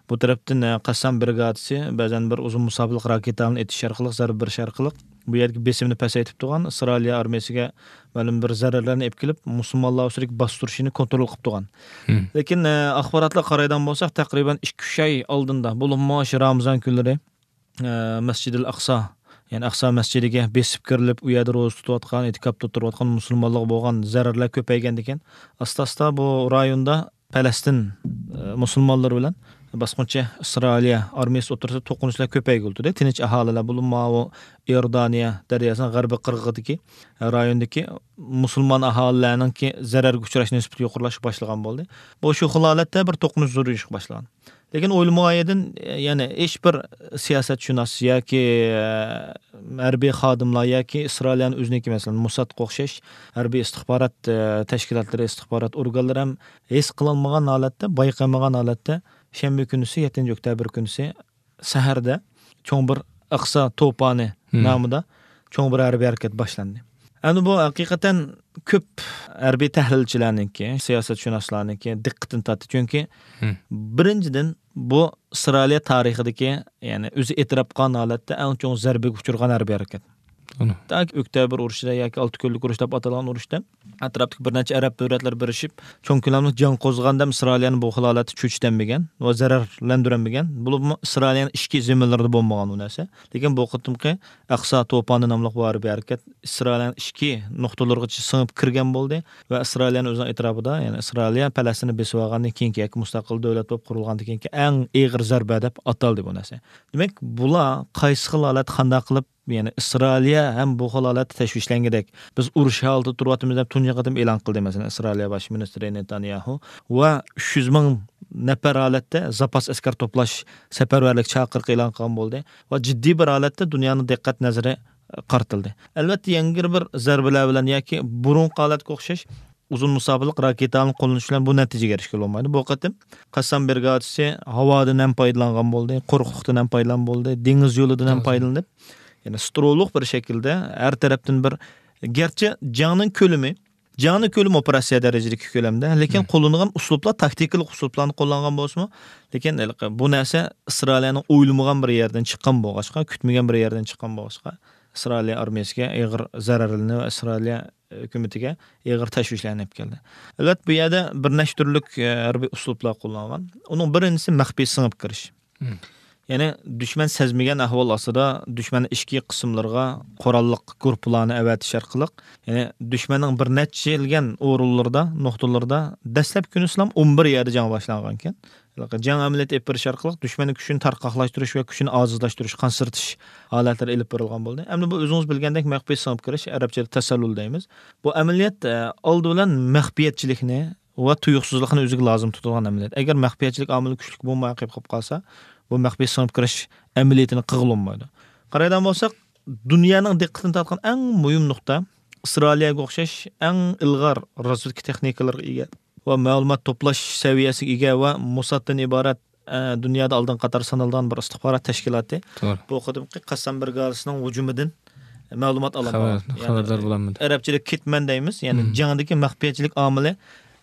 بۇ تەرەپتىن، ئە، قەسسام برىگادىسى بەزەن بىر ئۇزۇن مۇساپىلىق راكېتالارنى ئېتىش ئارقىلىق، زەربە بېرىش ئارقىلىق بۇ يەردىكى بېسىمنى پەسەيتىپ تۇرغان، ئىسرائىلىيە ئارمىيىسىگە مەلۇم بىر زەرەرلەرنى ئېلىپ كېلىپ، مۇسۇلمانلار ئۈستىدىكى باستۇرۇشنى كونترول قىلىپ تۇرغان. مم. لېكىن، ئە، ئاخباراتلارغا قارايدىغان بولساق، تەقرىبەن ئىككى ئۈچ ئاي ئالدىندا، بولۇپمۇ شۇ رامىزان كۈنلىرى، ئە، مەسجىدىل ئەقسا، يەنى ئەقسا مەسجىدىگە بېسىپ كىرىلىپ، ئۇ يەردە روزا تۇتۇۋاتقان، ئېتىكاپتا تۇرۇۋاتقان مۇسۇلمانلارغا بولغان زەرەرلەر كۆپەيگەندىكىن، ئاستا-ئاستا بۇ رايوندا پەلەستىن، ئە، مۇسۇلمانلىرى بىلەن باسقۇنچى ئىسرائىلىيە ئارمىيىسى ئوتتۇرىسىدا توقۇنۇشلار كۆپەيگىلى تۇردى. تىنچ ئاھالىلەر، بولۇپمۇ ماۋۇ ئىئوردانىيە دەرياسىنىڭ غەربىي قىرغىقىدىكى، ئە، رايوندىكى مۇسۇلمان ئاھالىلەرنىڭكى زەرەرگە ئۇچراش نىسبىتى يۇقىرىلاشقا باشلىغان بولدى. بۇ شۇ خىل ھالەتتە بىر توقۇنۇش زورىيىشقا باشلىغان. لېكىن ئويلىمىغان يەردىن، يەنى ھېچ بىر سىياسەتشۇناس ياكى، ئە، ھەربىي خادىملار ياكى ئىسرائىلىيەنىڭ ئۆزىنىڭكى، مەسىلەن، موسادقا ئوخشاش ھەربىي ئىستىخبارات، ئە، تەشكىلاتلىرى، ئىستىخبارات ئورگانلىرى ھەم ھېس قىلالمىغان ھالەتتە، بايقىمىغان ھالەتتە شەنبە كۈنىسى، يەتتىنچى ئۆكتەبىر كۈنىسى سەھەردە چوڭ بىر ئەقسا توپانى مم. نامىدا چوڭ بىر ھەربىي ھەرىكەت باشلاندى. ئەمدى بۇ ھەقىقەتەن كۆپ ھەربىي تەھلىلچىلەرنىڭكى، سىياسەتشۇناسلارنىڭكى دىققىتىنى تارتتى. چۈنكى مم. بىرىنچىدىن، بۇ ئىسرائىلىيە تارىخىدىكى، يەنى ئۆزى ئېتىراپ قىلغان ھالەتتە ئەڭ چوڭ زەربىگە ئۇچرىغان ھەربىي ھەرىكەت. تاكى ئۆكتەبىر ئۇرۇشىدا ياكى ئالتە كۈنلۈك ئۇرۇش دەپ ئاتالغان ئۇرۇشتا ئەتراپتىكى بىر نەچچە ئەرەب دۆلەتلىرى بىرلىشىپ، چوڭ كۆلەملىك جەڭ قوزغىغاندا ھەم ئىسرائىلىيەنى بۇ خىل ھالەتتە چۆچۈتەلمىگەن ۋە زەرەرلەندۈرەلمىگەن. بولۇپمۇ ئىسرائىلىيەنىڭ ئىچكى زېمىنلىرىدا بولمىغان ئۇ نەرسە. لېكىن بۇ قېتىمقى ئەقسا توپانى ناملىق بۇ ھەربىي ھەرىكەت ئىسرائىلىيەنىڭ ئىچكى نۇقتىلىرىغىچە سىڭىپ كىرگەن بولدى ۋە ئىسرائىلىيەنى ئۆزىنىڭ ئېتىراپىدا، يەنى ئىسرائىلىيە پەلەستىننى بېسىۋالغاندىن كېيىنكى ياكى مۇستەقىل دۆلەت بولۇپ قۇرۇلغاندىن كېيىنكى ئەڭ ئېغىر زەربە دەپ ئاتالدى بۇ نەرسە. دېمەك، بۇلار قايسى خىل ھالەتتە قانداق قىلىپ، يەنى ئىسرائىلىيە ھەم بۇ خىل ھالەتتە تەشۋىشلەنگۈدەك، بىز ئۇرۇش ھالىتىدە تۇرۇۋاتىمىز دەپ تۇنجى قېتىم ئېلان قىلدى، مەسىلەن، ئىسرائىلىيە باش مىنىستىرى نېتانياھۇ ۋە ئۈچ يۈز مىڭ نەپەر ھالەتتە زاپاس ئەسكەر توپلاش سەپەرۋەرلىك چاقىرىقى ئېلان قىلغان بولدى ۋە جىددىي بىر ھالەتتە دۇنيانىڭ دىققەت نەزىرى قارىتىلدى. ئەلۋەتتە، يەنە بىر زەربىلەر بىلەن ياكى بۇرۇنقى ھالەتكە ئوخشاش ئۇزۇن مۇساپىلىق راكېتالارنى قوللىنىش بىلەن بۇ نەتىجىگە ئېرىشكىلى بولمايدۇ. بۇ قېتىم قەسسام بىرىگادىسى ھاۋادىن ھەم پايدىلانغان بولدى، قۇرۇقلۇقتىن ھەم پايدىلانغان بولدى، دېڭىز يولىدىن ھەم پايدىلىنىپ، يەنى سترولۇق بىر شەكىلدە ھەر تەرەپتىن بىر، گەرچە جەڭنىڭ كۆلىمى، جەڭنىڭ كۆلىمى ئوپېراتسىيە دەرىجىدىكى كۆلەمدە، لېكىن قوللىنىدىغان ئۇسلۇبلار، تاكتىكىلىق ئۇسلۇبلارنى قوللانغان بولسىمۇ، لېكىن ھېلىقى بۇ نەرسە ئىسرائىلىيەنىڭ ئويلىمىغان بىر يەردىن چىققان بولغاچقا، كۈتمىگەن بىر يەردىن چىققان بولغاچقا، ئىسرائىلىيە ئارمىيەسىگە ئېغىر زەرەرلەرنى ۋە ئىسرائىلىيە ھۆكۈمىتىگە ئېغىر تەشۋىشلارنى ئېلىپ كەلدى. ئەلۋەتتە، بۇ يەردە بىر نەچچە تۈرلۈك، ئە، ھەربىي ئۇسلۇبلار قوللانغان. ئۇنىڭ بىرىنچىسى مەخپىي سىڭىپ كىرىش. مم. يەنى دۈشمەن سەزمىگەن ئەھۋال ئاستىدا دۈشمەننىڭ ئىچكى قىسىملىرىغا قوراللىق گۇرۇپپىلارنى ئەۋەتىش ئارقىلىق، يەنى دۈشمەننىڭ بىر نەچچە يىلگەن ئورۇنلىرىدا، نۇقتىلىرىدا دەسلەپكى كۈنىسىلام ئون بىر يەردە جەڭ باشلانغانىكەن. جەڭ ئەمەلىيىتى ئېلىپ بېرىش ئارقىلىق دۈشمەننىڭ كۈچىنى تارقاقلاشتۇرۇش ۋە كۈچىنى ئاجىزلاشتۇرۇش، قانسىرىتىش ھالەتلىرى ئېلىپ بېرىلغان بولدى. ئەمدى بۇ ئۆزىڭىز بىلگەندەك مەخپىي سىڭىپ كىرىش، ئەرەبچىدە تەسەللۇل دەيمىز. بۇ ئەمەلىيەت، ئە، ئالدى بىلەن مەخپىيەتچىلىكنى ۋە تۇيۇقسىزلىقنى ئۆزىگە لازىم تۇتىدىغان ئەمەلىيەت. ئەگەر مەخپىيەتچىلىك ئامىلى كۈچلۈك بولماي قېلىپ قالسا، بۇ مەخپىي سىڭىپ كىرىش ئەمەلىيىتىنى قىلغىلى بولمايدۇ. قارايدىغان بولساق، دۇنيانىڭ دىققىتىنى تارتقان ئەڭ مۇھىم نۇقتا، ئىسرائىلىيەگە ئوخشاش ئەڭ ئىلغار رازۋېدكا تېخنىكىلىرىغا ئىگە ۋە مەلۇمات توپلاش سەۋىيەسىگە ئىگە ۋە موسادتىن ئىبارەت، ئە، دۇنيادا ئالدىنقى قاتار سانىلىدىغان بىر ئىستىخبارات تەشكىلاتى. توغرا. بۇ قېتىمقى قەسسام بىرىگادىسىنىڭ ھۇجۇمىدىن مەلۇمات ئالالمىغان. خەۋەر-، يەنى خەۋەردار بولالمىدى. ئەرەبچىدە كىتمان دەيمىز، يەنى مم. جەڭدىكى مەخپىيەتچىلىك ئامىلى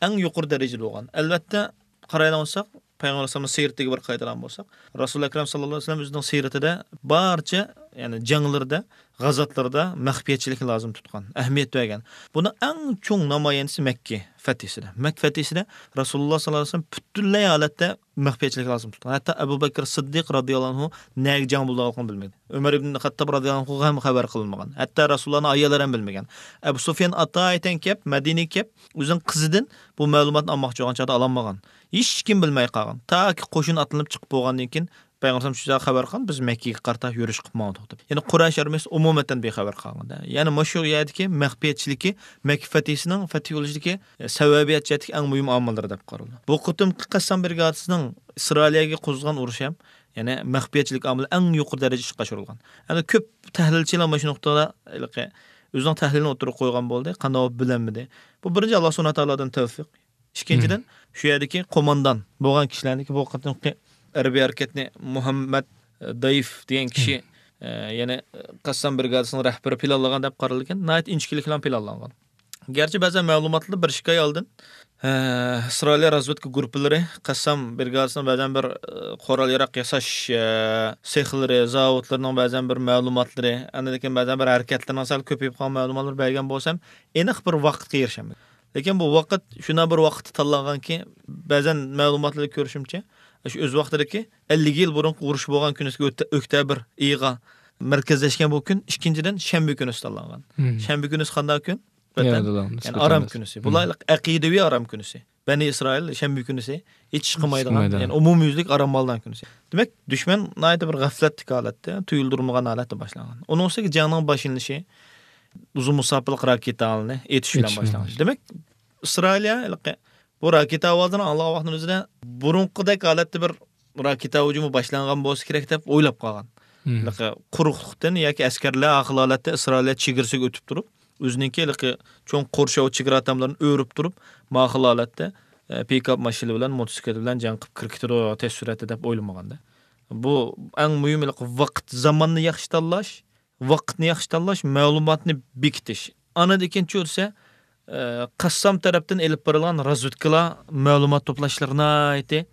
ئەڭ يۇقىرى دەرىجىدە بولغان. ئەلۋەتتە، قارايدىغان بولساق، پەيغەمبەر ئەلەيھىسسالامنىڭ سىيرىتىگە بىر قايتىدىغان بولساق، رەسۇل ئەكرەم ساللاللاھۇ ئەلەيھى ۋەسەللەم ئۆزىنىڭ سىيرىتىدە بارچە، يەنى جەڭلىرىدە، غازاتلىرىدا مەخپىيەتچىلىكنى لازىم تۇتقان، ئەھمىيەت بەرگەن. بۇنىڭ ئەڭ چوڭ نامايەندىسى مەككە فەتھىسىدە. مەككە فەتھىسىدە رەسۇلۇللاھ ساللاللاھۇ ئەلەيھى ۋەسەللەم پۈتۈنلەي ھالەتتە مەخپىيەتچىلىكنى لازىم تۇتقان. ھەتتا ئەبۇ بەكرى سىددىق رازىياللاھۇ ئەنھۇ نەگە جەڭ بولىدىغانلىقىنى بىلمىدى. ئۆمەر ئىبن خەتتاب رازىياللاھۇ ئەنھۇغا ھەم خەۋەر قىلىنمىغان. ھەتتا رەسۇلۇللاھنىڭ ئاياللىرى ھەم بىلمىگەن. ئەبۇ سۇفيان ئاتايىتەن كەپ، مەدىنىگە كەپ، ئۆزىنىڭ قىزىدىن بۇ مەلۇماتنى ئالماقچى بولغان چاغدا ئالالمىغان. ھېچكىم بىلمەي قالغان. تاكى قوشۇن ئاتلىنىپ چىقىپ بولغاندىن كېيىن، پەيغەمبەر شۇ خەۋەر قىلغان، بىز مەككىگە قارىتا يۈرۈش قىلىپ ماڭدۇق دەپ. يەنى قۇرەيش ئارمىيەسى ئومۇمەن بىخەۋەر قالغان. يەنى مۇشۇ يەردىكى مەخپىيەتچىلىكى مەككە فەتھىسىنىڭ فەتھى بولۇشىدىكى، ئە، سەۋەبىيەت جەھەتتىكى ئەڭ مۇھىم ئامىللىرى دەپ قارىلىدۇ. بۇ قېتىمقى قەسسام بىرىگادىسىنىڭ ئىسرائىلىيەگە قوزغىغان ئۇرۇشى ھەم، يەنى مەخپىيەتچىلىك ئامىلى ئەڭ يۇقىرى دەرىجىدە ئىشقا ئاشۇرۇلغان. ئەمدى كۆپ تەھلىلچىلەر مانا شۇ نۇقتىدا ھېلىقى ئۆزىنىڭ تەھلىلىنى ئوتتۇرىغا قويغان بولدى. قانداق بولۇپ بىلەلمىدى. بۇ بىرىنچى، ئاللا سۇبھانەھۇ ۋە تائالادىن تەۋفىق. ئىككىنچىدىن، شۇ يەردىكى قوماندان بولغان كىشىلەرنىڭكى بۇ قېتىمقى ھەربىي ھەرىكەتنى مۇھەممەد، ئە، دايىف دېگەن كىشى، ئە، يەنى، ئە، قەسسام بىرىگادىسىنىڭ رەھبىرى پىلانلىغان دەپ قارىلىدىكەن، ناھايىتى ئىنچىكىلىك بىلەن پىلانلانغان. گەرچە بەزەن مەلۇماتلاردا بىر ئىككى ئاي ئالدىن، ئە، ئىسرائىلىيە رازۋېدكا گۇرۇپپىلىرى قەسسام بىرىگادىسىنىڭ بەزەن بىر، ئە، قورال ياراق ياساش، ئە، سېخلىرى، زاۋۇتلىرىنىڭ بەزەن بىر مەلۇماتلىرى، ئاندىن كېيىن بەزەن بىر ھەرىكەتلىرىنىڭ سەل كۆپىيىپ قالغان مەلۇماتلىرى بەرگەن بولسام، ئېنىق بىر ۋاقىتقا ئېرىشەلمىدى. لېكىن بۇ ۋاقىت شۇنداق بىر ۋاقىتتا تاللانغانكى، بەزەن مەلۇماتلاردا كۆرۈشۈمچە، شۇ ئۆز ۋاقتىدىكى ئەللىك يىل بۇرۇنقى ئۇرۇش بولغان كۈنىسىگە ئۆت-، ئۆكتەبىر ئېيىغا مەركەزلەشكەن بۇ كۈن، ئىككىنچىدىن، شەنبە كۈنىسى تاللانغان. شەنبە كۈنىسى قانداق كۈن؟ يەنە يەنە ئارام كۈنىسى. بۇلار ھېلىقى ئەقىدىۋى ئارام كۈنىسى. بەنى ئىسرائىل شەنبە كۈنىسى ھېچ ئىش قىلمايدىغان، يەنى ئومۇميۈزلۈك ئارام ئالىدىغان كۈنىسى. دېمەك، دۈشمەن ناھايىتى بىر غەپلەتلىك ھالەتتە، تۇيۇلدۇرمىغان ھالەتتە باشلانغان. ئۇنىڭ ئۈستىگە جەڭنىڭ باشلىنىشى ئۇزۇن مۇساپىلىق راكېتالارنى ئېتىش بىلەن باشلانغان. دېمەك، ئىسرائىلىيە ھېلىقى بۇ راكېتا ئاۋازىنى ئاڭلىغان ۋاقتىنىڭ ئۆزىدە بۇرۇنقىدەك ھالەتتە بىر راكېتا ھۇجۇمى باشلانغان بولسا كېرەك دەپ ئويلاپ قالغان. ھېلىقى قۇرۇقلۇقتىن ياكى ئەسكەرلەر ھە خىل ھالەتتە ئىسرائىلىيە چېگرىسىگە ئۆتۈپ تۇرۇپ، ئۆزىنىڭكى ھېلىقى چوڭ قورشاۋ چېگرا تاملىرىنى ئۆرۈپ تۇرۇپ، ما خىل ھالەتتە، ئە، پىكاپ ماشىنا بىلەن، موتوسىكلىت بىلەن جەڭ قىلىپ كىرىپ كېتىدۇ تېز سۈرئەتتە دەپ ئويلىمىغاندا. بۇ ئەڭ مۇھىم ھېلىقى ۋاقىت، زاماننى ياخشى تاللاش، ۋاقىتنى ياخشى تاللاش، مەلۇماتنى بېكىتىش. ئاندىن كېيىن چۈشۈرسە، ئە، قەسسام تەرەپتىن ئېلىپ بېرىلغان رازۋېدكىلار مەلۇمات توپلاشلىرى ناھايىتى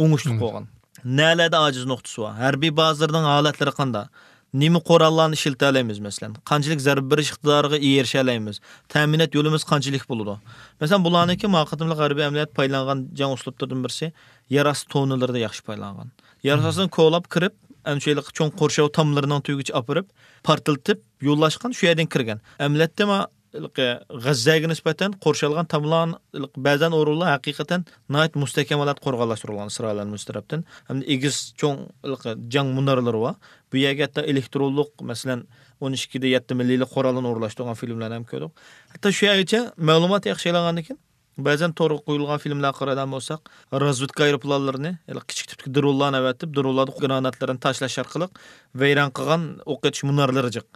ئوڭۇشلۇق بولغان. نەلەردە ئاجىز نۇقتىسى بار؟ ھەربىي بازىلىرىنىڭ ھالەتلىرى قانداق؟ نېمە قوراللارنى ئىشلىتەلەيمىز، مەسىلەن، قانچىلىك زەربە بېرىش ئىقتىدارىغا ئېرىشەلەيمىز، تەمىنات يولىمىز قانچىلىك بولىدۇ. مەسىلەن، بۇلارنىڭكى ما قېتىملىق ھەربىي ئەمەلىيەت پايدىلانغان جەڭ ئۇسلۇبلىرىدىن بىرسى يەر ئاستى توننىلىرىدا ياخشى پايدىلانغان. يەر ئاستىدىن كولاپ كىرىپ، ئەنە شۇ ھېلىقى چوڭ قورشاۋ تاملىرىنىڭ تۈۋىگىچە ئاپىرىپ، پارتلىتىپ، يوللاشقان شۇ يەردىن كىرگەن. ئەمەلىيەتتە ما ھېلىقى غەززەگە نىسبەتەن قورشالغان تاملار، ھېلىقى بەزەن ئورۇنلار ھەقىقەتەن ناھايىتى مۇستەھكەم ھالەتتە قورغانلاشتۇرۇلغان ئىسرائىلىيەنىڭ ئۆز تەرەپتىن. ھەمدە ئېگىز چوڭ ھېلىقى جەڭ مۇنارلىرى بار. بۇ يەرگە ھەتتا ئېلېكترونلۇق، مەسىلەن، ئون ئىككىدە يەتتە مىللىيلىك قوراللارنى ئورۇنلاشتۇرغان فىلىملەرنى ھەم كۆردۇق. ھەتتا شۇ يەرگىچە مەلۇمات ياخشى ئېلىنغاندىن كېيىن، بەزەن تورغا قويۇلغان فىلىملەرگە قارايدىغان بولساق، رازۋېدكا ئايروپىلانلىرىنى، ھېلىقى كىچىك تىپتىكى درونلارنى ئەۋەتىپ، درونلاردا گراناتلىرىنى تاشلاش ئارقىلىق ۋەيران قىلغان ئوق ئېتىش مۇنارلىرى جىق،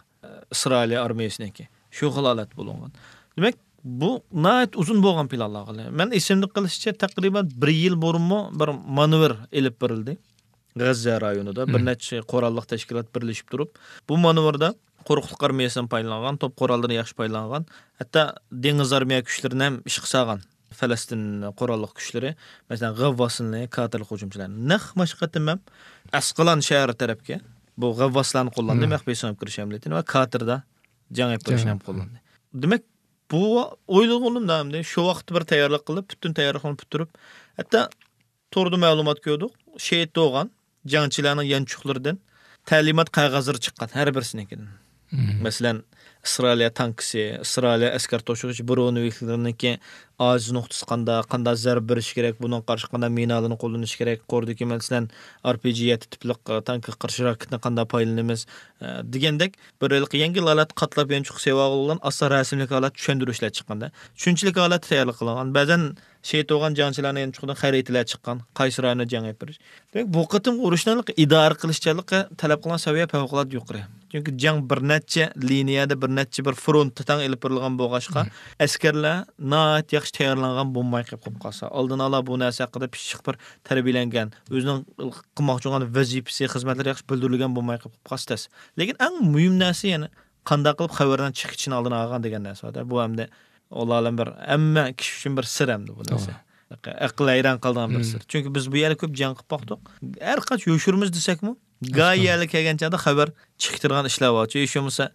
ئىسرائىلىيە ئارمىيەسىنىڭكى. شۇ خىل ھالەت بولۇنغان. دېمەك، بۇ ناھايىتى ئۇزۇن بولغان پىلانلارغا. مەن ئېسىمدە قېلىشىچە، تەقرىبەن بىر يىل بۇرۇنمۇ بىر مانېۋىر ئېلىپ بېرىلدى. غەززە رايونىدا بىر نەچچە قوراللىق تەشكىلات بىرلىشىپ تۇرۇپ، بۇ مانېۋىردا قۇرۇقلۇق ئارمىيەسىدىن پايدىلانغان، توپ قوراللىرىنى ياخشى پايدىلانغان، ھەتتا دېڭىز ئارمىيە كۈچلىرىنى ھەم ئىشقا سالغان. پەلەستىن قوراللىق كۈچلىرى، مەسىلەن، غەۋۋاسنى، كاتېرلىق ھۇجۇمچىلارنى. نەق مۇشۇ قېتىم ھەم ئەسقىلان شەھىرى تەرەپكە بۇ غەۋۋاسلارنى قوللاندى، مەخپىي سىڭىپ كىرىش ئەمەلىيىتىنى ۋە كاتېردا جەڭ ئېلىپ بېرىشنى ھەم قوللاندى. دېمەك، بۇ ئويلىغىنىمدا ئەمدى شۇ ۋاقىتتا بىر تەييارلىق قىلىپ، پۈتۈن تەييارلىقنى پۈتتۈرۈپ، ھەتتا توردا مەلۇمات كۆردۇق. شېھىت بولغان جەڭچىلەرنىڭ يانچۇقلىرىدىن تەلىمات قەغەزلىرى چىققان ھەر بىرسىنىڭكىدىن. مەسىلەن، ئىسرائىلىيە تانكىسى، ئىسرائىلىيە ئەسكەر توشۇغۇچى برونېۋىكلىرىنىڭكى ئاجىز نۇقتىسى قانداق، قانداق زەربە بېرىش كېرەك، بۇنىڭغا قارشى قانداق مىنالارنى قوللىنىش كېرەك، قوردىكى، مەسىلەن، ئار پى جى يەتتە تىپلىق، ئە، تانكىغا قارشى راكېتنى قانداق پايدىلىنىمىز، ئە، دېگەندەك بىر ھېلىقى يەڭگىل ھالەتتە قاتلاپ يانچۇققا سېلىۋالغان ئاستا رەسىملىك ھالەتتە چۈشەندۈرۈشلەر چىققاندا، چۈشەنچىلىك ھالەتتە تەييارلىق قىلىنغان. بەزەن شېھىت بولغان جەڭچىلەرنىڭ يانچۇقىدىن خەرىتىلەر چىققان، قايسى رايوندا جەڭ ئېلىپ بېرىش. دېمەك، بۇ قېتىمقى ئۇرۇشنىڭ ئىدارە قىلىشچانلىقى تەلەپ قىلغان سەۋىيە پەۋقۇلئاددە يۇقىرى. چۈنكى جەڭ بىر نەچچە لىنىيەدە، بىر نەچچە بىر فرونتتا تەڭ ئېلىپ بېرىلغان بولغاچقا، ئەسكەرلەر ناھايىتى ياخشى تەييارلانغان بولماي قېلىپ قالسا، ئالدىن ئالا بۇ نەرسە ھەققىدە پىششىق بىر تەربىيەلەنگەن، ئۆزىنىڭ قىلماقچى بولغان ۋەزىپىسى، خىزمەتلىرى ياخشى بىلدۈرۈلگەن بولماي قېلىپ قالسا تەس. لېكىن ئەڭ مۇھىم نەرسە يەنە قانداق قىلىپ خەۋەرنىڭ چىقىشىنى ئالدىنى ئالغان دېگەن نەرسە بار-دە. بۇ ئەمدى ئاللائالەم بىر ھەممە كىشى ئۈچۈن بىر سىر ئەمدى بۇ نەرسە. ئەقىل ھەيران قالىدىغان بىر سىر. چۈنكى بىز بۇ يەردە كۆپ جەڭ قىلىپ باقتۇق. ھەر قانچە يوشۇرىمىز دېسەكمۇ، گاھى يەرلەر كەلگەن چاغدا خەۋەر چىقىپ تۇرغان ئىشلار بار. ھېچ بولمىسا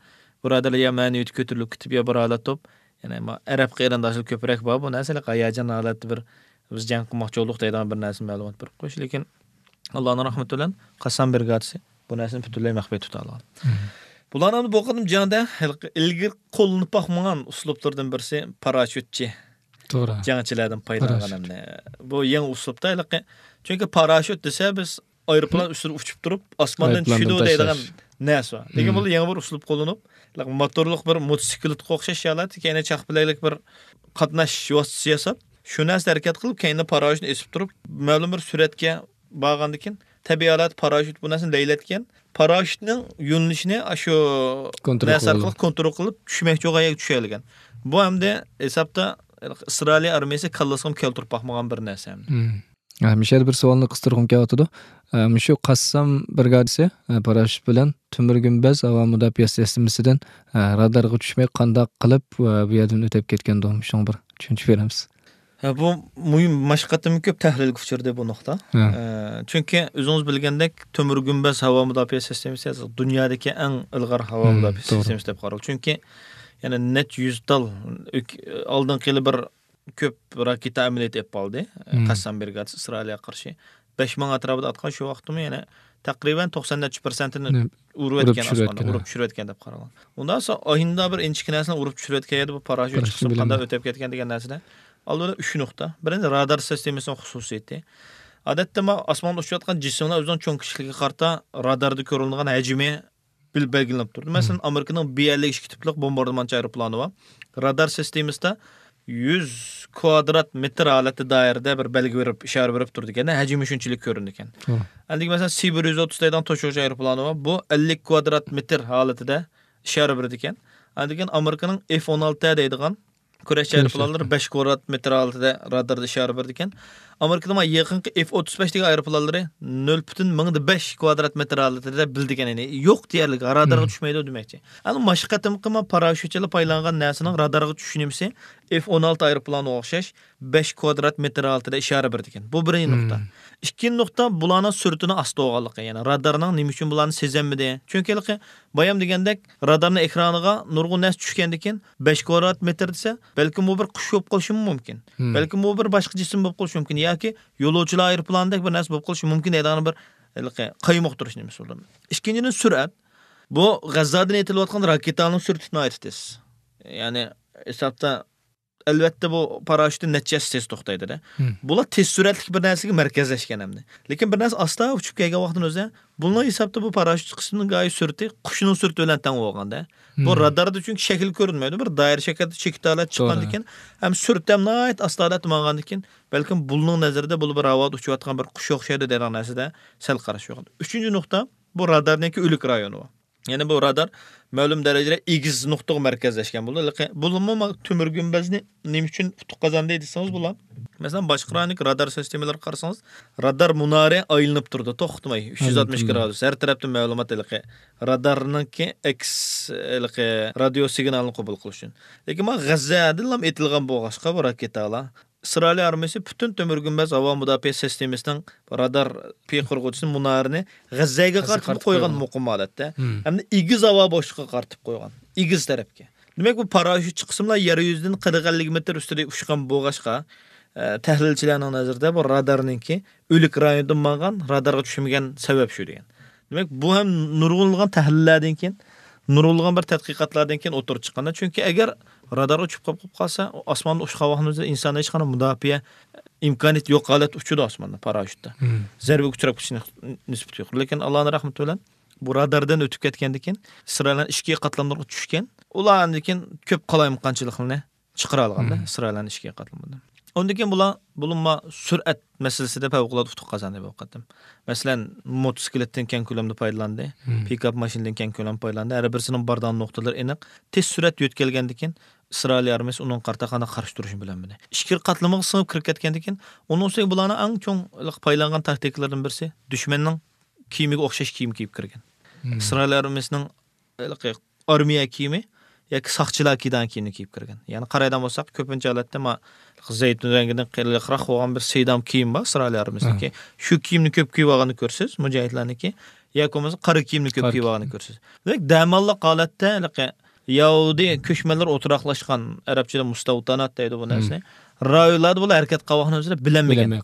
بۇرادەرلەر يا مەنىۋىيىتى كۆتۈرۈلۈپ كېتىپ، يا بىر ھالەت بولۇپ، يەنى ئەرەب قېرىنداشلار كۆپرەك بار. بۇ نەرسىلەر ھاياجان ھالەتتە بىر بىز جەڭ قىلماقچى بولدۇق دەيدىغان بىر نەرسە مەلۇمات بېرىپ قويۇش. لېكىن ئاللانىڭ رەھمىتى بىلەن قاسسام برىگادىسى بۇ نەرسىنى پۈتۈنلەي مەخپىي تۇتالىغان. بۇلارنىڭ بۇ قېتىم جەڭدە ھېلىقى ئىلگىرى قوللىنىپ باقمىغان ئۇسلۇبلىرىدىن بىرسى پاراشوتچى جەڭچىلەردىن پايدىلانغان ئەمدى. بۇ يېڭى ئۇسلۇبتا ھېلىقى، چۈنكى پاراشوت دېسە بىز ئايروپىلان ئۈستىدە ئۇچۇپ تۇرۇپ ئاسماندىن چۈشىدۇ دەيدىغان نەرسە بار. لېكىن بۇ يېڭى بىر ئۇسلۇب قوللىنىپ، موتورلۇق بىر موتوسىكلىتقا ئوخشاش ھالەتتە كەينىدە چاقپەلەكلىك بىر قاتناش ۋاسىتىسى ياساپ، شۇ نەرسىدە ھەرىكەت قىلىپ، كەينىدە پاراشوتنى ئېسىپ تۇرۇپ، مەلۇم بىر سۈرئەتكە بارغاندىن كېيىن، تەبىئىي ھالەتتە پاراشوت بۇ نەرسىنى لەيلەتكەن. پاراشوتنىڭ يۆنىلىشىنى ئاشۇ نەرسە ئارقىلىق كونترول قىلىپ، چۈشمەكچى بولغان يەرگە چۈشۈرەلىگەن. بۇ ئەمدى ھېسابتا ئىسرائىلىيە ئارمىيەسى كاللىسىغىمۇ كەلتۈرۈپ باقمىغان بىر نەرسە ئەمدى. ھە، مۇشۇ يەردە بىر سوئالنى قىستۇرغۇم كېلىۋاتىدۇ. ھە، مۇشۇ قاسسام برىگادىسى، ھە، پاراشوت بىلەن تۆمۈر گۈمبەز ھاۋا مۇداپىئە سىستېمىسىدىن، ھە، رادارغا چۈشمەي قانداق قىلىپ، ھە، بۇ يەردىن ئۆتۈپ كەتكەندۇ؟ مۇشۇنىڭغا بىر چۈشەنچە بېرەمسىز؟ ھە، بۇ مۇھىم، مۇشۇ قېتىم كۆپ تەھلىلگە ئۇچرىدى بۇ نۇقتا. ھە. ئە، چۈنكى ئۆزىڭىز بىلگەندەك، تۆمۈر گۈمبەز ھاۋا مۇداپىئە سىستېمىسى دۇنيادىكى ئەڭ ئىلغار ھاۋا مۇداپىئە سىستېمىسى دەپ قارالغان. چۈنكى يەنە نەچچە يۈز تال ئۆك-، ئالدىنقى يىلى بىر كۆپ راكېتا ئەمەلىيىتى ئېلىپ بارلىدى. قەسسام برىگادىسى ئىسرائىلىيەگە قارشى. بەش مىڭ ئەتراپىدا ئاتقان شۇ ۋاقىتتىمۇ يەنە تەقرىبەن توقسان نەچچە پىرسەنتىنى ئۇرۇۋەتكەن ئاسماندا، ئۇرۇپ چۈشۈرۈۋەتكەن دەپ قارالغان. ئۇنداق بولسا ئاينىدا بىر ئىنچىكە نەرسىنى ئۇرۇپ چۈشۈرۈۋەتكەن يەردە بۇ پاراشوت چىقسا قانداق ئۆتۈپ كەتكەن دېگەن نەرسىدە ئالدى بىلەن ئۈچ نۇقتا. بىرىنچى، رادار سىستېمىسىنىڭ خۇسۇسىيىتى. ئادەتتە ما ئاسماندا ئۇچۇۋاتقان جىسىملار ئۆزىنىڭ چوڭ كىچىكلىكىگە قارىتا راداردا كۆرۈنىدىغان ھەجمى بىل-، بەلگىلىنىپ تۇرىدۇ. مەسىلەن، ئامېرىكىنىڭ بى ئەللىك ئىككى تىپلىق بومباردىمانچى ئايروپىلانى بار. رادار سىستېمىسىدا يۈز كۋادرات مېتىر ھالەتتە دائىرىدە بىر بەلگە بېرىپ، ئىشارە بېرىپ تۇرىدىكەن، ھەجمى شۇنچىلىك كۆرۈنىدىكەن. ئەندىكىن مەسىلەن، سى بىر يۈز ئوتتۇز دەيدىغان توشۇغۇچى ئايروپىلانى بار. بۇ ئەللىك كۋادرات مېتىر ھالىتىدە ئىشارە بېرىدىكەن. ئەندىكىن ئامېرىكىنىڭ ئېف ئون ئالتە دەيدىغان كۈرەش ئايروپىلانلىرى بەش كۋادرات مېتىر ھالىتىدە راداردا ئىشارە بېرىدىكەن. ئامېرىكىدا ما يېقىنقى ئېف ئوتتۇز بەش دېگەن ئايروپىلانلىرى نۆل پۈتۈن مىڭدا بەش كۋادرات مېتىر ھالىتىدە بىلدىكەن، يەنى يوق دېيەرلىك، رادارغا چۈشمەيدۇ دېمەكچى. ئەمما ماشۇ قېتىمقى ما پاراشوتچىلار پايدىلانغان نەرسىنىڭ رادارغا چۈشۈش نېمىسى ئېف ئون ئالتە ئايروپىلانغا ئوخشاش بەش كۋادرات مېتىر ھالىتىدە ئىشارە بېرىدىكەن. بۇ بىرىنچى نۇقتا. ئىككىنچى نۇقتا، بۇلارنىڭ سۈرئىتىنىڭ ئاستا بولغانلىقى. يەنى رادارنىڭ نېمە ئۈچۈن بۇلارنى سېزەلمىدى؟ چۈنكى ھېلىقى بايام دېگەندەك، رادارنىڭ ئېكرانىغا نۇرغۇن نەرسە چۈشكەندىكىن، بەش كۋادرات مېتىر دېسە، بەلكىم بۇ بىر قۇش بولۇپ قېلىشىمۇ مۇمكىن. بەلكىم بۇ بىر باشقا جىسىم بولۇپ قېلىشى مۇمكىن ياكى يولۇچىلار ئايروپىلانىدەك بىر نەرسە بولۇپ قېلىشى مۇمكىن دەيدىغان بىر ھېلىقى قايمۇقتۇرۇش نېمىسى بولدى. ئىككىنچىدىن، سۈرئەت. بۇ غەززادىن ئېتىلىۋاتقان راكېتانىڭ سۈرئىتى ناھايىتى تېز. يەنى ھېسابتا، ئەلۋەتتە، بۇ پاراشوتتىن نەچچە ھەسسە تېز توختايدۇ-دە. بۇلار تېز سۈرئەتلىك بىر نەرسىگە مەركەزلەشكەن ئەمدى. لېكىن بىر نەرسە ئاستا ئۇچۇپ كەلگەن ۋاقتىنىڭ ئۆزىدە، بۇنىڭ ھېسابتا بۇ پاراشوت چىقىشىنىڭ گاھى سۈرئىتى قۇشنىڭ سۈرئىتى بىلەن تەڭ بولغاندا. بۇ راداردا چۈنكى شەكىل كۆرۈنمەيدۇ. بىر دائىرە شەكىلدە چېكىت ھالەت چىققاندىكىن، ھەم سۈرئىتى ھەم ناھايىتى ئاستا ھالەتتە مانغاندىكىن، بەلكىم بۇلنىڭ نەزىرىدە بۇلار بىر ھاۋادا ئۇچۇۋاتقان بىر قۇش ئوخشايدۇ دەيدىغان نەرسىدە سەل قاراش يوق. ئۈچىنچى نۇقتا، بۇ رادارنىڭكى ئۆلۈك رايونى بار. يەنى بۇ رادار مەلۇم دەرىجىدە ئېگىز نۇقتىغا مەركەزلەشكەن بولىدۇ. ھېلىقى، بۇلىمۇ ما-، تۆمۈر گۈمبەزنى نېمە ئۈچۈن ئۇتۇق قازاندى دېسىڭىز، بۇلار، مەسىلەن، باشقا رايوندىكى رادار سىستېمىلىرىغا قارىسىڭىز، رادار مۇنارى ئايلىنىپ تۇرىدۇ، توختىماي، ئۈچ يۈز ئاتمىش گرادۇس، ھەر تەرەپتىن مەلۇمات، ھېلىقى، رادارنىڭكى ئەكس، ھېلىقى، رادىيو سىگنالىنى قوبۇل قىلىش ئۈچۈن. لېكىن ما غەززەدىنلا ئېتىلغان بولغاچقا، بۇ راكېتالار، ئىسرائىلىيە ئارمىيىسى پۈتۈن تۆمۈر گۈمبەز ھاۋا مۇداپىئە سىستېمىسىنىڭ رادار پىقىرغۇچىسى مۇنارىنى غەززەگە قارىتىپ قويغان مۇقىم ھالەتتە. ھەمدە ئېگىز ھاۋا بوشلۇقىغا قارىتىپ قويغان. ئېگىز تەرەپكە. دېمەك، بۇ پاراشوت چىقىسىمۇلا يەر يۈزىدىن قىرىق ئەللىك مېتىر ئۈستىدە ئۇچقان بولغاچقا، ئە، تەھلىلچىلەرنىڭ نەزىرىدە بۇ رادارنىڭكى ئۆلۈك رايوندىن ماڭغان، رادارغا چۈشمىگەن سەۋەب شۇ دېگەن. دېمەك، بۇ ھەم نۇرغۇنلىغان تەھلىللەردىن كېيىن، نۇرغۇنلىغان بىر تەتقىقاتلاردىن كېيىن ئوتتۇرىغا چىققاندا، چۈنكى ئەگەر رادارغا چۈشۈپ قاپ-، قاپ قالسا، ئاسماندا ئۇچقان ۋاقتىمىزدا ئىنسان ھېچقانداق مۇداپىئە ئىمكانىيىتى يوق ھالەتتە ئۇچىدۇ ئاسماندا پاراشوتتا. زەربىگە ئۇچراپ كېتىش نىس-، نىسبىتى يۇقىرى. لېكىن ئاللانىڭ رەھمىتى بىلەن بۇ راداردىن ئۆتۈپ كەتكەندىن كېيىن، ئىسرائىلنىڭ ئىچكى قاتلاملىرىغا چۈشكەن. ئۇلار ئاندىن كېيىن كۆپ قالايمىقانچىلىقنى چىقىرالىغاندا، ئىسرائىلنىڭ ئىچكى قاتلىمىدىن. ئۇندىن كېيىن بۇلار، بولۇپمۇ سۈرئەت مەسىلىسىدە پەۋقۇلئاددە ئۇتۇق قازاندى بۇ قېتىم. مەسىلەن، موتوسىكلىتتىن كەڭ كۆلەمدە پايدىلاندى، پىكاپ ماشىنىدىن كەڭ كۆلەمدە پايدىلاندى. ھەر بىرسىنىڭ بارىدىغان نۇقتىلىرى ئېنىق. تېز سۈرئەت يۆتكەلگەندىن كېيىن، ئىسرائىلىيە ئارمىيىسى ئۇنىڭغا قارىتا قانداق قارشى تۇرۇشنى بىلەلمىدى. ئىچكىرى قاتلىمىغا سىڭىپ كىرىپ كەتكەندىن كېيىن، ئۇنىڭ ئۈستىگە بۇلارنىڭ ئەڭ چوڭ پايلانغان تاكتىكىلىرىدىن بىرسى، دۈشمەننىڭ كىيىمىگە ئوخشاش كىيىم كىيىپ كىرگەن. ئىسرائىلىيە ئارمىيىسىنىڭ ھېلىقى ئارمىيە كىيىمى ياكى ساقچىلار كىيىدىغان كىيىمنى كىيىپ كىرگەن. يەنى قارايدىغان بولساق، كۆپىنچە ھالەتتە ما زەيتۇن رەڭگىدىن قېلىقراق بولغان بىر سىيدام كىيىم بار ئىسرائىلىيە ئارمىيىسىنىڭكى. شۇ كىيىمنى كۆپ كىيىۋالغاننى كۆرىسىز، مۇجاھىدلارنىڭكى. ياكى بولمىسا قارا كىيىمنى كۆپ كىيىۋالغاننى كۆرىسىز. دېمەك، دەماللىق ھالەتتە ھېلىقى يەھۇدىي كۆچمەنلەر ئولتۇراقلاشقان، ئەرەبچىدە مۇستەۋتانات دەيدۇ بۇ نەرسىنى. رايونلاردا بۇلار ھەرىكەت قىلىۋاتقان ئۆزلىرى بىلەلمىگەن.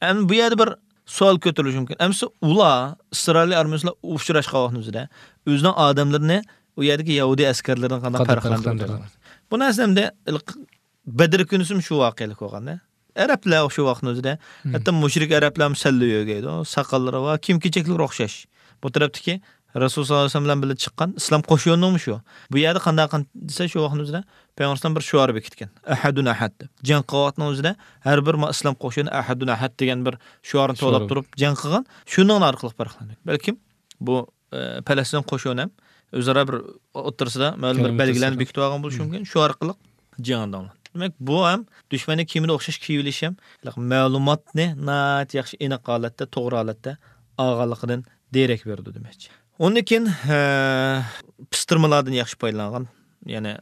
ئەمدى بۇ يەردە بىر سوئال كۆتۈرۈلۈشى مۇمكىن. ئەمىسە ئۇلار ئىسرائىلىيە ئارمىيىسى بىلەن ئۇچراشقان ۋاقتىمىزدا ئۆزىنىڭ ئادەملىرىنى ئۇ يەردىكى يەھۇدىي ئەسكەرلىرىدىن قانداق پەرقلەندۈرىدۇ؟ بۇ نەرسە ئەمدى بەدر كۈنىسىمۇ شۇ ۋەقەلىك بولغان. ئەرەبلەر شۇ ۋاقىتنىڭ ئۆزىدە، ھەتتا مۇشرىك ئەرەبلەرمۇ سەللە يۆگەيدۇ، ساقاللىرى بار، كىيىم كېچەكلىرى ئوخشاش. بۇ تەرەپتىكى رەسۇل ساللاللاھۇ ئەلەيھى ۋەسەللەم بىلەن چىققان ئىسلام قوشۇنىمۇ شۇ. بۇ يەردە قانداق قىل-، دېسە، شۇ ۋاقىتنىڭ ئۆزىدە پەيغەمبەر ئەلەيھىسسالام بىر شوئار بېكىتكەن. «ئەھەدۇن ئەھەد» دەپ. جەڭ قىلىۋاتقان ئۆزىدە ھەر بىر ما-، ئىسلام قوشۇنى «ئەھەدۇن ئەھەد» دېگەن بىر شوئارنى توۋلاپ تۇرۇپ جەڭ قىلغان. شۇنىڭ ئارقىلىق پەرقلەندى. بەلكىم بۇ، ئە، پەلەستىن قوشۇنى ھەم ئۆزئارا بىر ئوتتۇرىسىدا مەلۇم بىر بەلگىلەرنى بېكىتىۋالغان بولۇشى مۇمكىن. شۇ ئارقىلىق جەڭ داۋاملاشتى. دېمەك، بۇ ھەم دۈشمەننىڭ كىيىمىدە ئوخشاش كىيىۋېلىش ھەم مەلۇماتنى ناھايىتى ياخشى، ئېنىق ھالەتتە، توغرا ھالەتتە ئالغانلىقىدىن دېرەك بېرىدۇ دېمەكچى. ئۇندىن كېيىن، ھە، پىستىرمىلاردىن ياخشى پايدىلانغان، يەنى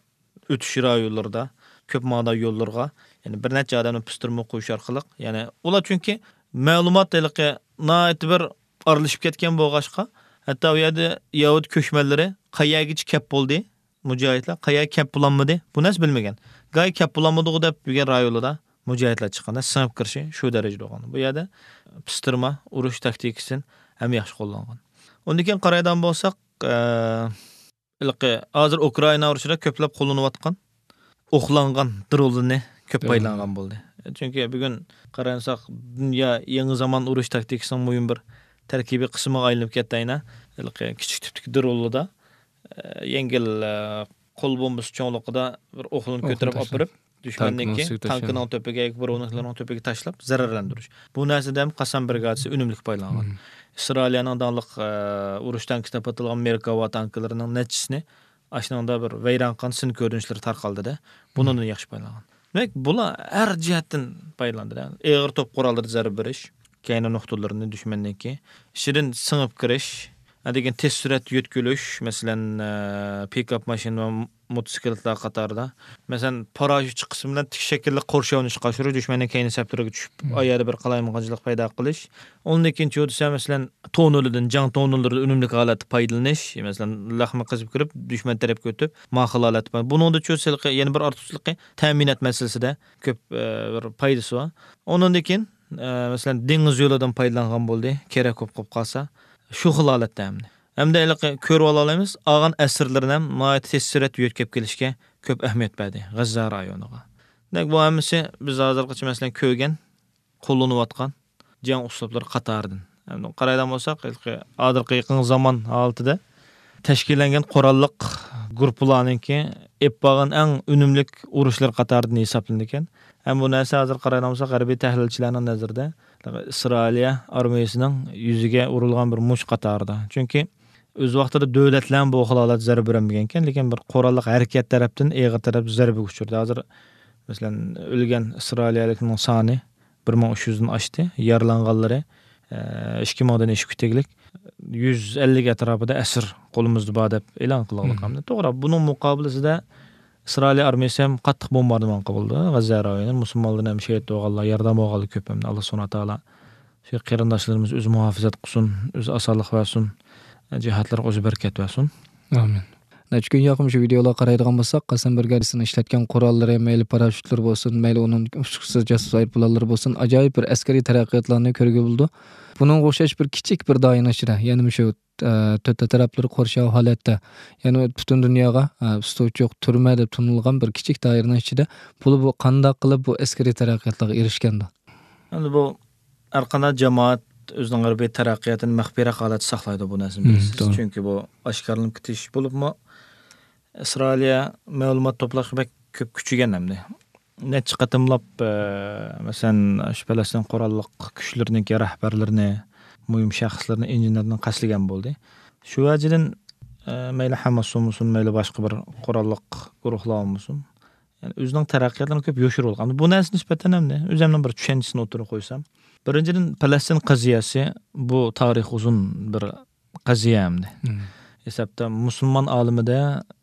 ئۆتۈش رايونلىرىدا، كۆپ ماڭىدىغان يوللىرىغا، يەنى بىر نەچچە ئادەمنى پىستىرما قويۇش ئارقىلىق، يەنى ئۇلار چۈنكى مەلۇمات ھېلىقى ناھايىتى بىر ئارىلىشىپ كەتكەن بولغاچقا، ھەتتا ئۇ يەردە يەھۇدىي كۆچمەنلىرى قەيەرگىچە كەپ بولدى، مۇجاھىدلار قەيەرگە كەپ بولالمىدى، بۇ نەرسە بىلمىگەن. گاھى كەپ بولالمىدىغۇ دەپ يۈرگەن رايونلاردا مۇجاھىدلار چىققاندا سىڭىپ كىرىشى شۇ دەرىجىدە بولغان. بۇ يەردە پىستىرما ئۇرۇش تاكتىكىسىدىن ھەم ياخشى قوللانغان. ئۇندىن كېيىن قارايدىغان بولساق، ئە، ھېلىقى ھازىر ئۇكرائىنا ئۇرۇشىدا كۆپلەپ قوللىنىۋاتقان ئوقلانغان درونلىرىنى كۆپ پايدىلانغان بولدى. چۈنكى بۈگۈن قارايمىساق، دۇنيا يېڭى زامان ئۇرۇش تاكتىكىسىنىڭ مۇھىم بىر تەركىبىي قىسمىغا ئايلىنىپ كەتتى ئەينە. ھېلىقى كىچىك تىپتىكى درونلىدا، ئە، يەڭگىل، ئە، قول بومبىسى چوڭلۇقىدا بىر ئوقلىنى كۆتۈرۈپ ئاپىرىپ، دۈشمەننىڭكى تانكىنىڭ تۆپىگە ياكى بىر ئويۇنلۇقلىرىنىڭ تۆپىگە تاشلاپ زەرەرلەندۈرۈش. بۇ نەرسىدە ھەم قاسام بىرىگادىسى ئۈنۈملۈك پايدىلانغان. ئىسرائىلىيەنىڭ داڭلىق، ئە، ئۇرۇش تانكىسى دەپ ئاتالغان مېركاۋا تانكىلىرىنىڭ نەچچىسىنى ئاشۇنىڭدا بىر ۋەيران قىلغان سىن كۆرۈنۈشلىرى تارقالدىدە. بۇنىڭدىن ياخشى پايدىلانغان. دېمەك، بۇلار ھەر جەھەتتىن پايدىلاندى. ئېغىر توپ قوراللىرىدا زەربە بېرىش، كەينى نۇقتىلىرىنى دۈشمەننىڭكى، ئىچىدىن سىڭىپ كىرىش، ھە، دېگەن تېز سۈرئەت يۆتكىلىش، مەسىلەن، ئە، پىكاپ ماشىنا ۋە موتوسىكلىتلار قاتارىدا. مەسىلەن، پاراشيۇت چىقىسى بىلەن تىك شەكىللىك قورشاۋنى چىقىرىش، دۈشمەننىڭ كەينى سەپلىرىگە چۈشۈپ، مم. ئايەردە بىر قالايمىقانچىلىق پەيدا قىلىش. ئۇندىن كېيىن چۇ دېسە، مەسىلەن، توننېلدىن، جەڭ توننېللىرىدىن ئۈنۈملۈك ھالەتتە پايدىلىنىش، مەسىلەن، لەخمە قېزىپ كىرىپ، دۈشمەن تەرەپكە ئۆتۈپ، ماقۇل ھالەتتە پاي-، بۇنىڭدا چۇ سىلىقى، يەنە بىر ئارتۇقچىلىقى تەمىنات مەسىلىسىدە كۆپ، ئە، بىر پايدىسى بار. ئۇنىڭدىن كېيىن، ئە، مەسىلەن، دېڭىز يولىدىن پايدىلانغان بولدى، كېرەك بولۇپ قالسا، شۇ خىل ھالەتتە ھەمدە. ھەمدە ھېلىقى كۆرۈۋالالايمىز، ئالغان ئەسىرلىرىنى ھەم ناھايىتى تېز سۈرئەتتە يۆتكەپ كېلىشكە كۆپ ئەھمىيەت بەردى غەززە رايونىغا. دېمەك، بۇ ھەممىسى بىز ھازىرغىچە، مەسىلەن، كۆرگەن، قوللىنىۋاتقان جەڭ ئۇسلۇبلىرى قاتارىدىن. ھەم قارايدىغان بولساق، ھېلىقى ھازىرقى يېقىنقى زامان ھالىتىدە تەشكىللەنگەن قوراللىق گۇرۇپپىلارنىڭكى ئېلىپ بارغان ئەڭ ئۈنۈملۈك ئۇرۇشلىرى قاتارىدىن ھېسابلىنىدىكەن. ھەم بۇ نەرسە ھازىر قارايدىغان بولساق، غەربىي تەھلىلچىلەرنىڭ نەزىرىدە ئىسرائىلىيە ئارمىيىسىنىڭ يۈزىگە ئۇرۇلغان بىر مۇش قاتارىدا. چۈنكى ئۆز ۋاقتىدا دۆلەتلەرمۇ بۇ خىل ھالەتتە زەربە بېرەلمىگەنكەن، لېكىن بىر قوراللىق ھەرىكەت تەرەپتىن ئېغىر تەرەپ زەربىگە ئۇچرىدى. ھازىر، مەسىلەن، ئۆلگەن ئىسرائىلىيەلىكنىڭ سانى بىر مىڭ ئۈچ يۈزدىن ئاشتى، يارىلانغانلىرى، ئە، ئىككى مىڭدىن ئېشىپ كېتىگلىك، يۈز ئەللىك ئەتراپىدا ئەسىر قولىمىزدا بار دەپ ئېلان قىلغانلىق. مم. توغرا، بۇنىڭ مۇقابىلىسىدە ئىسرائىلىيە ئارمىيىسى ھەم قاتتىق بومباردىمان قىلدى غەززە رايونىنى. مۇسۇلمانلارنىڭ ھەم شېھىت بولغانلار، يارىدار بولغانلار كۆپ ھەمدە. ئاللا سۇبھانەھۇ ۋە تائالا شۇ قېرىنداشلىرىمىز ئۆزى مۇھاپىزەت قىلسۇن، ئۆزى ئاسانلىق بەرسۇن، جىھادلىرىغا ئۆزى بەرىكەت بەرسۇن. ئامىن. نەچچە كۈن ياقىن شۇ ۋىدېئولارغا قارايدىغان بولساق، قاسەم بىرگەدىسىنىڭ ئىشلەتكەن قوراللىرى، مەيلى پاراشۇتلىرى بولسۇن، مەيلى ئۇنىڭ ئۇچقۇچىسىز جاسۇس ئايروپىلانلىرى بولسۇن، ئاجايىپ بىر ئەسكىرىي تەرەققىياتلارنى كۆرگىلى بولىدۇ. بۇنىڭغا ئوخشاش بىر كىچىك بىر دائىرىنىڭ ئىچىدە، يەنە مۇشۇ، ئە، تۆت تەرەپلىرى قورشاۋ ھالەتتە، يەنە پۈتۈن دۇنياغا، ئە، ئۇستى ئوچۇق تۈرمە دەپ تونۇلغان بىر كىچىك دائىرىنىڭ ئىچىدە بۇلار بۇ قانداق قىلىپ بۇ ئەسكىرىي تەرەققىياتلارغا ئېرىشكەندۇ؟ ئەمدى بۇ ھەر قانداق جامائەت ئۆزىنىڭ غەربىي تەرەققىياتىنى مەخپىيرەك ھالەتتە ساقلايدۇ، بۇ نەرسىنى مم، بىلىسىز. توغرا. چۈنكى بۇ ئاشكارىلىنىپ كېتىش بولۇپمۇ ئىسرائىلىيە مەلۇمات توپلاشقا بەك كۆپ كۈچىگەن ئەمدى. نەچچە قېتىملاپ، ئە، مەسىلەن، شۇ پەلەستىن قوراللىق كۈچلىرىنىڭكى رەھبەرلىرىنى، مۇھىم شەخسلىرىنى، ئىنژېنېرلىرىنى قەستلىگەن بولدى. شۇ ۋەجىدىن، ئە، مەيلى ھاماس بولمىسۇن، مەيلى باشقا بىر قوراللىق گۇرۇھلار بولمىسۇن، يەنى ئۆزىنىڭ تەرەققىياتلىرىنى كۆپ يوشۇرۇۋالغان. بۇ نەرسە نىسبەتەن ئەمدى ئۆزۈمنىڭ بىر چۈشەنچىسىنى ئوتتۇرىغا قويسام، بىرىنچىدىن، پەلەستىن قەزىيەسى بۇ تارىخ ئۇزۇن بىر قەزىيە ئەمدى. مم. ھېسابتا مۇسۇلمان ئالىمىدە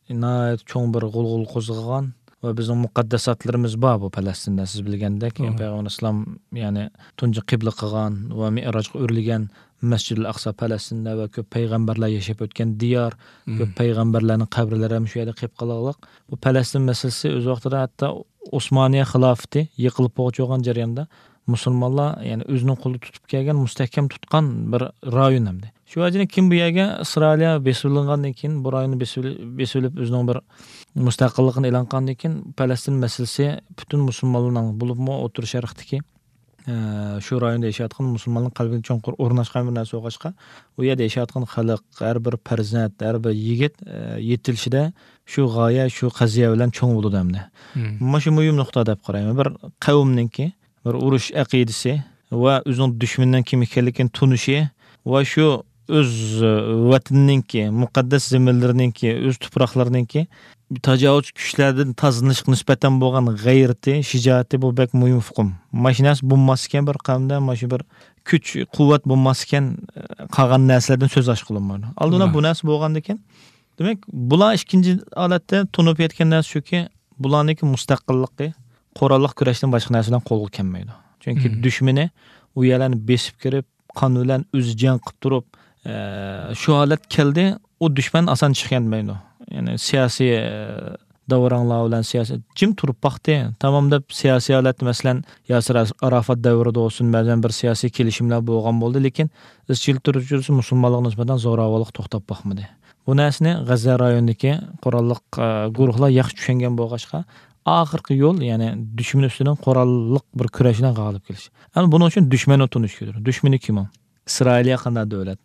ناھايىتى چوڭ بىر غۇلغۇلا قوزغىغان ۋە بىزنىڭ مۇقەددەساتلىرىمىز بار بۇ پەلەستىندە، سىز بىلگەندەك، توغرا. پەيغەمبەر ئەلەيھىسسالام، يەنى تۇنجى قىبلە قىلغان ۋە مىئراجغا ئۆرلىگەن مەسجىدۇل ئەقسا پەلەستىندە ۋە كۆپ پەيغەمبەرلەر ياشاپ ئۆتكەن دىيار، مم. كۆپ پەيغەمبەرلەرنىڭ قەبرىلىرى ھەم شۇ يەردە قېلىپ قالغانلىق. بۇ پەلەستىن مەسىلىسى ئۆز ۋاقتىدا ھەتتا ئوسمانىيە خىلاپىتى يىقىلىپ بولغۇچە بولغان جەرياندا مۇسۇلمانلار، يەنى ئۆزىنىڭ قولىدا تۇتۇپ كەلگەن، مۇستەھكەم تۇتقان بىر رايون ئەمدى. شۇ ۋەجىدىن كېيىن بۇ يەرگە ئىسرائىلىيە بېسىۋېلىنغاندىن كېيىن، بۇ رايوننى بېسىۋېلىپ، بېسىۋېلىپ ئۆزىنىڭ بىر مۇستەقىللىقىنى ئېلان قىلغاندىن كېيىن، پەلەستىن مەسىلىسى پۈتۈن مۇسۇلمانلارنىڭ، بولۇپمۇ ئوتتۇرا شەرقتىكى، ئە، شۇ رايوندا ياشاۋاتقان مۇسۇلمانلارنىڭ قەلبىگە چوڭقۇر ئورناشقان بىر نەرسە بولغاچقا، ئۇ يەردە ياشاۋاتقان خەلق، ھەر بىر پەرزەنت، ھەر بىر يىگىت، ئە، يېتىلىشىدە شۇ غايە، شۇ قەزىيە بىلەن چوڭ بولىدۇ ئەمدى. مم. مانا شۇ مۇھىم نۇقتا دەپ قارايمەن. بىر قەۋمنىڭكى بىر ئۇرۇش ئەقىدىسى ۋە ئۆزىنىڭ دۈشمىنىنىڭ كىم ئىكەنلىكىنى تونۇشى ۋە شۇ ئۆز، ئە، ۋەتىنىنىڭكى، مۇقەددەس زېمىنلىرىنىڭكى، ئۆز تۇپراقلىرىنىڭكى تاجاۋۇزچى كۈچلەردىن تازىلىنىشقا نىسبەتەن بولغان غەيرىتى، شىجائىتى، بۇ بەك مۇھىم ئۇقۇم. مانا شۇ نەرسە بولماسكەن بىر قەۋمدە، مانا شۇ بىر كۈچ، قۇۋۋەت بولماسكەن، ئە، قالغان نەرسىلەردىن سۆز ئاچقىلى بولمايدۇ. ئالدىن ئالا توغرا. بۇ نەرسە بولغاندىكىن، دېمەك، بۇلار ئىككىنچى ھالەتتە تونۇپ يەتكەن نەرسە شۇكى، بۇلارنىڭكى مۇستەقىللىقى قوراللىق كۈرەشتىن باشقا نەرسە بىلەن قولغا كەلمەيدۇ. چۈنكى مم. دۈشمىنى ئۇ يەرلەرنى بېسىپ كىرىپ، قان بىلەن ئۆزى جەڭ قىلىپ تۇرۇپ، ئە، شۇ ھالەت كەلدى، ئۇ دۈشمەن ئاسان چىقىپ كەتمەيدۇ. يەنى سىياسىي، ئە، داۋراڭلار بىلەن سىياسىي جىم تۇرۇپ باقتى. تامام دەپ سىياسىي ھالەتتە، مەسىلەن، ياسىر ئارافات دەۋرىدە بولسۇن، بەزەن بىر سىياسىي كېلىشىملەر بولغان بولدى، لېكىن ئىزچىل تۇرۇش مۇسۇلمانلارغا نىسبەتەن زوراۋانلىق توختاپ باقمىدى. بۇ نەرسىنى غەززە رايونىدىكى قوراللىق، ئە، گۇرۇھلار ياخشى چۈشەنگەن بولغاچقا، ئاخىرقى يول، يەنى دۈشمەن ئۈستىدىن قوراللىق بىر كۈرەش بىلەن غالىب كېلىش. ئەمما بۇنىڭ ئۈچۈن دۈشمەننى تونۇش كېرەك. دۈشمىنى كىم ئۇ؟ ئىسرائىلىيە قانداق دۆلەت؟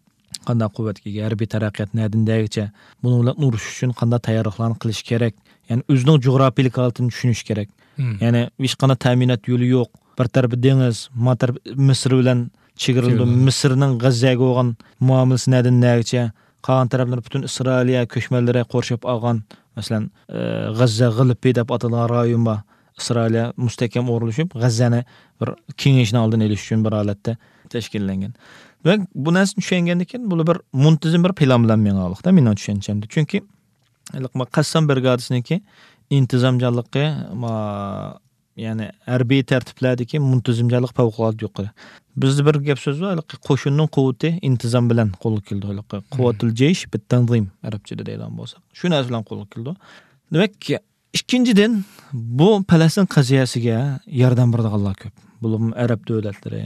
قانداق قۇۋۋەتكە ئىگە؟ ھەربىي تەرەققىيات نەدىن نەگىچە؟ بۇنىڭ بىلەن ئۇرۇشۇش ئۈچۈن قانداق تەييارلىقلارنى قىلىش كېرەك؟ يەنى ئۆزىنىڭ جۇغراپىيىلىك ھالىتىنى چۈشىنىش كېرەك. مم. يەنى ھېچقانداق تەمىنات يولى يوق. بىر تەرىپى دېڭىز، ما تەرىپى مىسىر بىلەن چېگرىلىنىدۇ. چېگرىلىنىدۇ. مىسىرنىڭ غەززەگە بولغان مۇئامىلىسى نەدىن نەگىچە؟ قالغان تەرەپلىرى پۈتۈن ئىسرائىلىيە كۆچمەنلىرى قورشاپ ئالغان، مەسىلەن، ئە، غەززە غىلىپى دەپ ئاتالغان رايون بار. ئىسرائىلىيە مۇستەھكەم ئورۇنلىشىپ، غەززەنى بىر كېڭىيىشنىڭ ئالدىنى ئېلىش ئۈچۈن بىر ھالەتتە تەشكىللەنگەن. ۋە بۇ نەرسىنى چۈشەنگەندىن كېيىن، بۇلار بىر مۇنتىزىم بىر پىلان بىلەن مېڭىۋالىقتا، مېنىڭ چۈشەنچەمدە. چۈنكى ھېلىقى ما قەسسام برىگادىسىنىڭكى ئىنتىزامچانلىقى، ما، يەنى ھەربىي تەرتىپلەردىكى مۇنتىزىمچانلىق پەۋقۇلئاددە يۇقىرى. بىزدە بىر گەپ سۆز بار، ھېلىقى قوشۇننىڭ قۇۋۋىتى ئىنتىزام بىلەن قولغا كېلىدۇ. ھېلىقى قۇۋۋەتۇل جەيش بىت تەنزىم ئەرەبچىدە دەيدىغان بولساق. شۇ نەرسە بىلەن قولغا كېلىدۇ. دېمەك، ئىككىنچىدىن، بۇ پەلەستىن قەزىيەسىگە ياردەم بېرىدىغانلار كۆپ. بولۇپمۇ ئەرەب دۆلەتلىرى،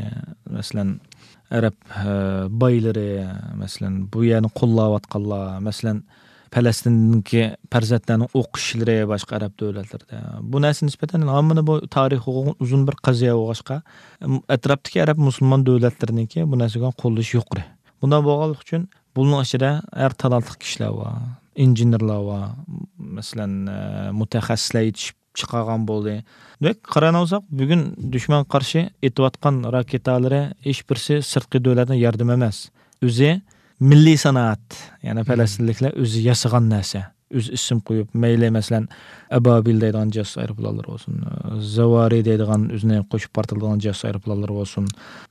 مەسىلەن، ئەرەب، ئە، بايلىرى، مەسىلەن، بۇ يەرنى قوللاۋاتقانلار، مەسىلەن، پەلەستىندىكى پەرزەنتلەرنىڭ ئوقۇشلىرى باشقا ئەرەب دۆلەتلىرىدە. بۇ نەرسە نىسبەتەن ھەممىنى بۇ تارىخى ئۇزۇن بىر قەزىيە بولغاچقا، ئەتراپتىكى ئەرەب مۇسۇلمان دۆلەتلىرىنىڭكى بۇ نەرسىگە قوللىشى يۇقىرى. بۇنداق بولغانلىقى ئۈچۈن بۇنىڭ ئىچىدە ھەر تالانتلىق كىشىلەر بار، ئىنژېنېرلار بار، مەسىلەن، ئە، مۇتەخەسسىسلەر يېتىشىپ چىقارغان بولدى. دېمەك، قارايدىغان بولساق، بۈگۈن دۈشمەنگە قارشى ئېتىۋاتقان راكېتالىرى ھېچ بىرسى سىرتقى دۆلەتنىڭ ياردىمى ئەمەس. ئۆزى مىللىي سانائەت، يەنى پەلەستىنلىكلەر ئۆزى ياسىغان نەرسە. ئۆزى ئىسىم قويۇپ، مەيلى، مەسىلەن، ئەبابىل دەيدىغان جاسۇس ئايروپىلانلىرى بولسۇن، زاۋارى دەيدىغان ئۆزىنى قوشۇپ پارتلىتىدىغان جاسۇس ئايروپىلانلىرى بولسۇن،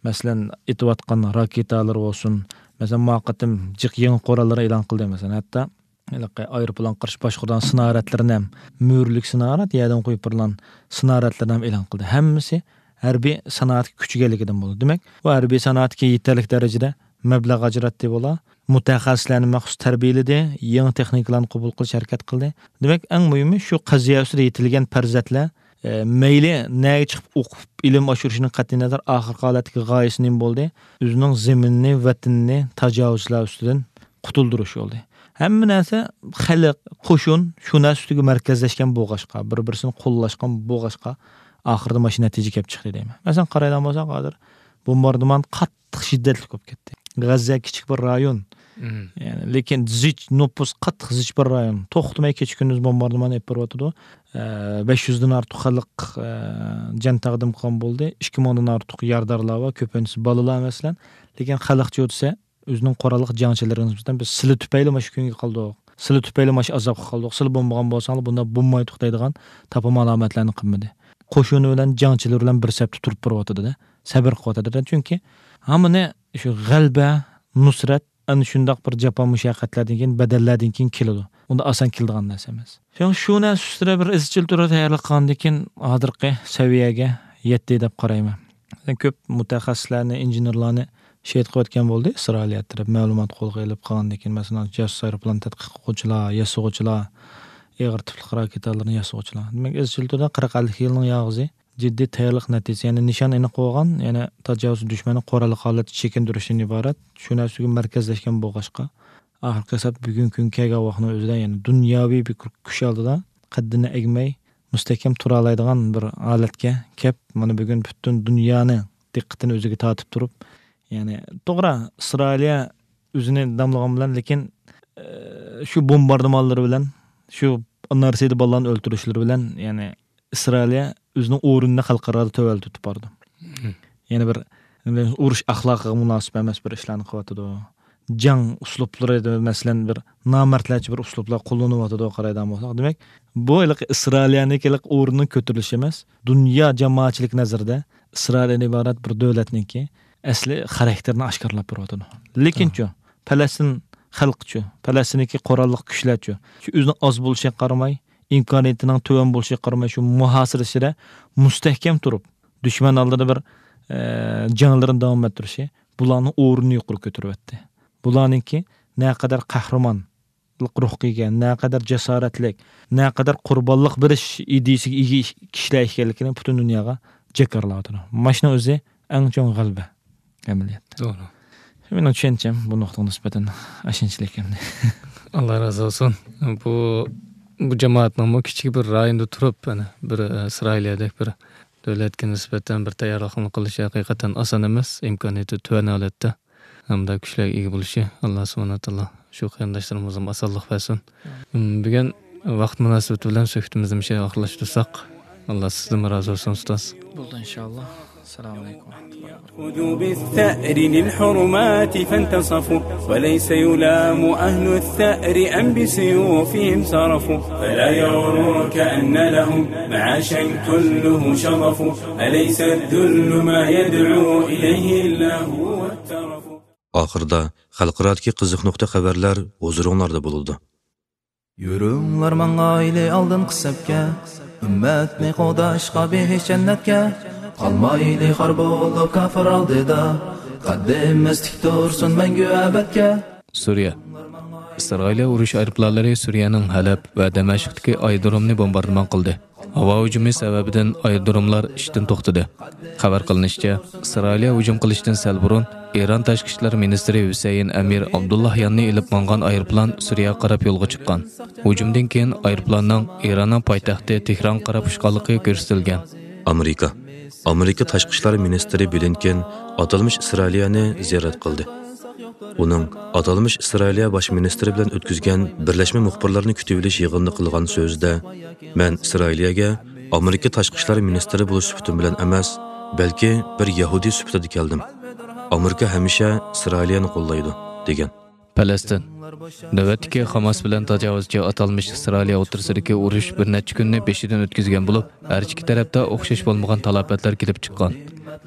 مەسىلەن، ئېتىۋاتقان راكېتالىرى بولسۇن، مەسىلەن، ما قېتىم جىق يېڭى قوراللىرى ئېلان قىلدى، مەسىلەن، ھەتتا ھېلىقى ئايروپىلان قارشى باشقۇرىدىغان سىنارەدلىرىنى ھەم، مۈرىلىك سىنارەد، يەردىن قويۇپ بېرىلغان سىنارەدلىرىنى ھەم ئېلان قىلدى. ھەممىسى ھەربىي سانائەتكە كۈچىگەنلىكىدىن بولدى. دېمەك، بۇ ھەربىي سانائەتكە يېتەرلىك دەرىجىدە مەبلەغ ئاجراتتى بۇلار. مۇتەخەسسىسلەرنى مەخسۇس تەربىيەلىدى، يېڭى تېخنىكىلارنى قوبۇل قىلىش ھەرىكەت قىلدى. دېمەك، ئەڭ مۇھىمى شۇ قەزىيە ئۈستىدە يېتىلگەن پەرزەنتلەر، ئە، مەيلى نەگە چىقىپ ئوقۇپ، ئىلىم ئاشۇرۇشىدىن قەتئىينەزەر، ئاخىرقى ھالەتتىكى غايىسى نېمە بولدى؟ ئۆزىنىڭ زېمىنىنى، ۋەتىنىنى تاجاۋۇزچىلار ئۈستىدىن قۇتۇلدۇرۇش بولدى. ھەممە نەرسە خەلق، قوشۇن شۇ نەرسە ئۈستىگە مەركەزلەشكەن بولغاچقا، بىر-بىرسىنى قوللاشقان بولغاچقا، ئاخىرىدا مانا شۇ نەتىجە كېلىپ چىقتى دەيمەن. مەسىلەن، قارايدىغان بولساق، ھازىر بومباردىمان قاتتىق شىددەتلىك بولۇپ كەتتى. غەززە كىچىك بىر رايون. يەنى، لېكىن زىچ نوپۇس قاتتىق زىچ بىر رايون. توختىماي كېچە-كۈندۈز بومباردىمان ئېلىپ بېرىۋاتىدۇ. ئە، بەش يۈزدىن ئارتۇق خەلق، ئە، جان تەقدىم قىلغان بولدى. ئىككى مىڭدىن ئارتۇق يارىدارلار بار، كۆپىنچىسى بالىلار، مەسىلەن. لېكىن خەلقچە دېسە، ئۆزىنىڭ قوراللىق جەڭچىلىرىگە نىسبەتەن، بىز سىلە تۈپەيلى مانا شۇ كۈنگە قالدۇق، سىلە تۈپەيلى مانا شۇ ئازابقا قالدۇق، سىلە بولمىغان بولساڭلار بۇنداق بولمايتتۇق دەيدىغان تاپىما ئالامەتلەرنى قىلمىدى. قوشۇنى بىلەن جەڭچىلىرى بىلەن بىر سەپتە تۇرۇپ بېرىۋاتىدۇ-دە، سەبرى قىلىۋاتىدۇ-دە. چۈنكى ھامىنى شۇ غەلىبە، نۇسرەت ئەنە شۇنداق بىر جاپا مۇشەققەتلەردىن كېيىن، بەدەللەردىن كېيىن كېلىدۇ. ئۇنداق ئاسان كېلىدىغان نەرسە ئەمەس. شۇڭا شۇ نەرسە ئۈستىدە بىر ئىزچىل تۈردە تەييارلىق قىلغاندىن كېيىن ھازىرقى سەۋىيەگە يەتتى دەپ قارايمەن. كۆپ مۇتەخەسسىسلەرنى، ئىنژېنېرلارنى شېھىت قىلىۋەتكەن بولدى ئىسرائىلىيە تەرەپ. مەلۇمات قولغا ئېلىپ قالغاندىن كېيىن، مەسىلەن، جاسۇس ئايروپىلان تەتقىق قىلغۇچىلار، ياسىغۇچىلار، ئېغىر تىپلىق راكېتالارنى ياسىغۇچىلار. دېمەك، ئىزچىل تۈردە قىرىق ئەللىك يىلنىڭ ياغىسى جىددىي تەييارلىق نەتىجىسى، يەنى نىشان ئېنىق بولغان، يەنى تاجاۋۇز دۈشمەننى قوراللىق ھالەتتە چېكىندۈرۈشتىن ئىبارەت شۇ نەرسىگە مەركەزلەشكەن بولغاچقا، ئاخىرقى ھېسابتا بۈگۈنكى كۈنگە كەلگەن ۋاقىتنىڭ ئۆزىدە، يەنى دۇنياۋى بىر كۈچ ئالدىدا قەددىنى ئەگمەي، مۇستەھكەم تۇرالايدىغان بىر ھالەتكە كەپ، مانا بۈگۈن پۈتۈن دۇنيانى دىققىتىنى ئۆزىگە تارتىپ تۇرۇپ، يەنى توغرا، ئىسرائىلىيە ئۆزىنى داملىغان بىلەن، لېكىن، ئە، شۇ بومباردىمانلىرى بىلەن، شۇ نارسىدە بالىلارنى ئۆلتۈرۈشلىرى بىلەن، يەنى ئىسرائىلىيە ئۆزىنىڭ ئورنىنى خەلقئارادا تۆۋەنلىتىپ بارىدۇ. يەنە بىر، ئۇرۇش ئەخلاقىغا مۇناسىپ ئەمەس بىر ئىشلارنى قىلىۋاتىدۇ. جەڭ ئۇسلۇبلىرى، مەسىلەن، بىر نامەردلەرچە بىر ئۇسلۇبلار قوللىنىۋاتىدۇ، قارايدىغان بولساق. دېمەك، بۇ ھېلىقى ئىسرائىلىيەنىڭكى ھېلىقى ئورنىنىڭ كۆتۈرۈلۈشى ئەمەس، دۇنيا جامائەتچىلىك نەزىرىدە ئىسرائىلىيەدىن ئىبارەت بىر دۆلەتنىڭكى ئەسلى خاراكتېرىنى ئاشكارىلاپ بېرىۋاتىدۇ. لېكىنچۇ، پەلەستىن خەلقىچۇ، پەلەستىندىكى قوراللىق كۈچلەرچۇ، شۇ ئۆزىنىڭ ئاز بولۇشىغا قارىماي، ئىمكانىيىتىنىڭ تۆۋەن بولۇشىغا قارىماي، شۇ مۇھاسىرە ئىچىدە مۇستەھكەم تۇرۇپ، دۈشمەن ئالدىدا بىر، ئە، جەڭلىرىنى داۋام ئەتتۈرۈشى بۇلارنىڭ ئورنىنى يۇقىرى كۆتۈرۈۋەتتى. بۇلارنىڭكى نەقەدەر قەھرىمانلىق روھىغا ئىگە، نەقەدەر جاسارەتلىك، نەقەدەر قۇربانلىق بېرىش ئىدىيىسىگە ئىگە كىشىلەر ئىكەنلىكىنى پۈتۈن دۇنياغا جاكارلاۋاتىدۇ. مانا شۇنىڭ ئۆزى ئەڭ چوڭ غەلىبە ئەمەلىيەتتە. توغرا. مېنىڭ چۈشەنچەم بۇ نۇقتىغا نىسبەتەن ئاشۇنچىلىك ئەمدى. ئاللا رازى بولسۇن. بۇ، بۇ جامائەتنىڭمۇ كىچىك بىر رايوندا تۇرۇپ، يەنە بىر، ئە، ئىسرائىلىيەدەك بىر دۆلەتكە نىسبەتەن بىر تەييارلىقنى قىلىشى ھەقىقەتەن ئاسان ئەمەس، ئىمكانىيىتى تۆۋەن ھالەتتە. ھەمدە كۈچلەرگە ئىگە بولۇشى، ئاللا سۇبھانەھۇ ۋە تائالا شۇ قېرىنداشلىرىمىزغىمۇ ئاسانلىق بەرسۇن. ئامىن. بۈگۈن ۋاقىت مۇناسىۋىتى بىلەن سۆھبىتىمىزنى مۇشۇ يەرگە ئاخىرلاشتۇرساق، ئاللا سىزدىنمۇ رازى بولسۇن، ئۇستاز. بولدى، ئىنشاللا. السلام عليكم ورحمة الله وبركاته. خذوا بالثأر للحرمات فانتصفوا، وليس يلام أهل الثأر أم بسيوفهم صرفوا، فلا يغررك أن لهم معاشا كله شظف، أليس الذل ما يدعو إليه إلا هو الترف. ئاخىرىدا خەلقئارادىكى قىزىق نۇقتا خەۋەرلەر ھۇزۇرۇڭلاردا بولىدۇ. يۈرۈڭلار ماڭايلى ئالدىنقى سەپكە، ئۈممەتنى قوغداشقا بېھىش جەننەتكە. قالمايلى خار بولۇپ كاپىر ئالدىدا، قەددىمىز تىك تۇرسۇن مەڭگۈ ئەبەدكە. سۈرىيە. ئىسرائىلىيە ئۇرۇش ئايروپىلانلىرى سۈرىيەنىڭ ھەلەب ۋە دەمەشقتىكى ئايرودرومنى بومباردىمان قىلدى. ھاۋا ھۇجۇمى سەۋەبىدىن ئايرودروملار ئىشتىن توختىدى. خەۋەر قىلىنىشىچە، ئىسرائىلىيە ھۇجۇم قىلىشتىن سەل بۇرۇن ئىران تاشقى ئىشلار مىنىستىرى ھۈسەيىن ئەمىر ئابدۇللاھياننى ئېلىپ ماڭغان ئايروپىلان سۈرىيەگە قاراپ يولغا چىققان. ھۇجۇمدىن كېيىن ئايروپىلاننىڭ ئىراننىڭ پايتەختى تېھرانغا قاراپ ئۇچقانلىقى كۆرسىتىلگەن. ئامېرىكا. ئامېرىكا تاشقى ئىشلار مىنىستىرى بلىنكېن ئاتالمىش ئىسرائىلىيەنى زىيارەت قىلدى. ئۇنىڭ ئاتالمىش ئىسرائىلىيە باش مىنىستىرى بىلەن ئۆتكۈزگەن بىرلەشمە مۇخبىرلارنى كۈتۈۋېلىش يىغىنىدا قىلغان سۆزىدە، مەن ئىسرائىلىيەگە ئامېرىكا تاشقى ئىشلار مىنىستىرى بولۇش سۈپىتىم بىلەن ئەمەس، بەلكى بىر يەھۇدىي سۈپىتىدە كەلدىم. ئامېرىكا ھەمىشە ئىسرائىلىيەنى قوللايدۇ، دېگەن. پەلەستىن. نۆۋەتتىكى خاماس بىلەن تاجاۋۇزچى ئاتالمىش ئىسرائىلىيە ئوتتۇرىسىدىكى ئۇرۇش بىر نەچچە كۈننى بېشىدىن ئۆتكۈزگەن بولۇپ، ھەر ئىككى تەرەپتە ئوخشاش بولمىغان تالاپەتلەر كېلىپ چىققان.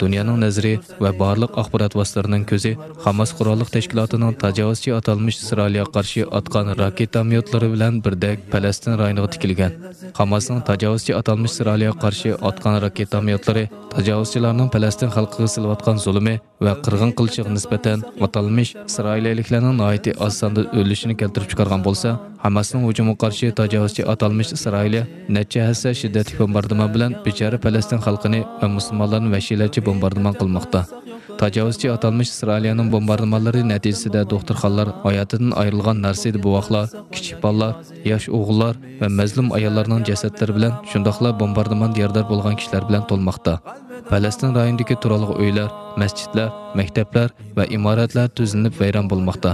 دۇنيانىڭ نەزىرى ۋە بارلىق ئاخبارات ۋاسىتىلىرىنىڭ كۆزى خاماس قوراللىق تەشكىلاتىنىڭ تاجاۋۇزچى ئاتالمىش ئىسرائىلىيەگە قارشى ئاتقان راكېتاميوتلىرى بىلەن بىردەك پەلەستىن رايونىغا تىكىلگەن. خاماسنىڭ تاجاۋۇزچى ئاتالمىش ئىسرائىلىيەگە قارشى ئاتقان راكېتاميوتلىرى تاجاۋۇزچىلارنىڭ پەلەستىن خەلقىگە سېلىۋاتقان زۇلۇمى ۋە قىرغىن قىلىشىغا نىسبەتەن ئاتالمىش ئىسرائىلىيەلىكلەرنىڭ ناھايىتى ئاز ساندا ئۆلۈشىنى كەلتۈرۈپ چىقارغان بولسا، ھاماسنىڭ ھۇجۇمىغا قارشى تاجاۋۇزچى ئاتالمىش ئىسرائىلىيە نەچچە ھەسسە شىددەتلىك بومباردىمان بىلەن بىچارە پەلەستىن خەلقىنى ۋە مۇسۇلمانلارنى ۋەھشىيلەرچە بومباردىمان قىلماقتا. تاجاۋۇزچى ئاتالمىش ئىسرائىلىيەنىڭ بومباردىمانلىرى نەتىجىسىدە دوختۇرخانىلار، ھاياتىدىن ئايرىلغان نارسىدە بوۋاقلار، كىچىك بالىلار، ياش ئوغۇللار ۋە مەزلۇم ئاياللارنىڭ جەسەتلىرى بىلەن، شۇنداقلا بومباردىماندا يارىدار بولغان كىشىلەر بىلەن تولماقتا. پەلەستىن رايونىدىكى تۇرالغۇ ئۆيلەر، مەسچىتلەر، مەكتەپلەر ۋە ئىمارەتلەر تۈزلىنىپ ۋەيران بولماقتا.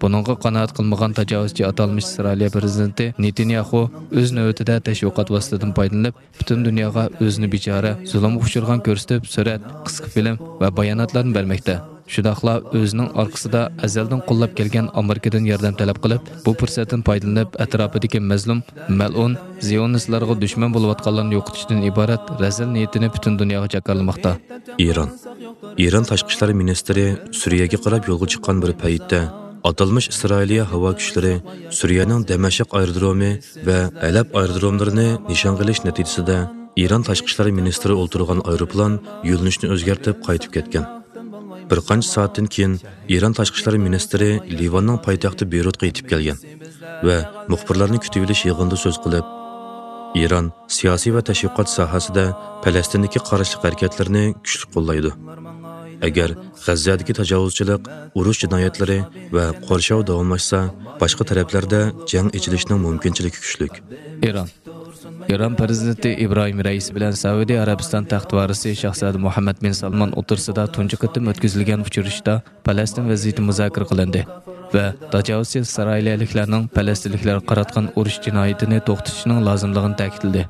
بۇنىڭغا قانائەت قىلمىغان تاجاۋۇزچى ئاتالمىش ئىسرائىلىيە پىرېزىدېنتى نېتانياھۇ ئۆز نۆۋىتىدە تەشۋىقات ۋاسىتىسىدىن پايدىلىنىپ، پۈتۈن دۇنياغا ئۆزىنى بىچارە، زۇلۇمغا ئۇچرىغان كۆرسىتىپ، سۈرەت، قىسقا فىلىم ۋە باياناتلارنى بەرمەكتە. شۇنداقلا ئۆزىنىڭ ئارقىسىدا ئەزەلدىن قوللاپ كەلگەن ئامېرىكىدىن ياردەم تەلەپ قىلىپ، بۇ پۇرسەتتىن پايدىلىنىپ، ئەتراپىدىكى مەزلۇم، مەلئۇن، زىيونىستلارغا دۈشمەن بولۇۋاتقانلارنى يوقىتىشتىن ئىبارەت رەزىل نىيىتىنى پۈتۈن دۇنياغا جاكارلىماقتا. ئىران. ئىران تاشقى ئىشلار مىنىستىرى سۈرىيەگە قاراپ يولغا چىققان بىر پەيتتە، ئاتالمىش ئىسرائىلىيە ھاۋا كۈچلىرى سۈرىيەنىڭ دەمەشق ئايرودرومى ۋە ھەلەب ئايرودروملىرىنى نىشانغا ئېلىش نەتىجىسىدە، ئىران تاشقى ئىشلار مىنىستىرى ئولتۇرغان ئايروپىلان يۆنىلىشىنى ئۆزگەرتىپ قايتىپ كەتكەن. بىر قانچە سائەتتىن كېيىن ئىران تاشقى ئىشلار مىنىستىرى لىۋاننىڭ پايتەختى بېيرۇتقا يېتىپ كەلگەن ۋە مۇخبىرلارنى كۈتۈۋېلىش يىغىنىدا سۆز قىلىپ، ئىران سىياسىي ۋە تەشۋىقات ساھەسىدە پەلەستىندىكى قارشىلىق ھەرىكەتلىرىنى كۈچلۈك قوللايدۇ. ئەگەر غەززەدىكى تاجاۋۇزچىلىق، ئۇرۇش جىنايەتلىرى ۋە قورشاۋ داۋاملاشسا، باشقا تەرەپلەردە جەڭ ئېچىلىشىنىڭ مۇمكىنچىلىكى كۈچلۈك. ئىران. ئىران پىرېزىدېنتى ئىبراھىم رەئىسى بىلەن سەئۇدى ئەرەبىستان تەخت ۋارىسى شاھزادە مۇھەممەد بىن سالمان ئوتتۇرىسىدا تۇنجى قېتىم ئۆتكۈزۈلگەن ئۇچرىشىشتا پەلەستىن ۋەزىيىتى مۇزاكىرە قىلىندى ۋە تاجاۋۇزچى ئىسرائىلىيەلىكلەرنىڭ پەلەستىنلىكلەرگە قاراتقان ئۇرۇش جىنايىتىنى توختىتىشنىڭ لازىملىقىنى تەكىتلىدى.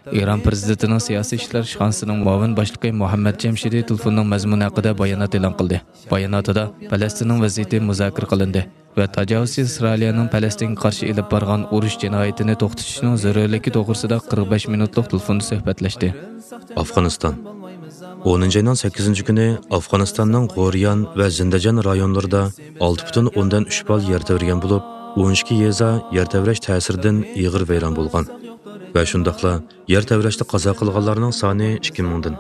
ئىران پىرېزىدېنتىنىڭ سىياسىي ئىشلار ئىشخانىسىنىڭ مۇئاۋىن باشلىقى مۇھەممەد جەمشىدى تېلېفوننىڭ مەزمۇنى ھەققىدە بايانات ئېلان قىلدى. باياناتىدا پەلەستىننىڭ ۋەزىيىتى مۇزاكىرە قىلىندى ۋە تاجاۋۇزچى ئىسرائىلىيەنىڭ پەلەستىنگە قارشى ئېلىپ بارغان ئۇرۇش جىنايىتىنى توختىتىشنىڭ زۆرۈرلۈكى توغرىسىدا قىرىق بەش مىنۇتلۇق تېلېفوندا سۆھبەتلەشتى. ئافغانىستان. ئونىنچى ئاينىڭ سەككىزىنچى كۈنى ئافغانىستاننىڭ غوريان ۋە زىندىجان رايونلىرىدا ئالتە پۈتۈن ئوندىن ئۈچ بال يەر تەۋرىگەن بولۇپ، ئون ئىككى يېزا يەر تەۋرەش تەسىرىدىن ئېغىر ۋەيران بولغان ۋە شۇنداقلا يەر تەۋرەشتە قازا قىلغانلارنىڭ سانى ئىككى مىڭدىن،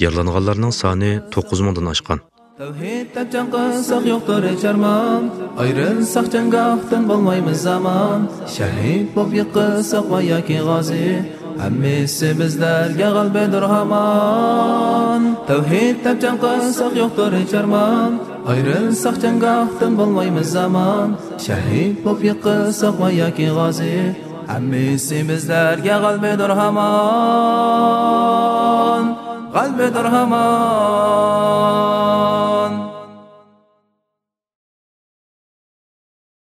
يارىلانغانلارنىڭ سانى توققۇز مىڭدىن ئاشقان. تەۋھىد دەپ جەڭ قىلساق يوقتۇر ھېچ ئارمان، ئايرىلساق جەڭگاھتىن بولمايمىز ئامان، شەھىد بولۇپ يىقىلساق ۋە ياكى غازى، ھەممىسى بىزلەرگە غەلىبىدۇر ھامان. تەۋھىد دەپ جەڭ قىلساق يوقتۇر ھېچ ئارمان، ئايرىلساق جەڭگاھتىن بولمايمىز ئامان، شەھىد بولۇپ يىقىلساق ۋە ياكى غازى، ھەممىسى بىزلەرگە غەلىبىدۇر ھامان، غەلىبىدۇر ھامان.